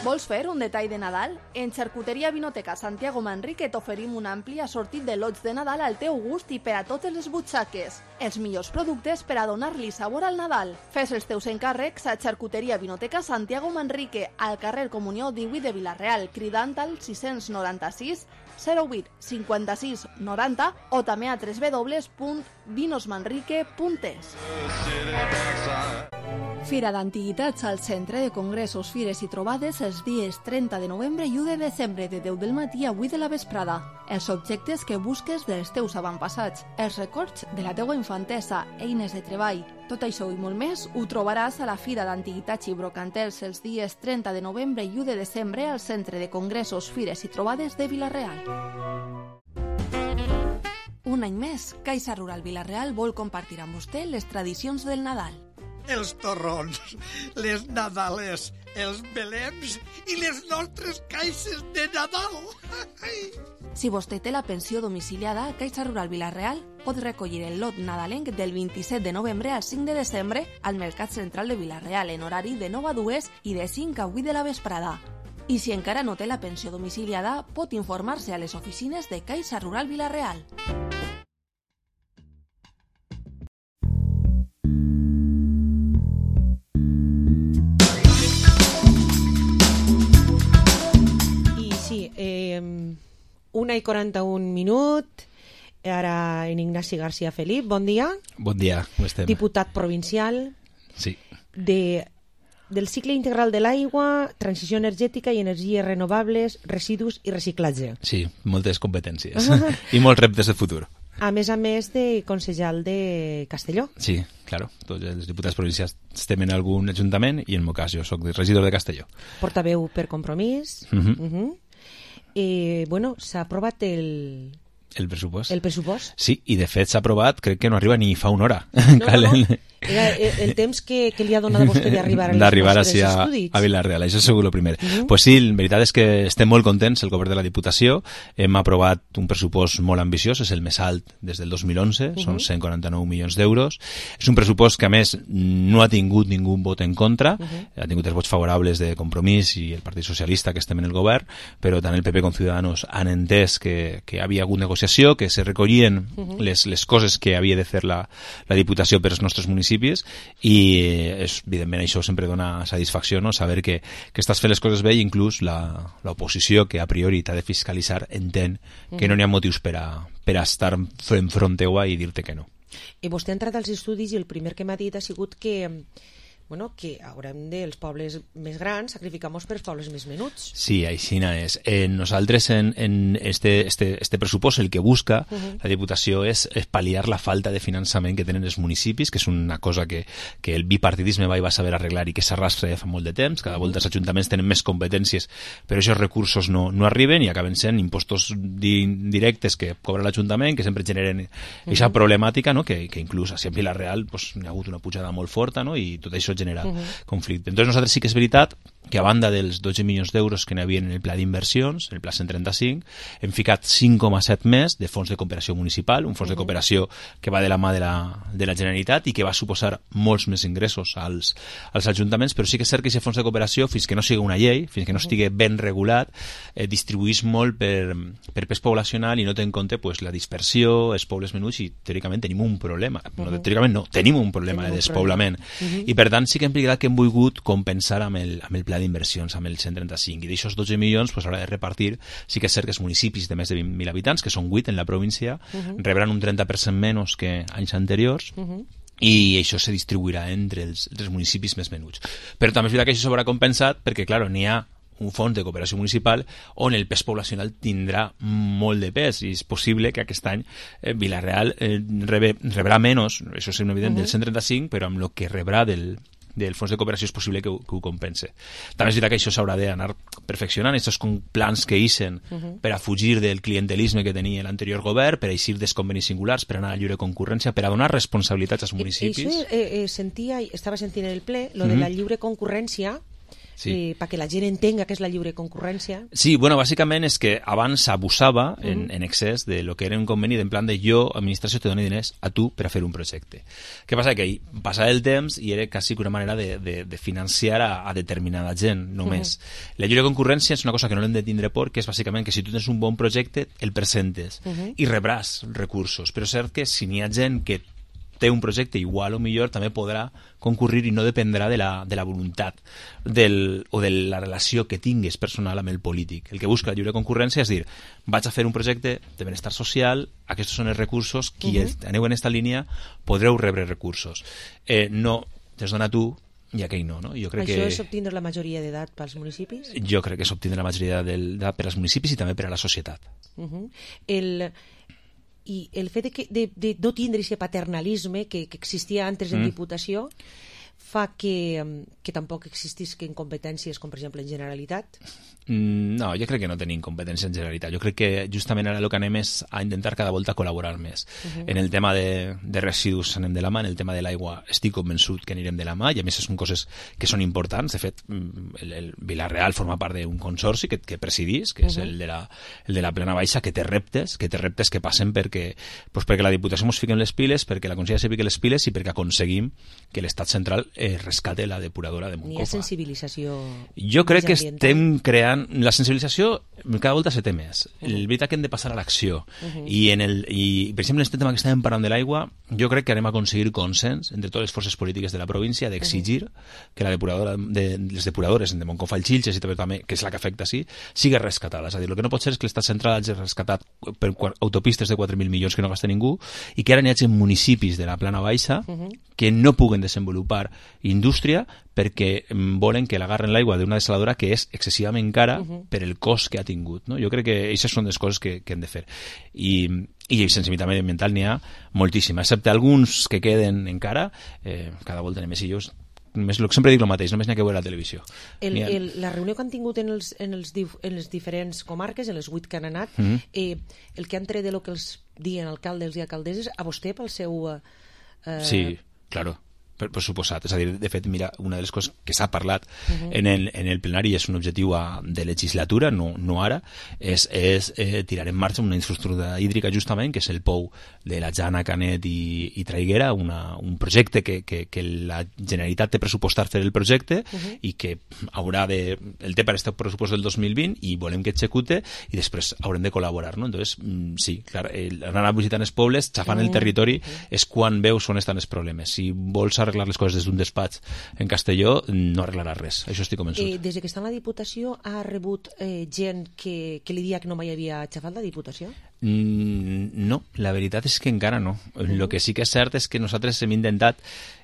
Vols fer un detall de Nadal? En Xarcuteria Vinoteca Santiago Manrique t'oferim un ampli assortit de lots de Nadal al teu gust i per a totes les butxaques. Els millors productes per a donar-li sabor al Nadal. Fes els teus encàrrecs a Xarcuteria Vinoteca Santiago Manrique, al carrer Comunió divuit de Vila-real, cridant al sis noranta-sis zero vuit cinquanta-sis noranta o també a w w w punt vinosmanrique punt es. Fira d'Antiguitats al Centre de Congressos, Fires i Trobades els dies trenta de novembre i u de desembre de deu del matí a vuit de la vesprada. Els objectes que busques dels teus avantpassats, els records de la teua infantesa, eines de treball. Tot això i molt més ho trobaràs a la Fira d'Antiguitats i Brocantels els dies trenta de novembre i u de desembre al Centre de Congressos, Fires i Trobades de Vila-real. Un any més, Caixa Rural Vila-real vol compartir amb vostè les tradicions del Nadal. Els torrons, les nadales, els belems i les nostres caixes de Nadal. Si vostè té la pensió domiciliada a Caixa Rural Vila-real, pot recollir el lot nadalenc del vint-i-set de novembre al cinc de desembre al Mercat Central de Vila-real en horari de nou a dues i de cinc a vuit de la vesprada. I si encara no té la pensió domiciliada, pot informar-se a les oficines de Caixa Rural Vila-real. Eh, una i quaranta-un minut. Ara en Ignasi García Felip, bon dia. Bon dia, com estem? Diputat provincial. Sí. De, del cicle integral de l'aigua, transició energètica i energies renovables, residus i reciclatge. Sí, moltes competències i molts reptes de futur. A més a més de consellal de Castelló. Sí, claro. Tots els diputats provincials estem en algun ajuntament i en el meu cas jo soc regidor de Castelló. Portaveu per Compromís. Uh-huh. Uh-huh. Eh, bueno, s'ha aprovat el... El pressupost. El pressupost. Sí, i de fet s'ha aprovat, crec que no arriba ni fa una hora. No, no, no. Era el temps que, que li ha donat a vostè d'arribar a d'arribar a, a Vila-real, això segur el primer. Uh-huh. Pues sí, la veritat és que estem molt contents, el govern de la Diputació. Hem aprovat un pressupost molt ambiciós, és el més alt des del dos mil onze, uh-huh. Són cent quaranta-nou milions d'euros. És un pressupost que, a més, no ha tingut ningú vot en contra, uh-huh. Ha tingut els vots favorables de Compromís i el Partit Socialista, que estem en el govern, però tant el P P com Ciudadanos han entès que, que havia hagut negociació, que se recollien uh-huh. les, les coses que havia de fer la, la Diputació per als nostres municipis, i és, evidentment això sempre dona satisfacció, no? Saber que, que estàs fent les coses bé i inclús l'oposició que a priori t'ha de fiscalitzar entén que no n'hi ha motius per a, per a estar enfront teua i dir-te que no. I vostè ha entrat als estudis i el primer que m'ha dit ha sigut que bueno, que haurem dels pobles més grans sacrificar-nos per pobles més menuts. Sí, així és. Eh, nosaltres en, en este, este, este pressupost el que busca uh-huh. la Diputació és, és pal·liar la falta de finançament que tenen els municipis, que és una cosa que, que el bipartidisme va i va saber arreglar i que s'arrastra fa molt de temps. Cada volta els ajuntaments tenen més competències, però aquests recursos no, no arriben i acaben sent impostos di, directes que cobra l'Ajuntament, que sempre generen aquesta uh-huh. problemàtica, no? que, que inclús a Vila-real pues, hi ha hagut una pujada molt forta, no? I tot això genera uh-huh. conflicte. Entonces nosaltres sí que és veritat que a banda dels dotze milions d'euros que n'hi havia en el pla d'inversions, el pla cent trenta-cinc, hem ficat cinc coma set més de fons de cooperació municipal, un fons uh-huh. de cooperació que va de la mà de la, de la Generalitat i que va suposar molts més ingressos als, als ajuntaments, però sí que és cert que aquest fons de cooperació, fins que no sigui una llei, fins que no estigui ben regulat, eh, distribuís molt per, per pes poblacional i no té en compte pues, la dispersió, els pobles menuts, i teòricament tenim un problema. Uh-huh. No, teòricament no, tenim un problema tenim de despoblament. Uh-huh. I per tant sí que hem que hem volgut compensar amb el, amb el pla d'inversions, amb el cent trenta-cinc, i d'aixòs dotze milions pues, haurà de repartir. Sí que és cert que els municipis de més de vint mil habitants, que són vuit en la província, uh-huh. rebran un trenta per cent menys que anys anteriors, uh-huh. i això se distribuirà entre els, els municipis més menuts. Però també és veritat que això s'haurà compensat perquè, clar, n'hi ha un fons de cooperació municipal on el pes poblacional tindrà molt de pes i és possible que aquest any eh, Vila-real eh, rebe, rebrà menys, això és evident, uh-huh. del cent trenta-cinc, però amb el que rebrà del del fons de cooperació és possible que ho, que ho compense. També és veritat que això s'haurà d'anar perfeccionant, aquests plans que ixen uh -huh. per a fugir del clientelisme que tenia l'anterior govern, per a eixir dels convenis singulars, per anar a lliure concurrència, per a donar responsabilitats als municipis. Això eh, eh, sentia, estava sentint en el ple, lo de uh -huh. la lliure concurrència, sí. eh, perquè la gent entenga què és la lliure concurrència. Sí, bueno, bàsicament és que abans s'abusava uh -huh. en, en excés de lo que era un conveni d'en plan de jo, administració, te dono diners a tu per a fer un projecte. Què passa? Que passava el temps i era quasi una manera de, de, de financiar a, a determinada gent, només. Uh -huh. La lliure concurrència és una cosa que no l'hem de tindre por, que és bàsicament que si tu tens un bon projecte, el presentes uh -huh. i rebràs recursos. Però és cert que si n'hi ha gent que té un projecte igual o millor, també podrà concurrir i no dependrà de la, de la voluntat del, o de la relació que tingues personal amb el polític. El que busca la lliure concurrència és dir, vaig a fer un projecte de benestar social, aquests són els recursos, qui uh -huh. aneu en aquesta línia podreu rebre recursos. Eh, no, te'ls dona tu i aquell no, no? Jo crec Això que... és obtindre la majoria d'edat pels municipis? Jo crec que és obtindre la majoria d'edat per als municipis i també per a la societat. Uh -huh. El... i el fet de, que, de, de no tindre aquest paternalisme que, que existia antes en mm. Diputació fa que, que tampoc existisquen competències com per exemple en Generalitat? No, jo crec que no tenim competència en Generalitat. Jo crec que justament ara el que anem és a intentar cada volta col·laborar més. Uh -huh. En el tema de, de residus anem de la mà, en el tema de l'aigua estic convençut que anirem de la mà, i a més són coses que són importants. De fet, el, el Vila-real forma part d'un consorci que, que presidís, que uh -huh. és el de, la, el de la Plana Baixa, que té reptes, que té reptes que passen perquè, pues perquè la Diputació ens fiquem les piles, perquè la Conselleria se fiqui les piles i perquè aconseguim que l'Estat central eh, rescate la depuradora de Moncofa. N'hi ha sensibilització? Jo crec que estem creant... La sensibilització cada volta se té més. Uh -huh. El veritat que hem de passar a l'acció. Uh -huh. I, en el, i, per exemple, en aquest tema que estàvem parlant de l'aigua, jo crec que anem a aconseguir consens entre totes les forces polítiques de la província d'exigir uh -huh. que la depuradora de, les depuradores de Moncofa i Xilxes, i també, que és la que afecta sí, sigui rescatada. És a dir, el que no pot ser és que l'Estat central hagi rescatat per autopistes de quatre mil milions que no gasta ningú i que ara n'hi hagi municipis de la Plana Baixa uh -huh. que no puguen desenvolupar indústria perquè volen que l'agarren l'aigua d'una desaladora que és excessivament cara uh -huh. per el cost que ha tingut. No? Jo crec que aquestes són les coses que, que hem de fer. I, i sensibilitat mediambiental n'hi ha moltíssima, excepte alguns que queden encara, eh, cada volta anem més i jo Més, sempre dic el mateix, només n'hi ha que veure la televisió. El, el, la reunió que han tingut en els, en, els, en les diferents comarques, en les vuit que han anat, mm -hmm. eh, el que han tret de lo que els diuen alcaldes i alcaldesses, a vostè pel seu... Eh... Sí, claro. Per, per suposat, és a dir, de fet, mira, una de les coses que s'ha parlat uh -huh. en, el, en el plenari és un objectiu a, de legislatura, no, no ara, és, és eh, tirar en marxa una infraestructura hídrica justament, que és el pou de la Jana, Canet i, i Traiguera, una, un projecte que, que, que la Generalitat té pressupostat fer el projecte uh -huh. i que haurà de... el té per este pressupost del dos mil vint i volem que execute i després haurem de col·laborar, no? Entonces, sí, clar, el, anar a visitar els pobles, xafant uh -huh. el territori, uh -huh. és quan veus on estan els problemes. Si vols arreglar les coses des d'un despatx en Castelló, no arreglarà res, això estic convençut. Eh, des que està en la Diputació ha rebut eh, gent que, que li dia que no mai havia xafat la Diputació? Mm, no, la veritat és que encara no. El uh -huh. que sí que és cert és que nosaltres hem intentat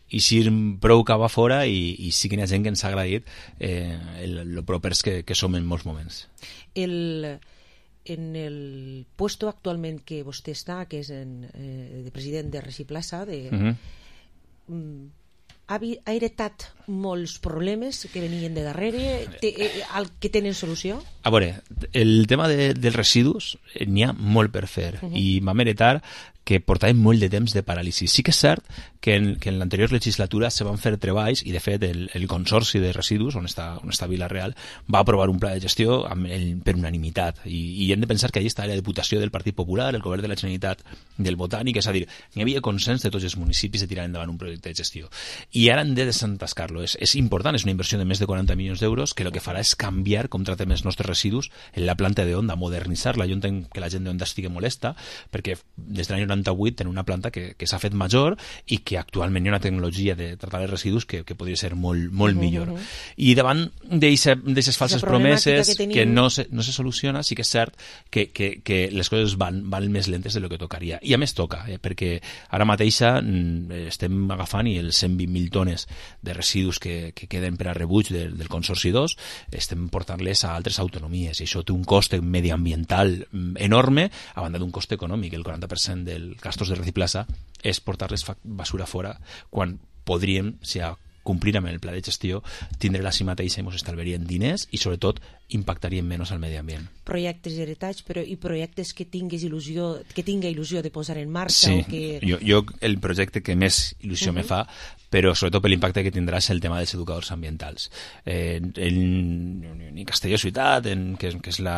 eixir prou cap a fora i, i sí que hi ha gent que ens ha agraït eh, el, el propers que, que som en molts moments. El... En el puesto actualment que vostè està, que és en, eh, de president de Reciplaça, de... Uh -huh. mm, ha heretat molts problemes que venien de darrere, te, eh, al que tenen solució? A veure, el tema de, dels residus n'hi ha molt per fer uh -huh. i vam heretar que portàvem molt de temps de paràlisi. Sí que és cert que en, que en l'anterior legislatura se van fer treballs i de fet el, el Consorci de Residus, on està, on està Vila-real, va aprovar un pla de gestió amb el, per unanimitat i, i hem de pensar que allà està la Diputació del Partit Popular, el Govern de la Generalitat del Botànic, és a dir, n'hi havia consens de tots els municipis de tirar endavant un projecte de gestió. I ara hem de desentascar-lo. És, és important, és una inversió de més de quaranta milions d'euros que el que farà és canviar com tratem els nostres residus en la planta de Onda, modernitzar-la. Jo entenc que la gent d'Onda estigui molesta perquè des de l'any noranta-vuit tenen una planta que, que s'ha fet major i que actualment hi ha una tecnologia de tratar els residus que, que podria ser molt, molt uh -huh. millor. I davant d'aquestes falses promeses que, tenim... que no, se, no se soluciona, sí que és cert que, que, que les coses van, van més lentes de lo que tocaria. I a més toca, eh, perquè ara mateixa estem agafant i els cent vint mil tones de residus que, que queden per a rebuig del, del Consorci dos estem portant-les a altres autonomies i això té un cost mediambiental enorme a banda d'un cost econòmic. El quaranta per cent del gastos de Reciplaça és portar-les basura fora quan podríem, si a complir amb el pla de gestió, tindre-la així mateixa i ens estalviarien diners i sobretot impactarien menys al medi ambient. Projectes heretats, però i projectes que tinguis il·lusió, que tinga il·lusió de posar en marxa? Sí, o que... jo, jo el projecte que més il·lusió uh-huh. me fa, però sobretot per l'impacte que tindrà és el tema dels educadors ambientals. Eh, en, ni Castelló Ciutat, en, que, que és la,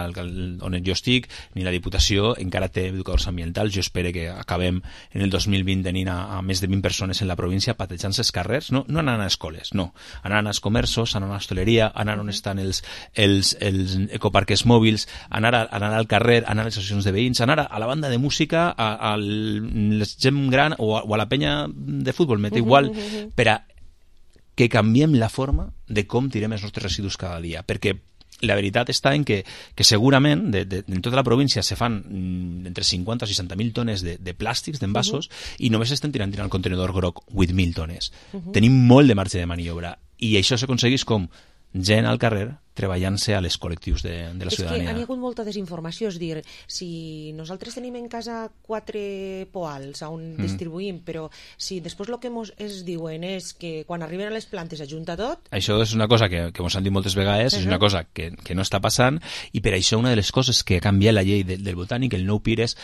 on jo estic, ni la Diputació encara té educadors ambientals. Jo espero que acabem en el dos mil vint tenint a, a més de vint persones en la província patejant-se els carrers, no, no anant a escoles, no, anant als comerços, anant a l'hostaleria, anant on estan els, els, els ecoparques mòbils, anar, a, anar al carrer, anar a les associacions de veïns, anar a, a la banda de música, a, a la gent gran o a, o a la penya de futbol, m'és igual, per a que canviem la forma de com tirem els nostres residus cada dia, perquè la veritat està en que, que segurament de, de, en tota la província se fan mm, entre cinquanta o seixanta mil tones de, de plàstics, d'envasos, uh-huh. i només estem tirant, tirant al contenidor groc vuit mil tones. Uh-huh. Tenim molt de marge de maniobra i això s'aconsegueix com gent al carrer treballant-se a les col·lectius de, de la ciutadania. És que hi ha hagut molta desinformació, és dir, si nosaltres tenim en casa quatre poals on mm. distribuïm, però si després el que mos es diuen és que quan arriben a les plantes ajunta tot... Això és una cosa que, que mos han dit moltes vegades, uh-huh. és una cosa que, que no està passant, i per això una de les coses que ha canviat la llei de, del botànic, el nou P I R, és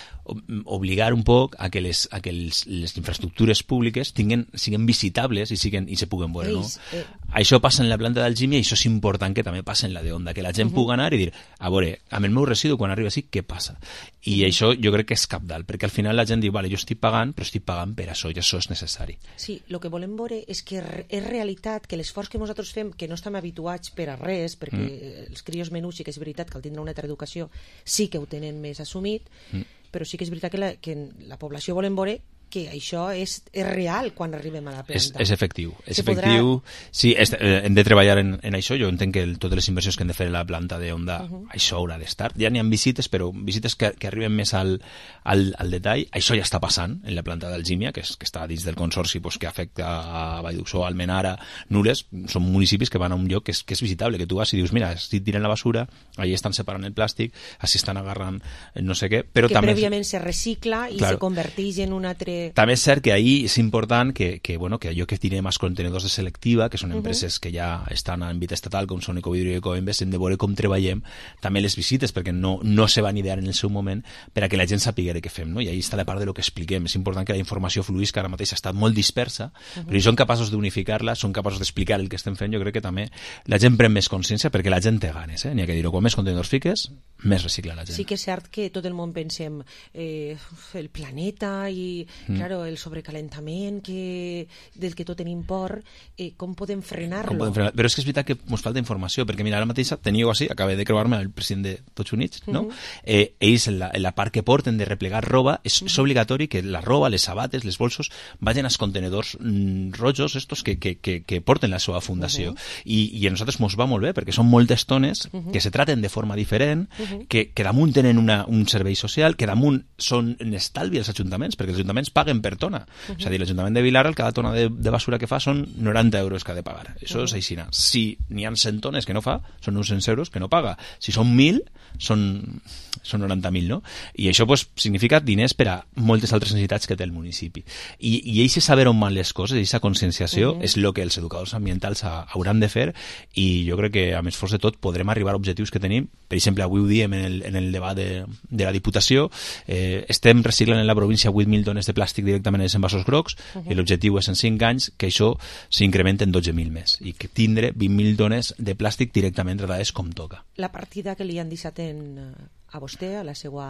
obligar un poc a que les, a que les, les infraestructures públiques tinguen, siguin visitables i, siguen, i se puguen veure, no? Eh... Això passa en la planta d'Algímia i això és important que també passa en la de Onda, que la gent uh-huh. pugui anar i dir, a veure, amb el meu residu quan arriba així, què passa? I uh-huh. això jo crec que és cabdal, perquè al final la gent diu, vale, jo estic pagant, però estic pagant per això, i això és necessari. Sí, el que volem veure és que és realitat que l'esforç que nosaltres fem, que no estem habituats per a res, perquè mm. els crios menuts sí que és veritat que al tindre una altra educació sí que ho tenen més assumit, mm. però sí que és veritat que la, que la població volem veure que això és, és real quan arribem a la planta. És, és efectiu. És Se efectiu. Podrà... Sí, és, eh, hem de treballar en, en això. Jo entenc que el, totes les inversions que hem de fer a la planta d'Onda, uh-huh. això haurà d'estar. Ja n'hi ha visites, però visites que, que arriben més al, al, al detall. Això ja està passant en la planta d'Algímia, que, és, que està dins del consorci pues, que afecta a Vallduxó, Almenara, Nules. Són municipis que van a un lloc que és, que és visitable, que tu vas i dius, mira, estic tirant la basura, allà estan separant el plàstic, així estan agarrant no sé què, però que també... prèviament se recicla i claro. Se converteix en un altre... També és cert que ahí és important que, que, bueno, que allò que tirem als contenedors de selectiva, que són empreses uh-huh. que ja estan en àmbit estatal, com són Ecovidrio i Ecoembes, hem de veure com treballem també les visites, perquè no, no se van idear en el seu moment per a que la gent sàpiga què fem, no? I ahí està la part de lo que expliquem. És important que la informació fluís, que ara mateix ha estat molt dispersa, uh-huh. però si són capaços d'unificar-la, són capaços d'explicar el que estem fent, jo crec que també la gent pren més consciència, perquè la gent té ganes, eh? N'hi ha que dir-ho, quan més contenidors fiques, més recicla la gent. Sí que és cert que tot el món pensem eh, el planeta i, mm. claro, el sobrecalentament que, del que tot tenim por, eh, com podem frenar-lo? Com podem frenar? Però és que és veritat que ens falta informació, perquè mira, ara mateix teniu així, acabé de creuar-me el president de Tots Units, no? Mm-hmm. Eh, ells, en la, en la part que porten de replegar roba, és, mm-hmm. és obligatori que la roba, les sabates, les bolsos, vagin als contenedors mm, rojos, estos que, que, que, que porten la seva fundació. Mm-hmm. I, I a nosaltres mos va molt bé, perquè són moltes tones mm-hmm. que se traten de forma diferent, mm-hmm. que, que damunt tenen una, un servei social, que damunt són en estalvi els ajuntaments, perquè els ajuntaments paguen per tona. Uh-huh. És a dir, l'Ajuntament de Vilarral, cada tona de, de basura que fa són noranta euros que ha de pagar. Això uh-huh. és així. Si n'hi ha cent tones que no fa, són uns cent euros que no paga. Si són mil, són, són noranta mil, no? I això pues, significa diners per a moltes altres necessitats que té el municipi. I, i eixe saber on van les coses, eixa conscienciació, uh-huh. és el que els educadors ambientals ha, hauran de fer, i jo crec que, a més forç de tot, podrem arribar a objectius que tenim. Per exemple, avui ho diem en el, en el debat de, de la Diputació, eh, estem reciclant en la província vuit mil tones de plàstic directament en els envasos grocs, uh-huh. i l'objectiu és en cinc anys que això s'incrementa en dotze mil més, i que tindre vint mil tones de plàstic directament tratades com toca. La partida que li han deixat en, a vostè, a la seva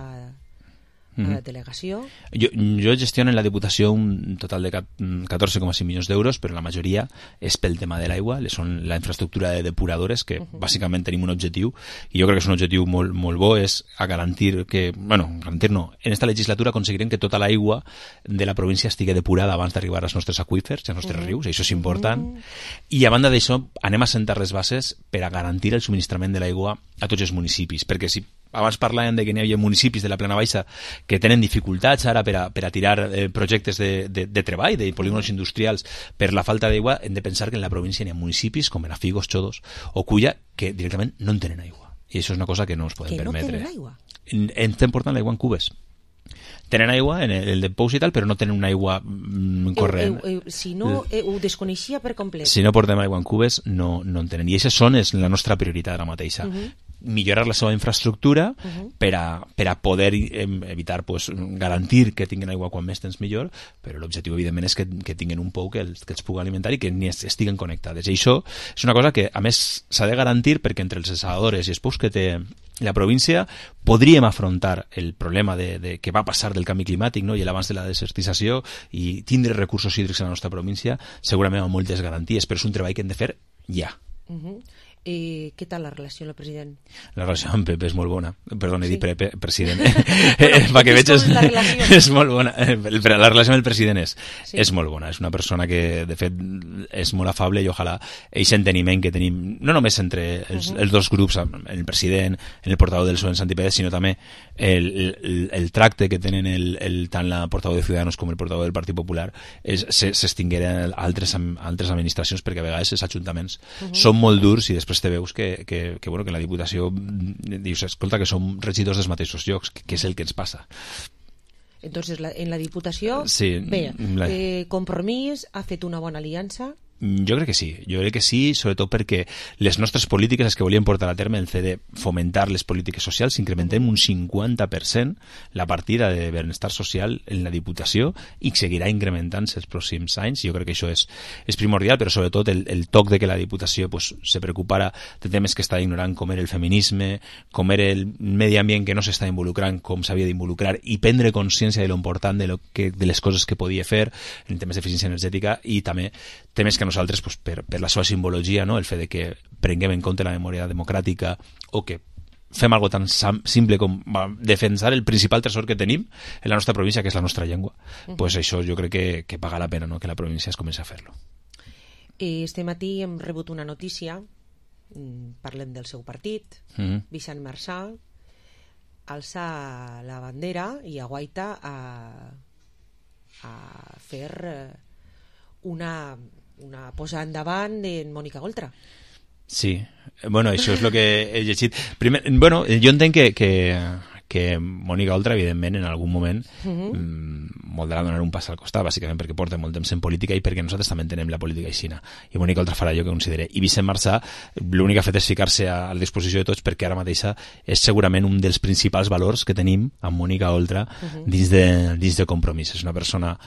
mm-hmm. delegació? Jo, jo gestiono en la Diputació un total de catorze coma cinc milions d'euros, però la majoria és pel tema de l'aigua, són la infraestructura de depuradores, que uh-huh. bàsicament tenim un objectiu, i jo crec que és un objectiu molt, molt bo, és a garantir que, bueno, garantir no, en esta legislatura aconseguirem que tota l'aigua de la província estigui depurada abans d'arribar als nostres aqüífers, als nostres uh-huh. rius, i això és important, uh-huh. i a banda d'això anem a sentar les bases per a garantir el subministrament de l'aigua a tots els municipis, perquè si abans parlàvem de que n'hi havia municipis de la Plana Baixa que tenen dificultats ara per a, per a tirar eh, projectes de, de, de treball, de polígonos industrials per la falta d'aigua. Hem de pensar que en la província n'hi ha municipis com Benafigos, Xodos o Culla que directament no en tenen aigua. I això és una cosa que no ens podem que permetre. Que no tenen aigua? En, estem portant l'aigua en cubes. Tenen aigua en el, el de pous i tal, però no tenen una aigua mm, corrent. Eu, eu, eu, si no, eu, ho desconeixia per complet. Si no portem aigua en cubes, no, no en tenen. I aquestes són és la nostra prioritat ara mateixa. Uh -huh. Millorar la seva infraestructura uh -huh. per, a, per a poder evitar, pues, garantir que tinguin aigua quan més temps millor, però l'objectiu evidentment és que, que tinguin un pou que els, que els pugui alimentar i que ni estiguen connectades. I això és una cosa que a més s'ha de garantir perquè entre els desaladores i els pous que té la província podríem afrontar el problema de, de que va passar del canvi climàtic, no? I l'abans de la desertització i tindre recursos hídrics a la nostra província segurament amb moltes garanties, però és un treball que hem de fer ja. Uh -huh. Eh, què tal la relació amb el president? La relació amb Pepe és molt bona. Perdona, he dit pre, pre, president. Va que veig, és, és molt bona. La relació amb el president és, sí. és molt bona. És una persona que, de fet, és molt afable i ojalà aquest enteniment que tenim, no només entre els, uh -huh. els dos grups, el president, el portaveu del P S O E en Santi Pérez, sinó també el, el, el tracte que tenen el, el, tant la portaveu de Ciudadanos com el portaveu del Partit Popular s'extingueren a altres, altres administracions, perquè a vegades els ajuntaments uh -huh. són molt durs i després te veus que, que, que, bueno, que la Diputació dius, escolta, que som regidors dels mateixos llocs, que, que és el que ens passa. Entonces, la, en la Diputació, sí, bé, la... eh, Compromís ha fet una bona aliança. Jo crec que sí, jo crec que sí, sobretot perquè les nostres polítiques, les que volíem portar a terme, el fet de fomentar les polítiques socials, incrementem un cinquanta per cent la partida de benestar social en la Diputació i seguirà incrementant-se els pròxims anys. Jo crec que això és, és primordial, però sobretot el, el toc de que la Diputació pues, se preocupara de temes que està ignorant, com era el feminisme, com era el medi ambient que no s'està involucrant com s'havia d'involucrar, i prendre consciència de lo important de, lo que, de les coses que podia fer en temes d'eficiència energètica i també temes que nosaltres, pues, per, per la seva simbologia, no? El fet de que prenguem en compte la memòria democràtica o que fem algo tan simple com defensar el principal tresor que tenim en la nostra província, que és la nostra llengua, uh-huh. pues això jo crec que, que paga la pena, no? Que la província es comenci a fer-lo. Este matí hem rebut una notícia, parlem del seu partit, uh-huh. Vicent Marçà alça la bandera i aguaita a, a fer una... una posada endavant de Mònica Oltra. Sí, bueno, això és el que he llegit. Primer, bueno, jo entenc que, que, que Mònica Oltra, evidentment, en algun moment uh-huh. mm, voldrà donar un pas al costat, bàsicament perquè porta molt temps en política i perquè nosaltres també entenem la política aixina. I Mònica Oltra farà allò que considere. I Vicent Marçà, l'únic que ha fet és ficar-se a la disposició de tots, perquè ara mateixa és segurament un dels principals valors que tenim amb Mònica Oltra uh-huh. dins, de, dins de Compromís. És una persona...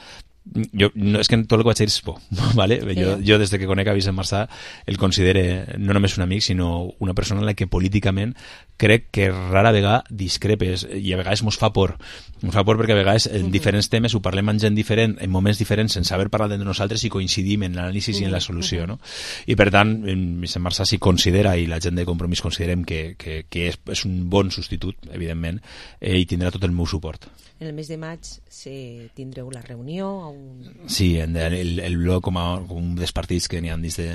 Jo, no, és que tot el que vaig dir és por, ¿vale? Sí. Jo, jo des de que conec a Vicent Marçà el considere no només un amic, sinó una persona en la que políticament crec que rara vegada discrepes i a vegades mos fa por. Mos fa por perquè a vegades en diferents temes ho parlem amb gent diferent, en moments diferents, sense haver parlat entre nosaltres i coincidim en l'anàlisi i en la solució, no? I per tant, Vicent Marçà s'hi considera, i la gent de Compromís considerem que, que, que és, és un bon substitut, evidentment, eh, i tindrà tot el meu suport. En el mes de maig se tindreu la reunió? Un... Sí, el, el, el bloc com, a, com un dels partits que n'hi ha dins de,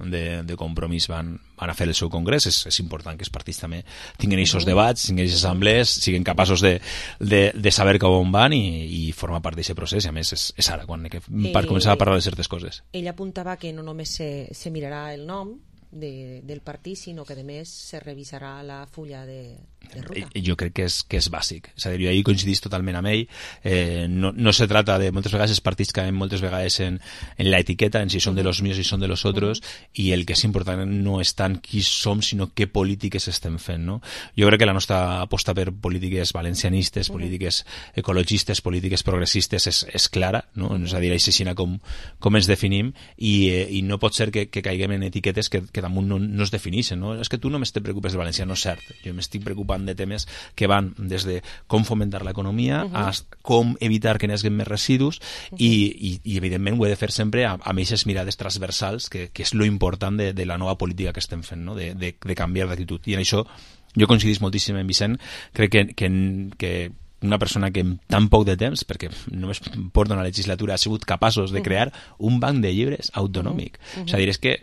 de, de Compromís van, van a fer el seu congrés. És, és important que els partits també tinguin aquests debats, tinguin aquestes assemblees, siguin capaços de, de, de saber cap on van i, i formar part d'aquest procés. I a més és, és ara quan que, per començar a parlar de certes coses. Ell apuntava que no només se, se mirarà el nom de, del partit, sinó que a més se revisarà la fulla de, de ruta. Jo crec que és, que és bàsic. És a dir, jo ahir coincidís totalment amb ell. Eh, no, no se trata de... Moltes vegades els partits caen moltes vegades en, en la etiqueta, en si són de los míos i són de los otros, uh-huh. i el que és important no és tant qui som, sinó què polítiques estem fent, no? Jo crec que la nostra aposta per polítiques valencianistes, uh-huh. polítiques ecologistes, polítiques progressistes és, és clara, no? Uh-huh. És a dir, així com, com ens definim, i, eh, i no pot ser que, que caiguem en etiquetes que, que damunt no, no es defineixen, no? És que tu només te preocupes de València, no és cert. Jo m'estic preocupant de temes que van des de com fomentar l'economia uh-huh. a com evitar que n'hagin més residus uh-huh. i, i, i evidentment ho he de fer sempre amb aquestes mirades transversals que, que és lo important de, de la nova política que estem fent, no? de, de, de canviar d'actitud. I en això jo coincidís moltíssim amb Vicent. Crec que, que, que una persona que en tan poc de temps, perquè només porta una legislatura, ha sigut capaços de crear un banc de llibres autonòmic. Uh-huh. És a dir, és que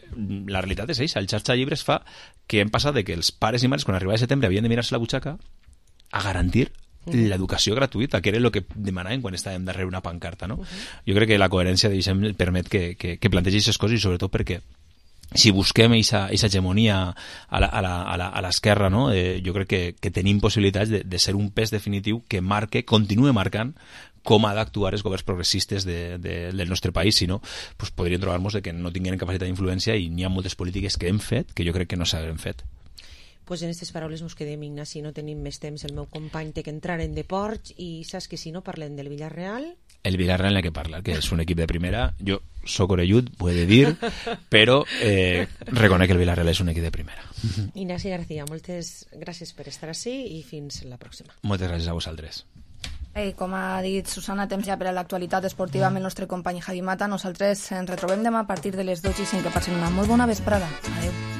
la realitat és això. El xarxa de llibres fa que hem passat de que els pares i mares, quan arribava setembre, havien de mirar-se la butxaca a garantir uh-huh. l'educació gratuïta, que era el que demanàvem quan estàvem darrere una pancarta, no? Uh-huh. Jo crec que la coherència de Vicent permet que, que, que plantegi aquestes coses, i sobretot perquè si busquem aquesta hegemonia a la, a la, a la, a l'esquerra, no? eh, jo crec que, que tenim possibilitats de, de ser un pes definitiu que marque, continue marcant com ha d'actuar els governs progressistes de, de, del nostre país, si no, pues podríem trobar-nos que no tinguin capacitat d'influència i n'hi ha moltes polítiques que hem fet que jo crec que no s'han fet. Pues en aquestes paraules nos quedem, Ignasi, no tenim més temps. El meu company té que entrar en deports i saps que si no parlem del Villarreal... El Villarreal en el que parla, que és un equip de primera. Jo soc orellut, ho he de dir, però eh, reconec que el Villarreal és un equip de primera. Ignasi García, moltes gràcies per estar ací i fins la pròxima. Moltes gràcies a vosaltres. Ei, com ha dit Susana, temps ja per a l'actualitat esportiva amb el nostre company Javi Mata. Nosaltres ens retrobem demà a partir de les dotze i cinc. Que passen una molt bona vesprada. Adéu.